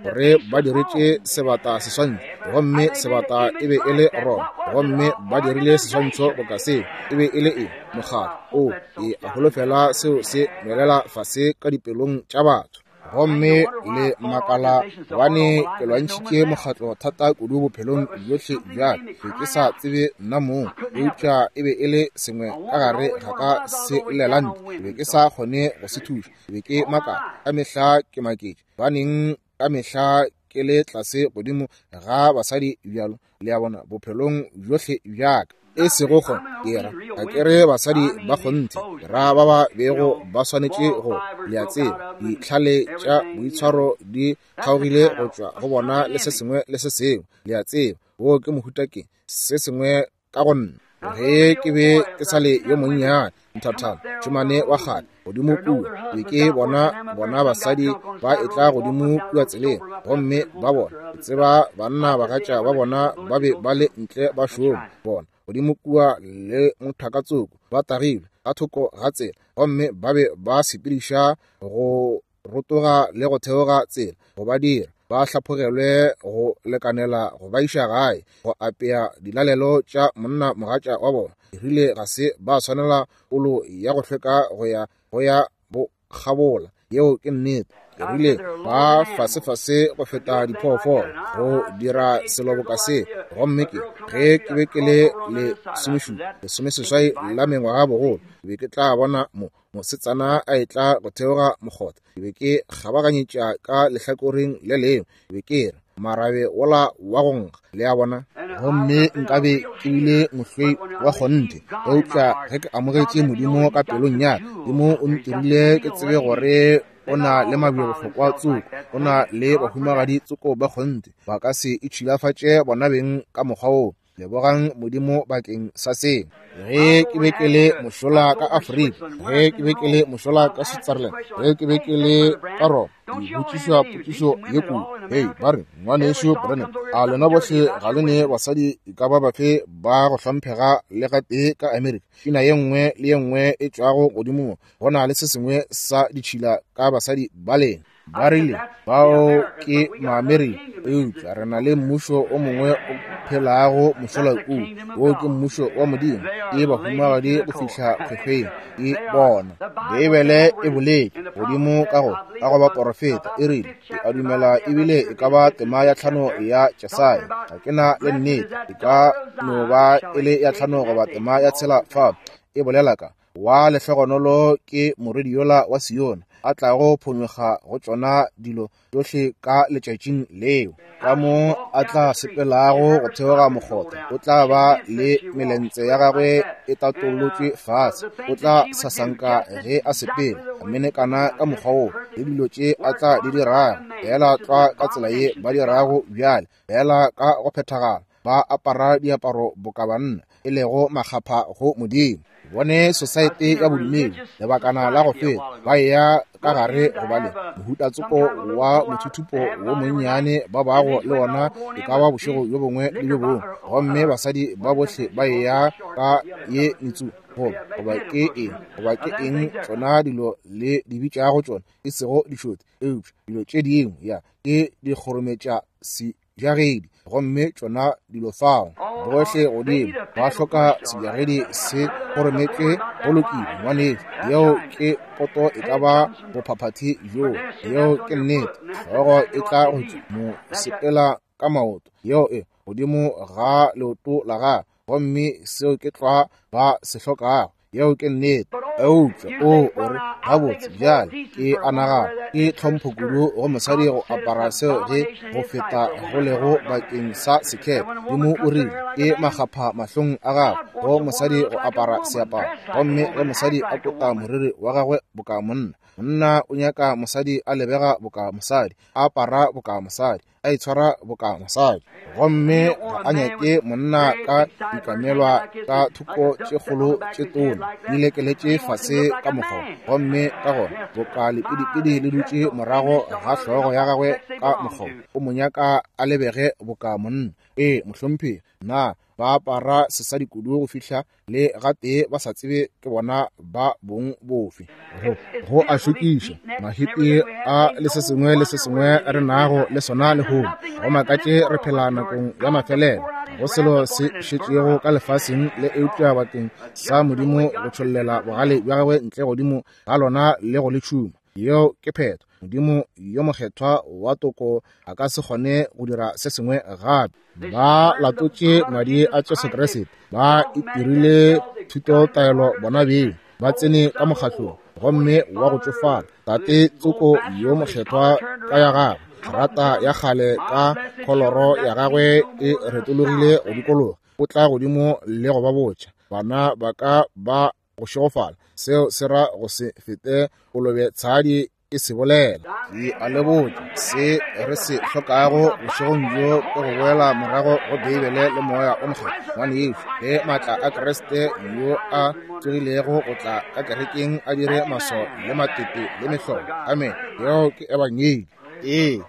gore ba diretše sebata seswantšho, gomme sebata e be e le Roma, gomme ba dirile seswantšho boka seo. E be e le eng? Mokgatlo. O, ke a holofela seo se nwelela fase ka dipelong tša batho. Gomme le makala gobane ke lwantšhitše mokgatlo thata kudu bophelong bjohle bja ka, be ke sa tsebe nna mong, eupša e be e le sengwe ka gare ga ka se llela ntle. Ke be ke sa kgone go se thuša. Ke be ke makala ka mehla, ke maketše baneng ka mehla ke le tlase godimo ga basadi bjalo, le a bona, bophelong bjohle bja ka. E sego go ke ra, ga ke re basadi ba kgonthe, ke ra ba ba bego ba swanetše go, le a tseba, ditlhale tša boitshwaro di kgaogile go tšwa go bona le se sengwe le se sengwe, le a tseba, wo ke mohuta ke se sengwe ka go nna. Ge ke be ke sa le yo monnyane nthathana, tšhomane wa kgale godimo kua, be ke bona bona basadi ba etla godimo kua tseleng, gomme ba bona, ke tseba banna bagatša ba bona ba be ba le ntle ba šoma, bona godimo kua le mothakatsoko ba tagilwe ka thoko ga tsela, gomme ba be ba sepediša go rotoga le go theoga tsela go ba dira ba hlaphogelwe go lekanela go ba iša gae go apea dilalelo tša monna mogatša wa bona. E rile ga se ba swanela polo ya go hlweka go ya go ya bokgabola. Yeo ke nnete. Ke rile ba fasefase go feta diphoofolo go dira selo boka se. Gomme ke ge ke be ke le lesomešupa lesomeseswai la mengwaga bogolo, ke be ke tla bona mo mosetsana a etla go theoga mokgotha, ke be ke kgabaganyetša ka lehlakoreng le lengwe, ke be ke re marabe wola wa go nkga, le a bona. Gomme nkabe ke bile mohlwei wa kgonthe, eupša ge ke amogetše Modimo ka pelong ya ka, Modimo o ntirile ke tsebe gore o na le mabjebohlokwa tsoko, o na le bahumagadi tsoko ba kgonthe, ba ka se itšhilafatše bona beng ka mokgwa wo. Lebogang Modimo bakeng sa seo. Ge ke be ke le mošola ka Afrika, ge ke be ke le mošola ka Switzerland, ge ke be ke le ka Roma, ke botšišwa potšišo ye kudu. Hei, ba re, ngwanešu Branham, a lena bohle ga le ne basadi e ka ba bafe ba go hlomphega le gatee ka Amerika? Pina ye nngwe le ye nngwe e tšwago godimo, go na le se sengwe sa ditšhila ka basadi ba lena. Ba rile bao ke Maamerika, eupša re na le mmušo o mongwe o phelago mošola kua, wo ke mmušo wa Modimo, ke bahumagadi go fihla kgwekgweng ke bona. Beibele e boletše godimo ka go ka go baporofeta, e rile, ke a dumela ebile e ka ba tema ya tlhano ya Jesaya, ga ke na le nnete, e ka no ba e le ya tlhano goba tema ya tshela fa, e bolela ka wa lehlogonolo ke morwedi yola wa Sione a tlago phonyokga go tšona dilo tšohle ka letšatšing leo. Ka mo a tla sepelago go theoga mokgotha, o tla ba le melentse ya gagwe e tatolotšwe fase, o tla sasanka ge a sepela, a menekana ka mokgwa wo, le dilo tše a tla di dirago, fela tlwa ka tsela ye ba dirago bjale, fela ka go phethagala, ba apara diaparo boka banna, e lego makgapha go Modimo. Bone sosaete ya bodumedi lebakana la go feta ba eya ka gare go ba le mohuta tsoko wa mothuthupo wo monnyane ba bago le wona e ka ba bošego bjo bongwe le bjo bongwe, gomme basadi ba bohle ba eya ka ye metsu goba goba ke eng goba ke eng tšona dilo le di bitšago tšona, e sego dišothi, eupša dilo tše dingwe ya ke dikgorometša sebjagedi, gomme tšona dilo fao bohle godimo ba hloka sebjagedi se kgorometšwe. Go lokile ngwanešu, yeo ke poto e ka ba bophaphathi bjoo, yeo ke nnete. Hlogo e tla go tšwa mo sepela ka maoto, yeo e godimo ga leoto la gagwe, gomme seo ke tlwa ba se hlokago, yeo ke nnete. Eupša o o re gabotse bjale ke a nagana ke tlhompho kudu go mosadi go apara seo ge go feta go lego bakeng sa sekepe. Modimo o rile ke makgapha mahlong a gagwe go mosadi go apara seaparo, gomme ge mosadi a kota moriri wa gagwe boka monna, monna o nyaka mosadi a lebega boka mosadi, a apara boka mosadi, a itshwara boka mosadi, gomme ga a nyake monna ka dikamelwa ka thoko tše kgolo tše tona di lekeletše fase ka mokgwa, gomme ka gona boka lepidipidi le dutše morago ga hlogo ya gagwe ka mokgwa, o mo nyaka a lebege boka monna. Ee mohlomphegi, na ba apara sesadi kudu go fihla le gatee ba sa tsebe ke bona ba bong bofe. Go go a šokiša mahipi a le se sengwe le se sengwe re nago le sona lehono. Go makatše re phela nakong ya mafelelo, go selo se šetšego ka lefaseng le eupša bakeng sa Modimo go tšhollela bogale bja gagwe ntle godimo ga lona le go le tšhuma. Yeo ke phetho. Modimo yo mokgethwa wa toko a ka se kgone go dira se sengwe gape. Ba latotše madi a Jesu Kriste, ba itirile thutotaelo bona beng, ba tsene ka mokgatlong gomme wa go tšofala. Tate tsoko yo mokgethwa ka ya gagwe rata ya kgale ka kholoro ya gagwe e retologile go dikologa, o tla godimo le go ba botša, bana ba ka ba go šegofala. Seo se ra go se fete kolobe tshadi e se bolela. Ke a le botša, se re se hlokago bošegong bjo ke go boela morago go Beibele le Moya o Mokgethwa. Ngwanešu, ge maatla a Kriste yo a tsogilego go tla ka kerekeng a dire maswao le matete le mehlolo. Amen. Yeo ke ebangedi. Ee,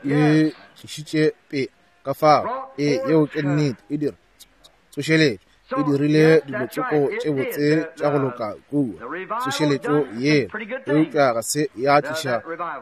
e tlišitše pe ka fao. Ee, yeo ke nnete. E dira tsošeletšo, e dirile dilo tsoko tše botse tša go loka kua, tsošeletšo yela, eupša ga se ya tliša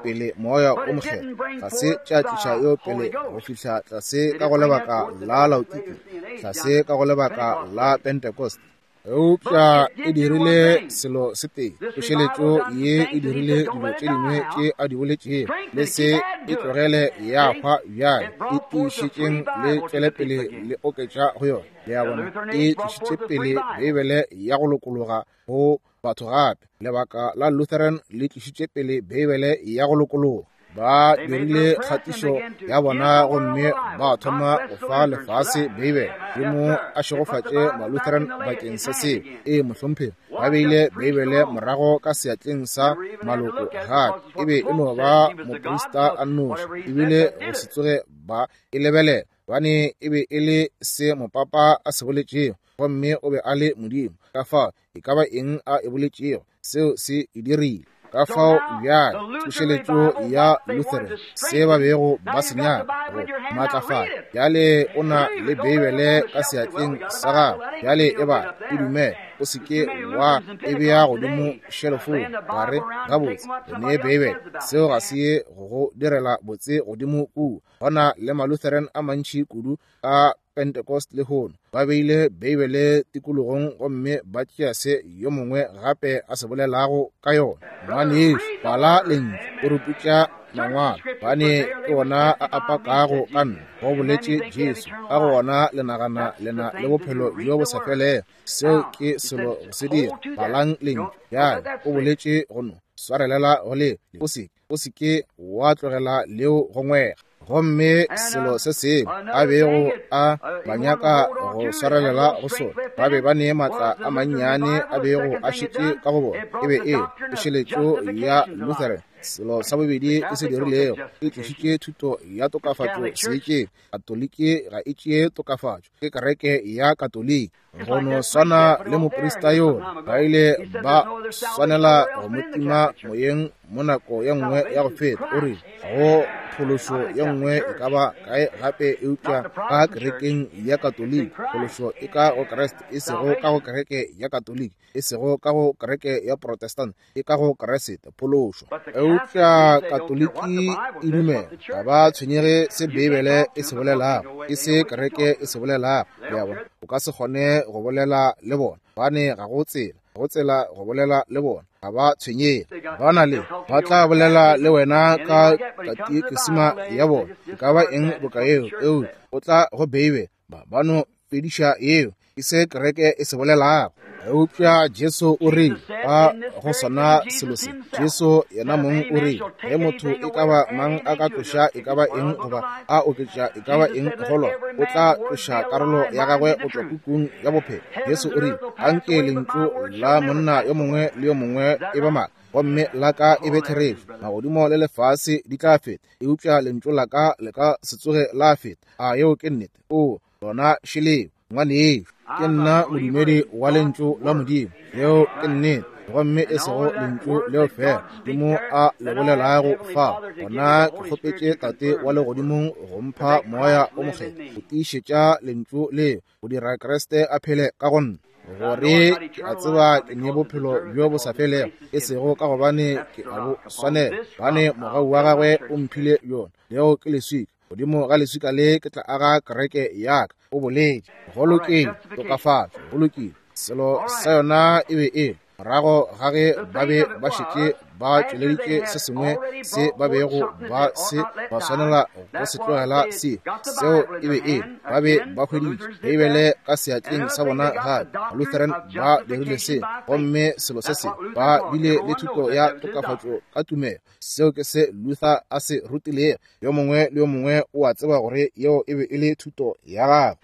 pele Moya o Mokgethwa, ga se tša tliša yo pele go fihla tlase ka go lebaka la Laodikia, tlase ka go lebaka la Pentecost. Eupša e dirile selo se tee, tsošeletšo ye e dirile dilo tše dingwe tše a di boletšego, le se e tlogele ya hwa bjale, e tiišetšeng le tšwele pele le oketša go yona. Le a bona, e tlišitše pele Beibele ya go lokologa go batho gape. Lebaka la Lutheran le tlišitše pele Beibele ya go lokologa. Ba dirile kgatišo ya bona gomme ba thoma go fa lefase Beibele. Modimo a šegofatše Malutheran bakeng sa seo. Ee, mohlomphegi, ba beile Beibele morago ka seatleng sa maloko gape. E be e no ba moprista a nnoši, ebile go se tsoge ba e lebelela, gobane e be e le se mopapa a se boletšego, gomme o be a le Modimo. Ka fao e ka ba eng a e boletšego, seo se e dirile. Ka fao bjale tsošeletšo ya Lutheran, se ba bego ba se nyaka go maatlafala. Bjale o na le Beibele ka seatleng sa gago, bjale e bale, e dumele, o se ke wa e bea godimo šelofong, wa re, gabotse, re nee Beibele. Seo ga se ye go go direla botse godimo kua. Go na le Malutheran a mantši kudu ka Pentecost lehono, ba beile Beibele tikologong gomme ba tšea se yo mongwe gape a se bolelago ka yona. Ngwanešu, bala lentšu, o re putša mangwalo, gobane ke wona a apakago ka nna, go boletše Jesu. Ka go wona le nagana le na le bophelo bjo bo sa felego. Seo ke selo go se dira. Balang lentšu. Bjale o boletše go no swarelela go leo, o se o se ke wa tlogela leo go ngwega. Gomme selo se sengwe a bego a ba nyaka go swarelela go sona, ba be ba ne maatla a mannyane a bego a šetše ka go bona, e be e tsošeletšo ya Lutheran. Selo sa bobedi e se dirilego, e tlišitše thuto ya tokafatšo seetšeng. Katoliki ga e tšee tokafatšo, ke kereke ya Katoliki. Go no swana le moprista yola, ba ile ba swanela go mo tima moyeng mo nako ye nngwe ya go feta. O rile go phološo ye nngwe e ka ba kae gape eupša ka kerekeng ya Katoliki. Phološo e ka go Kriste, e sego ka go kereke ya Katoliki, e sego ka go kereke ya Protestant, e ka go Kriste, phološo. Eupša Katoliki e dumela, ga ba tshwenyege se Beibele e se bolelago, ke se kereke e se bolelago. Le a bona, o ka se kgone go bolela le bona, gobane ga go tsela, go tsela go bolela le bona. Ga ba tshwenyege, ba na le, ba tla bolela le wena ka katikesima ya bona, e ka ba eng boka yeo, eupša o tla go Beibele, ba ba no fediša yeo, ke se kereke e se bolelago. Eupša Jesu o rile ka go sona selo se, Jesu yena mong o rile, ge motho e ka ba mang a ka tloša e ka ba eng goba a oketša e ka ba eng go lona, o tla tloša karolo ya gagwe go tšwa pukung ya bophelo. Jesu o rile, anke lentšu la monna yo mongwe le yo mongwe e ba maaka, gomme la ka e be therešo. Magodimo le lefase di tla feta, eupša lentšu la ka le ka se tsoge la feta. A yeo ke nnete? O lona šeleo, ngwanešu, ke nna modumedi wa lentšu la Modimo. Yeo ke nnete, gomme e sego lentšu leo fela Modimo a le bolelago fa. Gona ke kgopetše Tate wa legodimong go mpha Moya o Mokgethwa go tiišetša lentšu leo, go dira Kriste a phele ka go nna, gore ke a tseba ke ne bophelo bjo bo sa felego, e sego ka gobane ke a bo swanela, gobane mogau wa gagwe o mphile bjona. Leo ke leswika, godimo ga leswika le ke tla aga kereke ya ka, o boletše. Go lokile, tokafatšo, go lokile. Selo sa yona e be e morago ga ge ba be ba šetše ba tšweleditše se sengwe se ba bego ba se ba swanela go se tlogela se. Seo e be e ba be ba hweditše Beibele ka seatleng sa bona gape. Lutheran ba dirile se, gomme selo se se ba bile le thuto ya tokafatšo ka tumelo. Seo ke se Luther a se rutilego. Yo mongwe le yo mongwe o a tseba gore yeo e be e le thuto ya gagwe.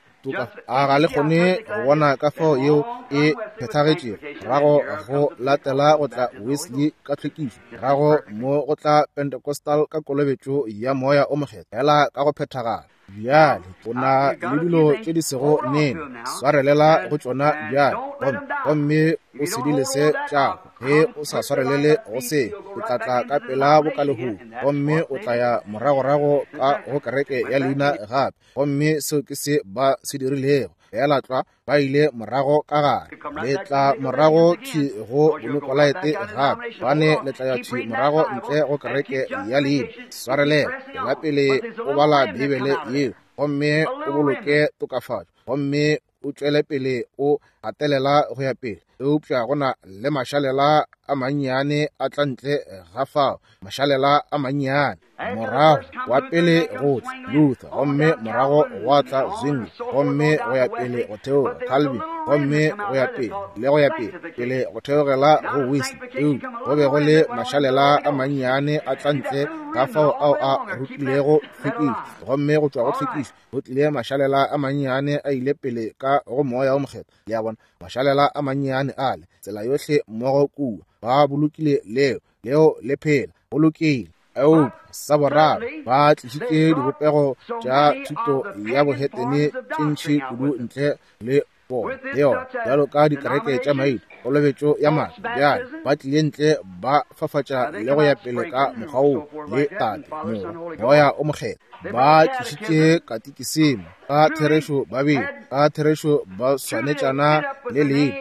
A ga le kgone go bona ka fao yeo e phethagetšego? Morago go latela go tla Wesley ka tlhwekišo, morago mo go tla Pentecostal ka kolobetšo ya Moya o Mokgethwa, fela ka go phethagala. Bjale o na le dilo tše di sego nene, swarelela go tšona bjale, gomme gomme o se di lese tšago. Ge o sa swarelele go se, o tla tla ka pela bokalehung, gomme o tla ya moragorago ka go kereke ya leina gape. Gomme seo ke se ba se dirilego. Fela tlwa ba ile morago ka gare. Le tla morago thwi go Bonikolaite gape, bane le tla ya thwi morago ntle go kereke ya leina. Swarelela, tšwela pele o bala Beibele yeo, gomme o boloke tokafatšo, gomme o tšwele pele o gatelela go ya pele. Eupša go na le mašalela a mannyane a tla ntle ga fao, mašalela a mannyane. Morago wa pele go tla Luther, gomme morago gwa tla Zwingli, gomme go ya pele go theoga Calvin, gomme go ya pele le go ya pele pele go theogela go Wesley. Eupša go be go le mašalela a mannyane a tla ntle ga fao ao a rutilego tlhwekišo, gomme go tšwa go tlhwekišo go tlile mašalela a mannyane a ile pele ka go Moya o Mokgethwa. Le a bona, mašalela a mannyane ale tsela yohle mmogo kua ba bolokile leo leo le phela go lokile. Eupša sa boraro ba tlišitše dibopego tša thuto ya bohetene tše ntši kudu ntle le bona le yona, bjalo ka dikereke tša maina, kolobetšo ya madi. Bjale ba tlile ntle ba fafatša le go ya pele ka mokgwa woo le Tate, Morwa, Moya o Mokgethwa. Ba tlišitše katikisimo ka therešo ba bile ka therešo ba swanetšana le leina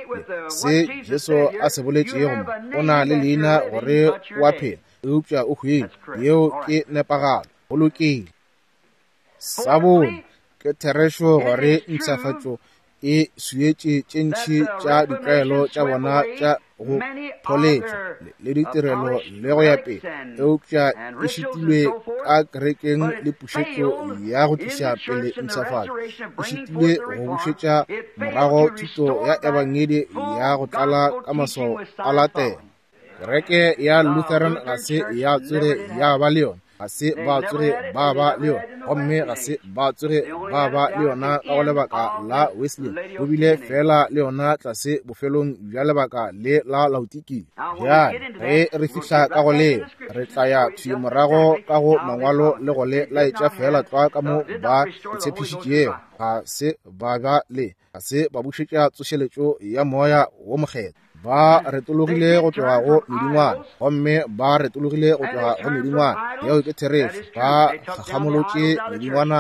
se Jesu a se boletšego mo. O na le leina gore o a phela, eupša o hwile. Yeo ke nepagalo. Go lokile. Sa bone, ke therešo gore mpshafatšo e swietše tše ntši tša ditlwaelo tša bona tša go pholetšwa le ditirelo le go ya pele, eupša e šitilwe ka kerekeng le pušetšo ya go tliša pele mpshafatšo. E šitilwe go bušetša morago thuto ya ebangedi ya go tlala ka maswao a latela. Kereke ya Lutheran ga se ya tsoge ya ba le yona, ga se ba tsoge ba ba le yona, gomme ga se ba tsoge ba ba le yona ka go lebaka la Wesley. Go bile fela le yona tlase bofelong bja lebaka le la Laodikia. Bjale ge re fihla ka go leo, re tla ya thwi morago ka go mangwalo le go le laetša fela tlwa ka mo ba tshepišitšego. Ga se ba ba le, ga se ba bušetša tsošeletšo ya Moya wo Mokgethwa. Ba retologile go tloga go medingwana, gomme ba retologile go tloga go medingwana. Yeo ke therešo. Ba kgakgamolotše medingwana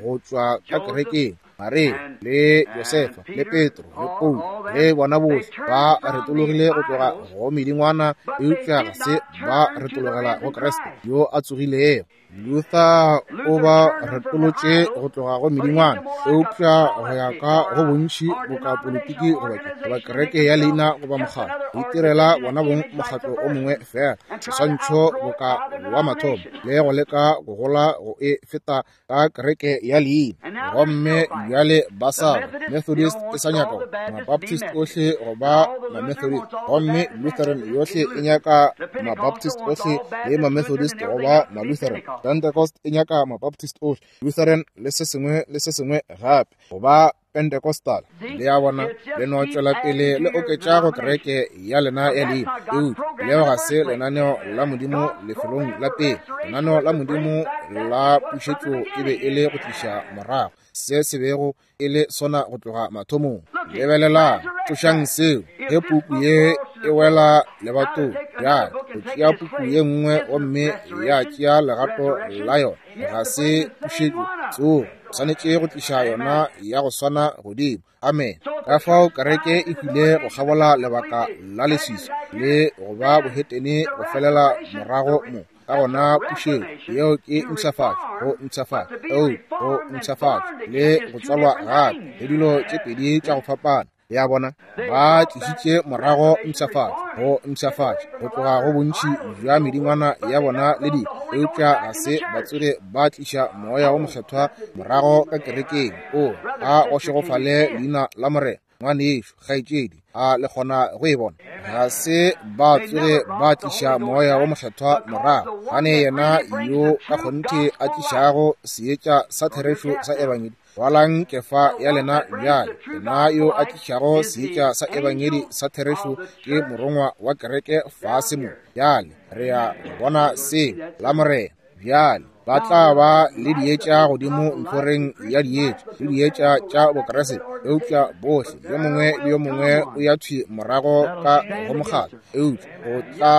go tšwa ka kerekeng. Maria le Josefa le Petro le Paulo le bona bohle ba retologile go tloga go medingwana, eupša ga se ba retologela go Kriste yo a tsogilego. Luther o ba retolotše go tloga go medingwana, eupša go ya ka go bontši boka politiki goba goba kereke ya leina goba mokgatlo, go itirela bona bong mokgatlo o mongwe fela, seswantšho boka wa mathomo, le go leka go gola go e feta ka kereke ya leina. Gomme bjale ba sa Methodist e sa nyaka Mabaptist ohle goba Mamethodist, gomme Lutheran yohle e nyaka Mabaptist ohle le Mamethodist goba Malutheran. Pentecost e nyaka Mabaptist ohle, Lutheran le se sengwe le se sengwe gape goba Pentecostal. Le a bona, le no tšwela pele le oketša go kereke ya lena ya leina. Eupša leo ga se lenaneo la Modimo lefelong la pele. Lenaneo la Modimo la pušetšo e be e le go tliša morago se se bego e le sona go tloga mathomong. Lebelelang, tlošang seo. Ge puku ye e wela lebatong, bjale go tšea puku ye nngwe gomme ya tšea legato la yona, ga se pušetšo tsogo. Swanetše go tliša yona ya go swana godimo. Amen. Ka fao kereke e hwile go kgabola lebaka la leswiswi le go ba bohetene go felela morago mo. Ka gona pušetšo yeo ke mpshafatšo, go mpshafatšo, eo go mpshafatšo le go tswalwa gape, le dilo tše pedi tša go fapana. Le a bona? Ba tlišitše morago mpshafatšo, go mpshafatša, go tloga go bontši bja medingwana ya bona le dilo, eupša ga se ba tsoge ba tliša Moya wo Mokgethwa morago ka kerekeng. O a go šegofale leina la Morena. Ngwanešu, kgaetšedi, a le kgona go e bona? Ga se ba tsoge ba tliša Moya wo Mokgethwa morago, gane yena yo ka kgonthe a tlišago seetša sa therešo sa ebangedi. Rwalang kefa ya lena bjale. Yena yo a tlišago seetša sa ebangedi sa therešo ke morongwa wa kereke fase mo. Bjale re ya bona se la Morena. Bjale ba tla ba le dietša godimo ntlhoreng ya dietša le dietša tša Bokreste, eupša bohle yo mongwe le yo mongwe o ya thwi morago ka go mokgatlo, eupša go tla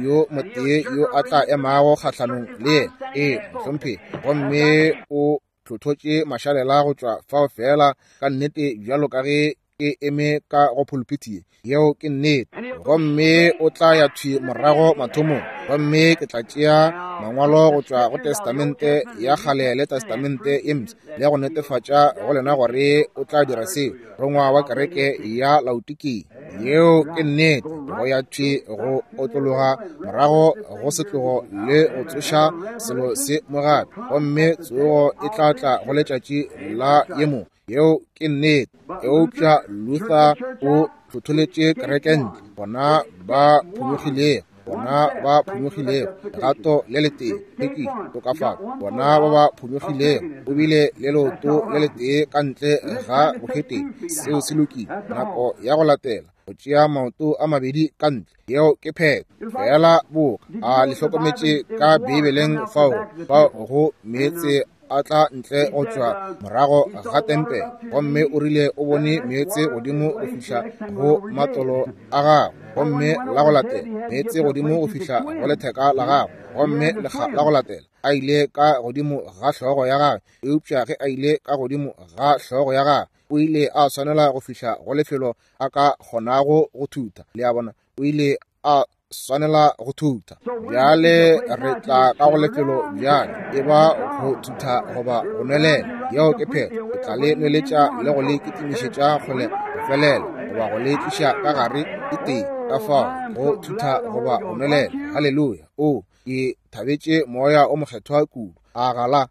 yo motee yo a tla emago kgahlanong le yena. Ee, mohlomphegi. Gomme o tlhothotše mašalela go tšwa fao feela ka nnete bjalo ka ge ke eme ka go pulpiti ye. Yeo ke nnete. Gomme o tla ya thwi morago mathomong. Gomme ke tla tšea mangwalo go tšwa go Testamente ya kgale le Testamente ye mpsha le go netefatša go lena gore o tla dira seo. Rongwa wa kereke ya Laodikia. Yeo ke nnete. Go ya thwi go otlologa morago go setlogo le go tsoša selo se mo gape. Gomme tsogo e tla tla go letšatši la ye mongwe. Yeo ke nnete. Eupša Luther o tlhotholetše kereke ntle. Bona ba phonyokgilego, bona ba phonyokgilego, legato le letee, hlwekišo, tokafatšo. Bona ba ba phonyokgilego, o bile le leoto le letee ka ntle ga bohetene. Seo se lokile. Nako ya go latela, go tšea maoto a mabedi ka ntle. Yeo ke phetho. Fela boka a le hlokometše ka Beibeleng fao, fao go meetse a tla ntle go tšwa morago ga tempele, gomme o rile o bone meetse godimo go fihla go matolo a gagwe, gomme la go latela meetse godimo go fihla go letheka la gagwe, gomme lekga la go latela a ile ka godimo ga hlogo ya gagwe. Eupša ge a ile ka godimo ga hlogo ya gagwe, o ile a swanela go fihla go lefelo a ka kgonago go thutha. Le a bona? O ile a swanela go thutha. Bjale re tla ka go lefelo bjale, e ba go thutha goba go nwelela. Yeo ke phetho. Ke tla le nweletša le go le kitimišetša kgole go felela, goba go le tliša ka gare e tee. Ka fao go thutha goba go nwelela. Haleluya. O, ke thabetše Moya o Mokgethwa kudu. A gala.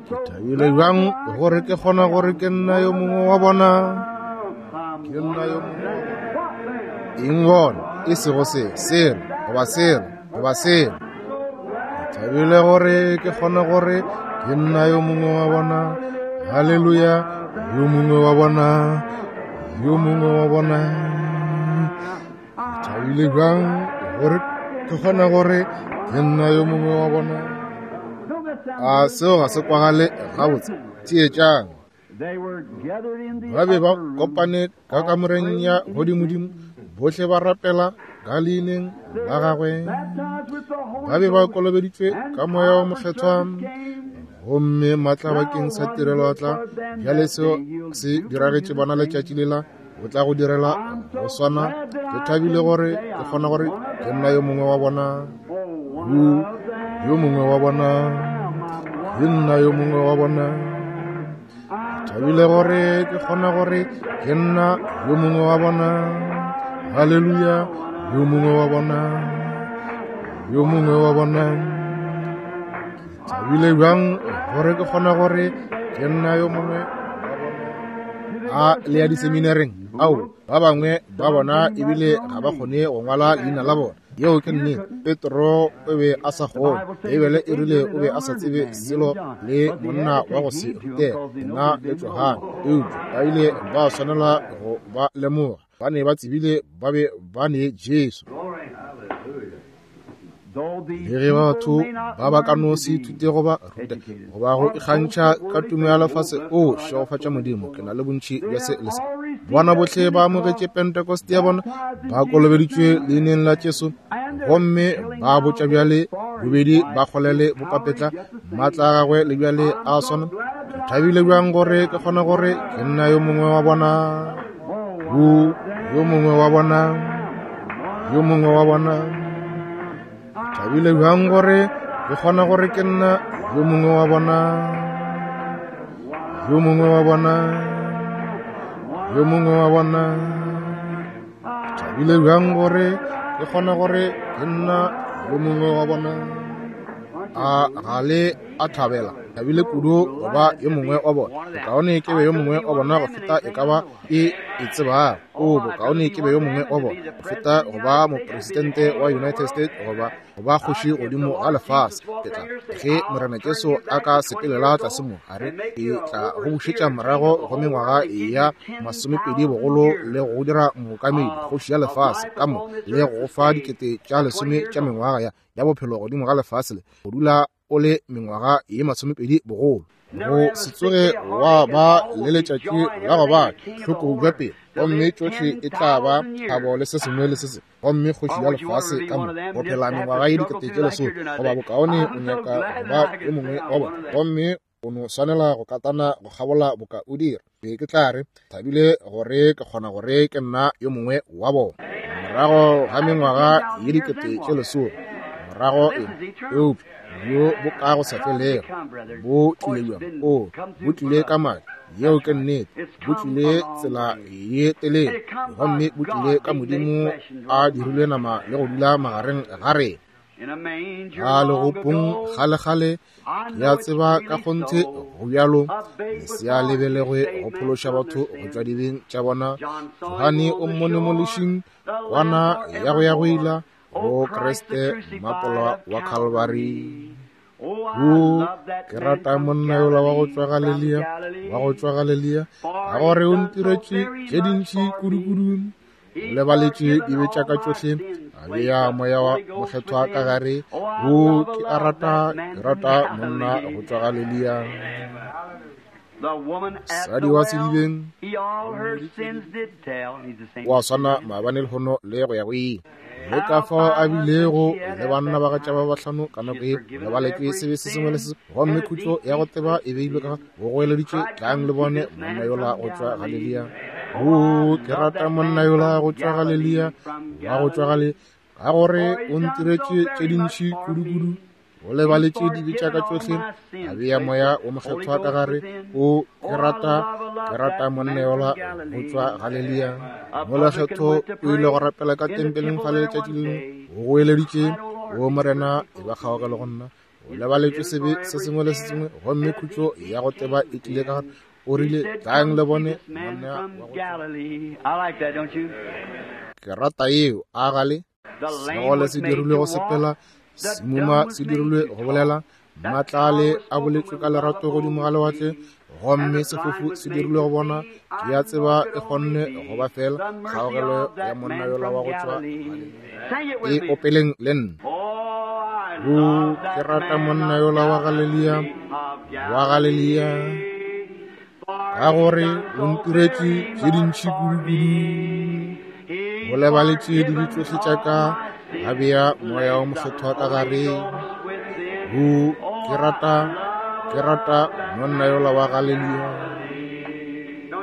Ke thabile bjang gore ke kgona gore ke nna yo mongwe wa bona. Ke nna yo mongwe wa bona. Eng gona? E sego se, selo, goba selo, goba selo. Ke thabile gore ke kgona gore ke nna yo mongwe wa bona. Haleluya, yo mongwe wa bona, yo mongwe wa bona. Ke thabile bjang gore ke kgona gore ke nna yo mongwe wa bona. A seo ga se kwagale gabotse? Theetšang. Ba be ba kopane ka kamoreng ya godimodimo, bohle ba rapela ka leineng la gagwe. Ba be ba kolobeditšwe ka Moya wo Mokgethwa, gomme maatla bakeng sa tirelo a tla. Bjale seo se diragetše bona letšatši lela, o tla go direla go swana. Ke thabile gore ke kgona gore ke nna yo mongwe wa bona. Hu, yo mongwe wa bona, ke nna yo mongwe wa bona. Ke thabile gore ke kgona gore ke nna yo mongwe wa bona. Haleluya, yo mongwe wa bona, yo mongwe wa bona. Ke thabile bjang gore ke kgona gore ke nna yo mongwe wa bona. A le ya diseminareng? Ao, ba bangwe ba bona ebile ga ba kgone go ngwala leina la bona. Yeo ke nnete. Petro o be a sa kgone. Beibele e rile o be a sa tsebe selo le monna wa go se rutega, yena le Johane. Eupša ba ile ba swanela go ba lemoga. Ba ne ba tsebile ba be ba ne Jesu. Le ge batho ba ba ka no se ithute goba ruta goba go ikgantšha ka tumo ya lefase, o šegofatša Modimo, ke na le bontši bja se le se. Bona bohle ba amogetše Pentecost ya bona, ba kolobeditšwe leineng la Jesu, gomme ba botša bjale bobedi ba kgolele bopapetla maatla a gagwe le bjale a swana. Ke thabile bjang gore ke kgona gore ke nna yo mongwe wa bona. Hu, yo mongwe wa bona, yo mongwe wa bona. Ke thabile bjang gore ke kgona gore ke nna yo mongwe wa bona, yo mongwe wa bona. yo mongwe wa bona. Thabile bjang gore ke kgona gore ke nna yo mongwe wa bona. A ga le a thabela? Thabile kudu go ba yo mongwe wa bona. Bokaone ke be yo mongwe wa bona go feta e ka ba e e tsebago. O bokaone ke be yo mongwe wa bona go feta go ba mopresidente wa United States goba go ba kgoši godimo ga lefase. Ke tla ge Morena Jesu a ka sepelela tlase mo, a re ke tla go bušetša morago go mengwaga ya masomepedi bogolo le go dira mookamedi kgoši ya lefase ka mo le go fa dikete tša lesome tša mengwaga ya ya bophelo godimo ga lefase le go dula o le mengwaga ye masomepedi bogolo. Go se tsoge wa ba le letšatši la go ba hloko bja pele, gomme tšohle e tla ba thabo le se sengwe le se sengwe, gomme kgoši ya lefase ka mo go phela mengwaga ye dikete tše lesome goba bokaone o nyaka go ba yo mongwe wa bona, gomme o no swanela go katana go kgabola boka o dira. Be ke tla re thabile gore ke kgona gore ke nna yo mongwe wa bona morago ga mengwaga ye dikete tše lesome. Morago eng? Eupša bjo bo ka go sa felego bo tlile bjang? O bo tlile ka madi, yeo ke nnete. Bo tlile tsela ye telele, gomme bo tlile ka Modimo a dirilwe nama le go dula magareng ga rena. Ga legopong kgale-kgale, ke a tseba ka kgonthe go bjalo, lesea le belegwe go phološa batho go tšwa dibeng tša bona. Johane o mmone mo lešing, kwana ya go ya go ila go Kriste mmapola wa Calvary. O ke rata monna yola wa go tšwa Galilea, wa go tšwa Galilea, ka gore o ntiretše tše dintši kudu-kudu. O lebaletše dibe tša ka tšohle, a bea moya wa mokgethwa ka gare. O ke a rata, ke rata monna go tšwa Galilea. Mosadi wa sedibeng wa swana maabane lehono le go ya go ile. Le ka fao a bilego le banna ba gatša ba bahlano ka nako ye, lebaletšwe sebe se sengwe le se, gomme khutšo ya go tseba e beilwe ka go goeleditšwe, tlang le bone monna yola go tšwa Galilea. O ke rata monna yola go tšwa Galilea, wa go tšwa Galilea, ka gore o ntiretše tše dintši kudu-kudu. O lebaletše dibe tša ka tšohle, a bea moya o mokgethwa ka gare. O ke rata, ke rata monna yola go tšwa Galilea. Molekgetho o ile go rapela ka tempeleng fa le letšatši le lengwe, o goeleditše, o Morena e ba kgaogelo go nna. O lebaletšwe sebe se sengwe le se sengwe, gomme khutšo ya go teba e tlile ka gare. O rile, tlang le bone monna wa go tšwa. Ke rata yeo, a gale segole se dirilwe go sepela, semuma se dirilwe go bolela, matlale a boletšwe ka lerato godimo ga lewatle, gomme sefofu se dirilwe go bona. Ke a tseba e kgonne go ba fela kgaogelo ya monna yola wa go tšwa Galilea. E opeleng le nna. O ke rata monna yola wa Galilea, wa Galilea, ka gore o ntiretše tše dintši kudu-kudu. O lebaletše dibe tšohle tša ka, a bea moya o mokgethwa ka gare. O ke rata, ke rata monna yola wa Galilea.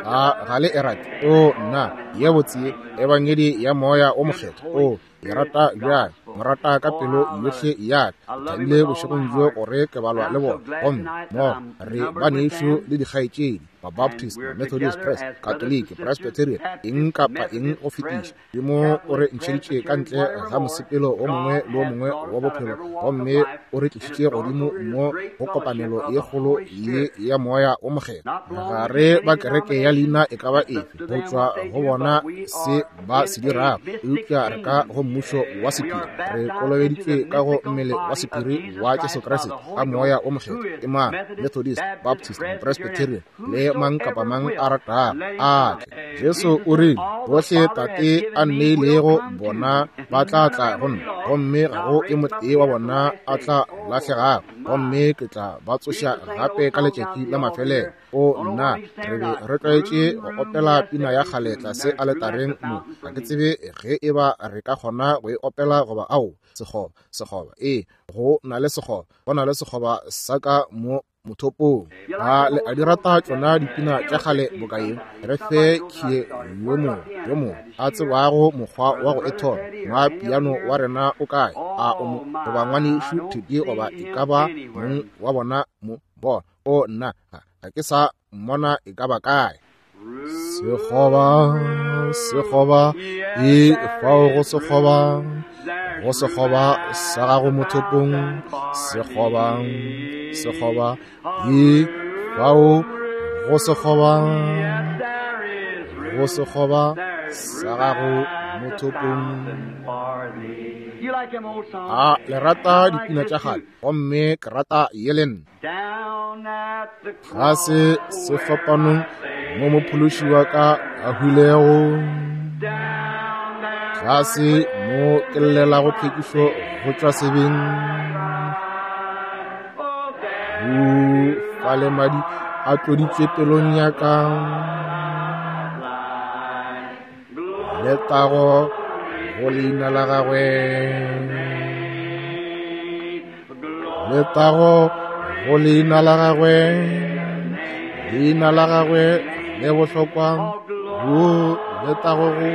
A ga le e rate? O nna, ye botse ebangedi ya moya o mokgethwa. O ke rata bjang, mo rata ka pelo yohle ya ka. Thabile bošegong bjo gore ke balwa le bona, gomme mo re banešu le dikgaetšedi, Baptist, Methodist, Press, Catholic, Presbyterian, eng kapa eng go fetiša. Modimo o re ntšheditše ka ntle ga mosepelo o mongwe le o mongwe wa bophelo, gomme o re tlišitše godimo mo go kopanelo ye kgolo ye ya moya o mokgethwa. Ga re ba kereke ya leina e ka ba efe go tšwa go bona se ba se dirago, eupša re ka go mmušo wa sephiri. Re kolobeditšwe ka go mmele wa sephiri wa Jesu Kriste ka moya o mokgethwa. Ke mang? Methodist, Baptist, Presbyterian le mang kapa mang a ratago a tle. Jesu o rile, bohle Tate a nneilego bona ba tla tla go nna, gomme ga go e motee wa bona a tla lahlegago, gomme ke tla ba tsoša gape ka letšatši la mafelelo. O nna, re be re tlwaetše go opela pina ya kgale tlase aletareng mo. Ga ke tsebe ge e ba re ka kgona go e opela goba ao. Sekgoba, sekgoba, ee, go na le sekgoba, go na le sekgoba sa ka mo mothopong. A le a di rata tšona dipina tša kgale boka ye? Re fe khie yo mongwe yo mongwe a tsebago mokgwa wa go e thoma. Ngwa piano wa rena o kae? A o mo goba ngwanešu Thedi goba e ka ba mong wa bona mo? Bona, o nna, ga ke sa mmona e ka ba kae. Sekgoba, sekgoba, e fao go sekgoba, go sekgoba sa gago mothopong. Sekgoba, sekgoba, e fao go sekgoba, go sekgoba sa gago mothopong. A le rata dipina tša kgale, gomme ke rata ye le nna. Ga se sefapanong mo mophološi wa ka a hwilego, tlase mo ke llelago tlhwekišo go tšwa sebeng. Hu fale madi a tloditšwe pelong ya ka, letago go leina la gagwe, letago go leina la gagwe, leina la gagwe le bohlokwa, go letago go.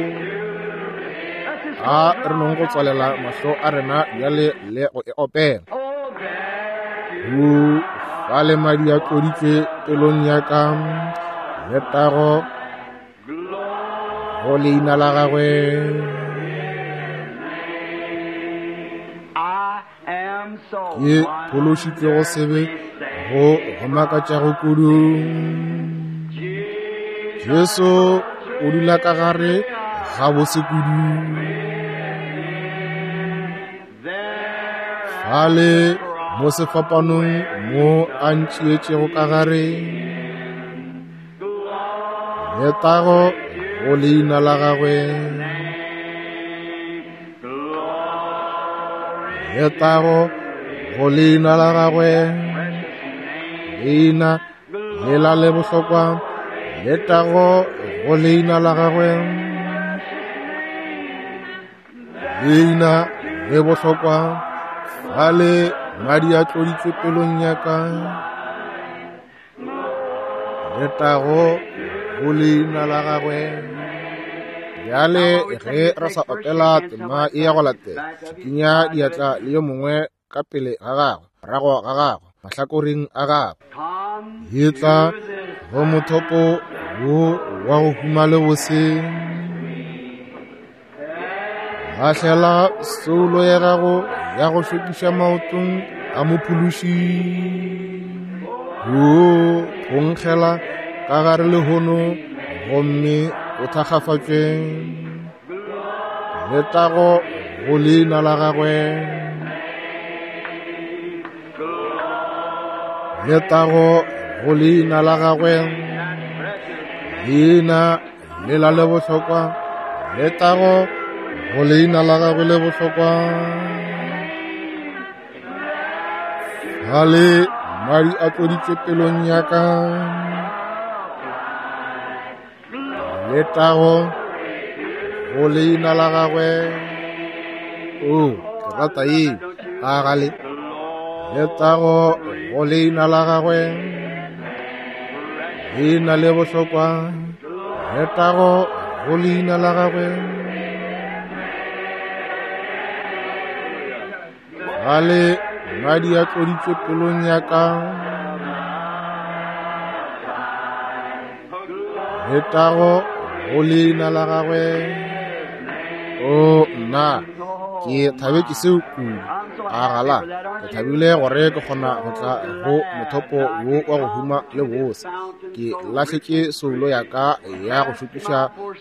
A re nong go tswalela mahlo a rena bjale le go e opela. Hu fale madi a tloditšwe pelong ya ka, letago go leina la gagwe. Ke phološitšwe go sebe go go makatšago kudu. Jesu o dula ka gare ga bose kudu. Fale mo sefapanong mo a ntšeetšego ka gare, letago go leina la gagwe, letago go leina la gagwe, leina lela le bohlokwa, letago go leina la gagwe, leina le bohlokwa. Fale madi a tloditšwe pelong ya ka, letago go leina la gagwe. Bjale ge re sa opela tema e ya go latela, šikinya diatla le yo mongwe ka pele ga gagwe, morago ga gagwe, mahlakoreng a gagwe. Etla go mothopo wo wa go huma le bose. Lahlela soulo ya gago ya go hlwekiša maotong a mophološi. Wo phonkgela ka gare lehono gomme o thakgafatšwe. Letago go leina la gagwe, letago go leina la gagwe, leina lela le bohlokwa, letago go leina la gagwe le bohlokwa. Fale madi a tloditšwe pelong ya ka, letago go leina la gagwe. O ke rata ye ka gale. Letago go leina la gagwe, leina le bohlokwa, letago go leina la gagwe. Fale madi a tloditšwe pelong ya ka, letago go leina la gagwe. O nna ke thabetše seo kudu. A gala ke thabile gore ke kgona go tla go mothopo wo wa go huma le bose. Ke lahletše soulo ya ka ya go šokiša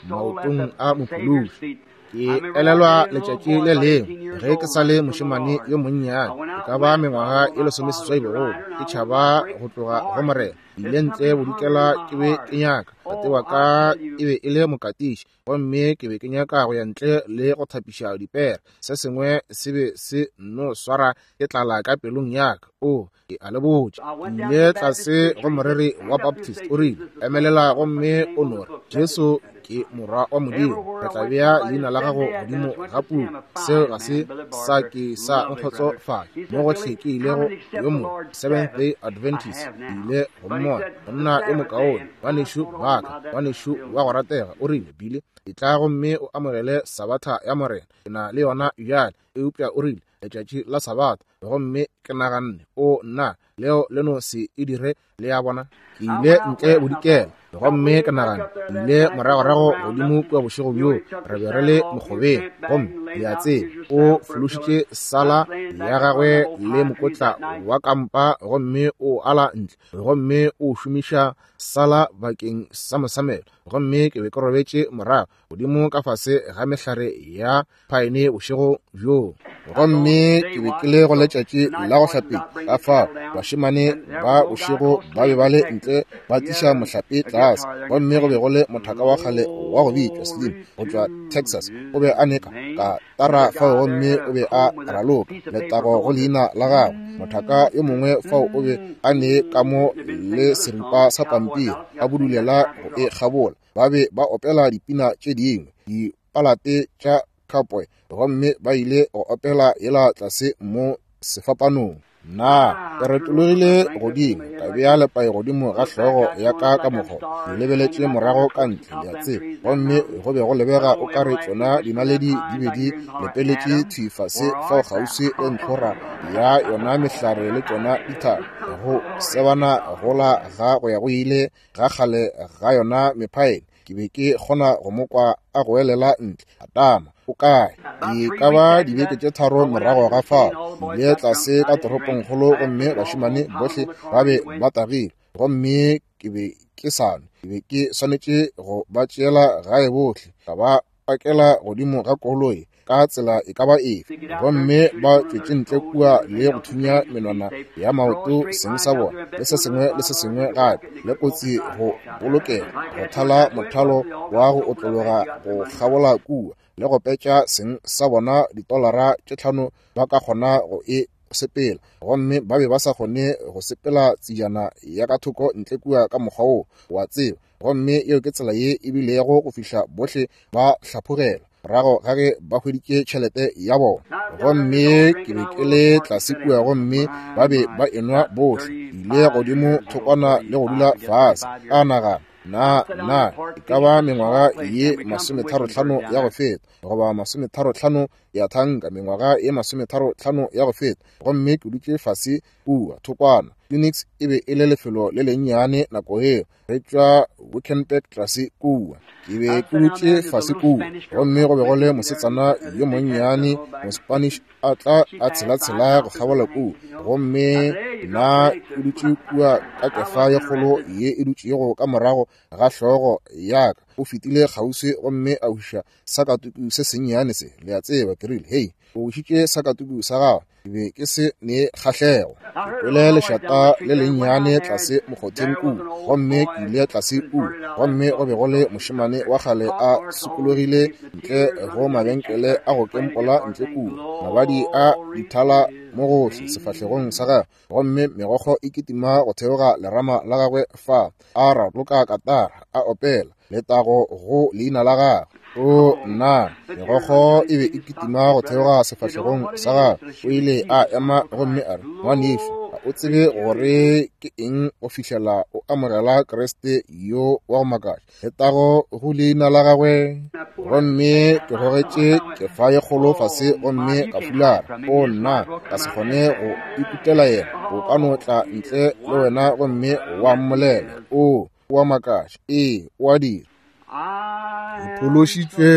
maotong a mophološi. Ke elelwa letšatši le lengwe ge ke sa le mošemane yo monnyane, e ka ba mengwaga e lesomeseswai bogolo, ke tšhaba go tloga go Morena. Ile ntle bodikela ke be ke nyaka. Tate wa ka e be e le mokatiši, gomme ke be ke nyaka go ya ntle le go thapiša dipere. Se sengwe se be se nno swara ke tlala ka pelong ya ka. O ke a le botša, ke ile tlase go moreri wa Baptist, o rile, emelela gomme o no re, Jesu ke morwa wa Modimo, re tla bea leina la gago godimo ga puku. Seo ga se sa ke sa nkgotsofatša mo gohle ke ilego yo mongwe Seventh Day Adventist, ke ile go mmona monna yo mokaone, ngwanešu wa ka, ngwanešu wa go ratega. O rile, Bile, etla gomme o amogele Sabatha ya Morena. Ke na le yona bjale. Eupša o rile, letšatši la Sabatha Gomme ke naganne, o nna, leo le no se e dire, le a bona. Ke ile ntle bodikela, gomme ke nagana, ke ile moragorago godimo kua bošego bjo, re be re le mokgobeng, gomme le a tseba, o fološitše sala ya gagwe le mokotla wa kampa, gomme o ala ntle, gomme o šomiša sala bakeng sa mosamelo. Gomme ke be ke robetše morago godimo ka fase ga mehlare ya phaene bošego bjo. Gomme ke be ke le go letšatši la go hlapetša, ka fao bašemane ba bošego ba be ba le ntle ba tliša mohlape tlase. Gomme go be go le mothaka wa kgale wa go bitšwa Slim go tšwa Texas, o be a neka ka tara fao, gomme o be a raloka letago go leina la gagwe. Mothaka yo mongwe fao o be a ne ka mo le seripa sa pampiri a budulela go e kgabola. Ba be ba opela dipina tše dingwe, dipalate tša cowboy, gomme ba ile go opela yela tlase mo sefapanong. Nna ke retologile godimo, ka bea lepai godimo ga hlogo ya ka ka mokgwa, ke lebeletše morago ka ntle, le a tseba, gomme go be go lebega o ka re tšona dinaledi di be di lepeletše thwi fase fao kgauswi le ntlhora ya yona mehlare le tšona dithaba, go sebana gola ga go ya go ile ga kgale ga yona mephaene. Ke be ke kgona go mo kwa a goelela ntle, Adama, o kae? Di ka ba dibeke tše tharo morago ga fao, ke ile tlase ka toropongkgolo, gomme bašemane bohle ba be ba tagile, gomme ke be ke sa nwe. Ke be ke swanetše go ba tšeela gae bohle, ka ba pakela godimo ga koloi ka tsela e ka ba efe, gomme ba tšwetše ntle kua le go thunya menwana ya maoto seng sa bona le se sengwe le se sengwe gape, le kotsi go bolokega, go thala mothalo wa go otlologa go kgabola kua le go petša seng sa bona ditolara tše tlhano ba ka kgona go e sepela, gomme ba be ba sa kgone go sepela tsejana ya ka thoko ntle kua ka mokgwa wo, wa tseba. Gomme yeo ke tsela ye e bilego go fihla bohle ba hlaphogela morago ga ge ba hweditše tšhelete ya bona. Gomme ke be ke le tlase kua, gomme ba be ba enwa bohle. Ke ile godimo thokwana le go dula fase, ka nagana, na na e ka ba mengwaga ye masometharo-hlano ya go feta, goba masometharo-hlano ya thanka, mengwaga ye masometharo-hlano ya go feta. Gomme ke dutše fase kua thokwana. Phoenix e be e le lefelo le lennyane nako yeo, re tšwa Wickenburg tlase kua. Ke be ke dutše fase kua, gomme go be go le mosetsana yo monnyane mo-Spanish a tla a tshela-tshela go kgabola kua, gomme nna ke dutše kua ka kefa ye kgolo ye e dutšego ka morago ga hlogo ya ka. O fetile kgauswi gomme a wiša sakatuku se sennyane se, le a tseba. Ke rile, hei, o wišitše sakatuku sa gagwe. Ke be ke se ne kgahlego. Ke kwele lešata le lennyane tlase mokgotheng kua, gomme ke ile tlase kua, gomme go be go le mošemane wa kgale a sokologile ntle go mabenkele a go kempola ntle kua, mabadi a dithala mo gohle sefahlegong sa gagwe, gomme megokgo e kitima go theoga lerama la gagwe fa a raloka katara a opela letago go leina la gagwe. O nna, megokgo e be e kitima go theoga sefahlegong sa gagwe. O ile a ema gomme a re, ngwanešu, ga o tsebe gore ke eng go fihlela o amogela Kriste yo wa go makatša, letago go leina la gagwe. Gomme ke gogetše kefa ye kgolo fase gomme ka fulara. O nna, ka se kgone go ikutela yena. O ka no tla ntle le wena gomme wa mmolela, o wa makatša, ee, o a dira. Ke phološitšwe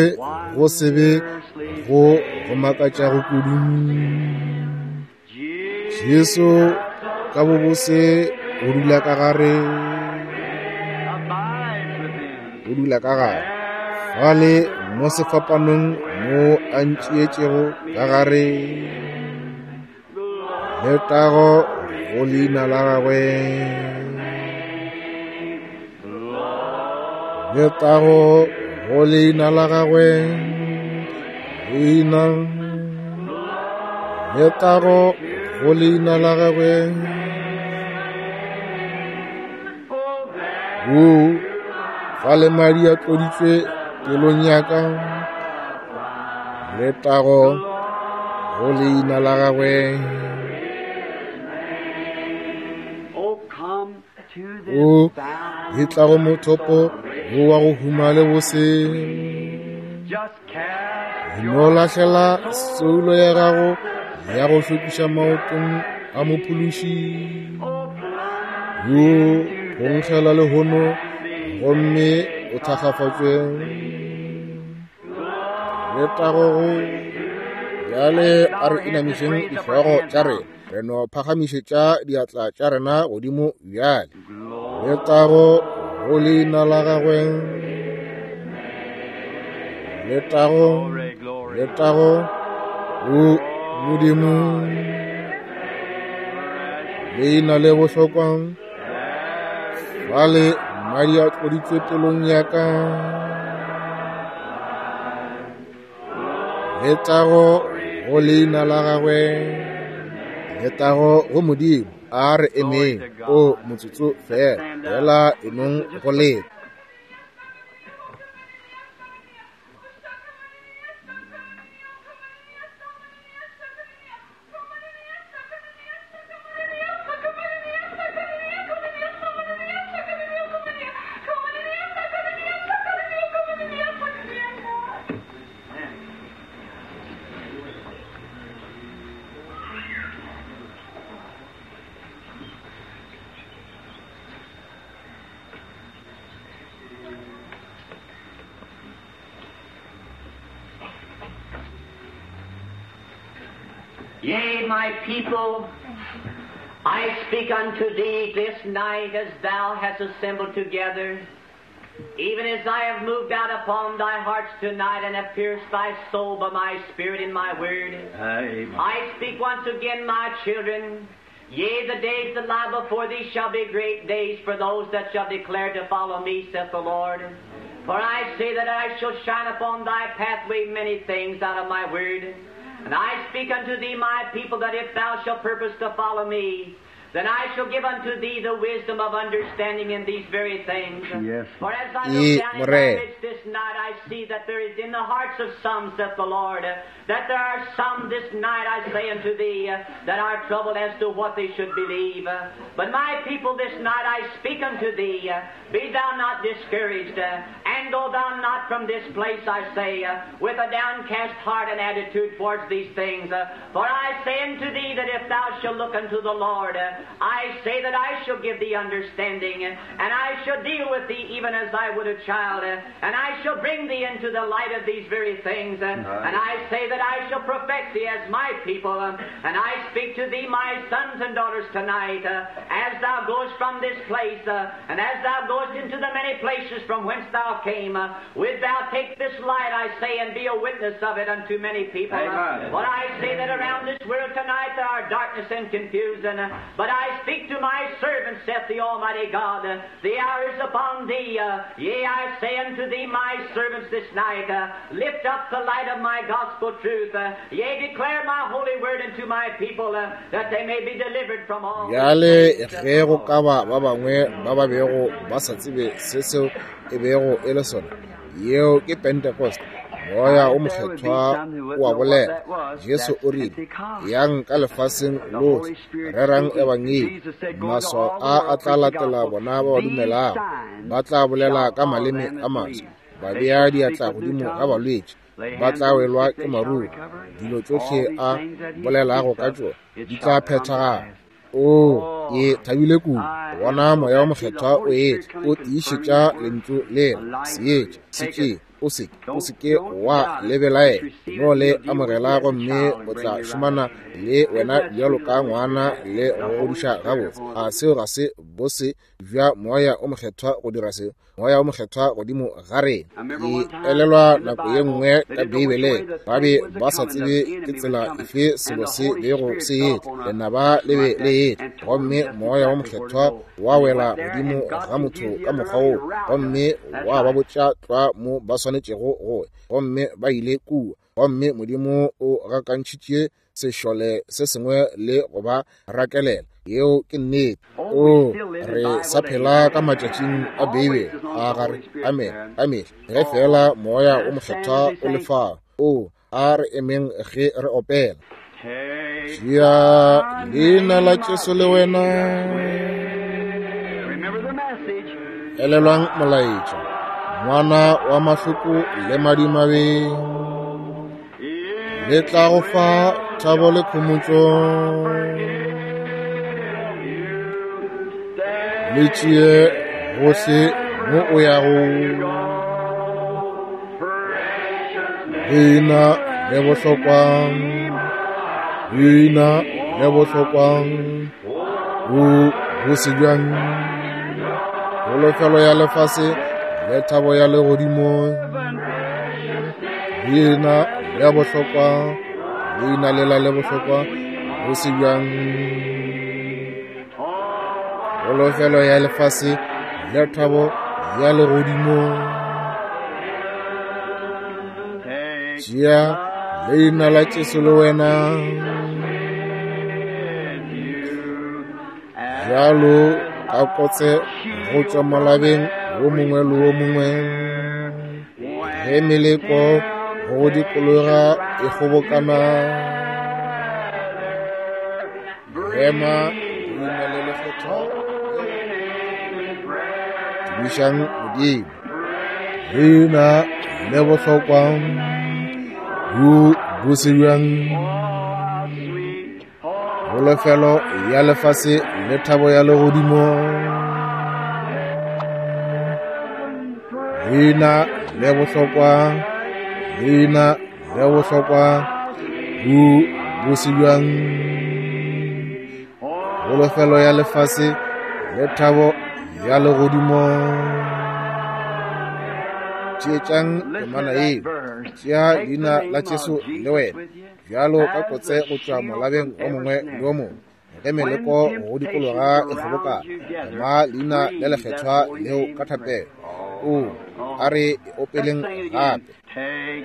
go sebe go go makatšago kudu. Jesu ka bobose o dula ka gare, o dula ka gare fale mo sefapanong mo a ntšeetšego ka gare. Letago go leina la gagwe, letago go leina la gagwe, leina, letago go leina la gagwe. O fale madi a tloditšwe pelong ya ka, letago go leina la gagwe. O e tla go mothopo wo wa go huma le bose. No lahlela soulo ya gago ya go hlokiša maotong a Mophološi. Yo phonkgela lehono gomme o thakgafatšwe. Letago go bjale a re inamišeng dihlogo tša rena, re no phagamišetša diatla tša rena godimo bjale. Letago go leina la gagwe. Letago, letago go Modimo. Leina le bohlokwa, fale madi a tloditswe pelong ya ka. Letago go leina la gagwe. Letago go Modimo. A re emeng o motsotso fela, fela enong go leta. Yea, my people, I speak unto thee this night as thou hast assembled together, even as I have moved out upon thy hearts tonight and have pierced thy soul by my spirit and my word. Amen. I speak once again, my children, yea, the days that lie before thee shall be great days for those that shall declare to follow me, saith the Lord. For I say that I shall shine upon thy pathway many things out of my word. And I speak unto thee, my people, that if thou shalt purpose to follow me, then I shall give unto thee the wisdom of understanding in these very things. Yes. For as I Ye, look down in More. thy midst this night, I see that there is in the hearts of some, saith the Lord, that there are some this night, I say unto thee, that are troubled as to what they should believe. But my people, this night I speak unto thee, be thou not discouraged, and go thou not from this place, I say, with a downcast heart and attitude towards these things. For I say unto thee that if thou shalt look unto the Lord, I say that I shall give thee understanding, and I shall deal with thee even as I would a child, and I shall bring thee into the light of these very things. And I say that I shall perfect thee as my people, and I speak to thee, my sons and daughters, tonight, as thou goest from this place, and as thou goest into the many places from whence thou came, wilt thou take this light, I say, and be a witness of it unto many people. Amen. For I say that around this world tonight there are darkness and confusion, but I speak to my servants, saith the Almighty God, the hour is upon thee. Yea, I say unto thee, my servants, this night, lift up the light of my gospel truth. Yea, declare my holy word unto my people, that they may be delivered from all. Bjale ge go ka ba ba bangwe ba ba bego ba sa tsebe se seo e bego e le sona, yeo ke Pentecost. Moya o mokgethwa o a bolela. Jesu o rile, yang ka lefaseng lohle, rerang ebangedi. Maswao a a tla latela bona ba ba dumelago. Ba tla bolela ka maleme a maswa, ba bea diatla godimo ga balwetši, ba tla welwa ke maruru. Dilo tšohle a bolelago ka tšona di tla phethagala. O ke thabile kudu bona moya o mokgethwa o etla, o tiišetša lentšu lela. Seetša se tšee, o se o se ke wa lebelaela, no le amogela, gomme o tla šomana le wena bjalo ka ngwana le go godiša gabotse. A seo ga se bose bja moya o mokgethwa go dira seo? Moya o mokgethwa godimo ga rena. Ke elelwa nako ye nngwe ka Beibeleng, ba be ba sa tsebe ke tsela efe selo se bego se etla, lenaba le be le etla, gomme moya o mokgethwa wa wela godimo ga motho ka mokgwa woo, gomme wa ba botša tlwa mo ba swanetšego go ya, gomme ba ile kua. Gomme Modimo o gakantšhitše sešole se sengwe le go ba rakelela. Yeo ke nnete. O re sa phela ka matšatšing a Beibele a gare. Amen. Amen. Ge fela moya o mokgethwa o le fao, o a re emeng ge re opela. Tšea leina la Jesu le wena. Elelwang molaetša, ngwana wa mahloko le madimabe, le tla go fa Lethabo le khomotšo le tšee gohle mo o yago. Leina le bohlokwa, leina le bohlokwa, o bose bjang. Kholofelo ya lefase le thabo ya legodimo. Leina le bohlokwa, leina lela le bohlokwa, bose bjang. Kholofelo ya lefase le thabo ya legodimo. Tšea leina la Jesu le wena, bjalo ka kotse go tšwa molabeng wo mongwe le wo mongwe. Ge meleko go dikologa e kgobokana, ema leina le lekgethwa, tumišang Modimo. Leina le bohlokwa, bo bose bjang. Kholofelo ya lefase le thabo ya legodimo. Leina le bohlokwa, leina le bohlokwa, bo bose bjang. Kholofelo ya lefase le thabo ya legodimo. Tšeetšang temana yeo, tšea leina la Jesu le wena, bjalo ka kotse go tšwa molabeng o mongwe le o mongwe. Ge meleko go dikologa e kgobokana, ema leina le lekgethwa leo ka thapelo. O a re opeleng gape.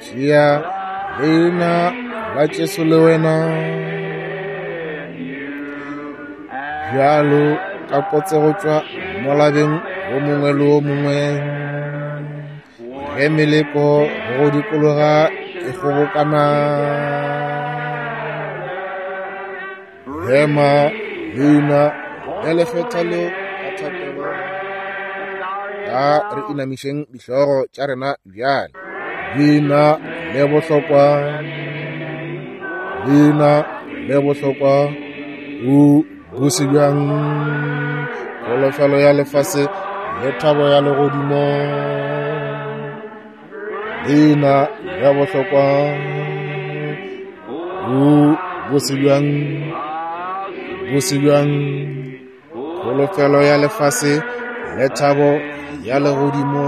Tšea leina la Jesu le wena, bjalo ka kotse go tšwa molabeng o mongwe le o mongwe. Ge meleko go dikologa e kgobokana, ema leina le lekgethwa leo ka thapelo. A re inamišeng dihlogo tša rena bjale. Leina le bohlokwa, leina le bohlokwa, o bose bjang. Kholofelo ya lefase le thabo ya legodimo. Leina le bohlokwa, o bose bjang, bose bjang. Kholofelo ya lefase le thabo ya legodimo.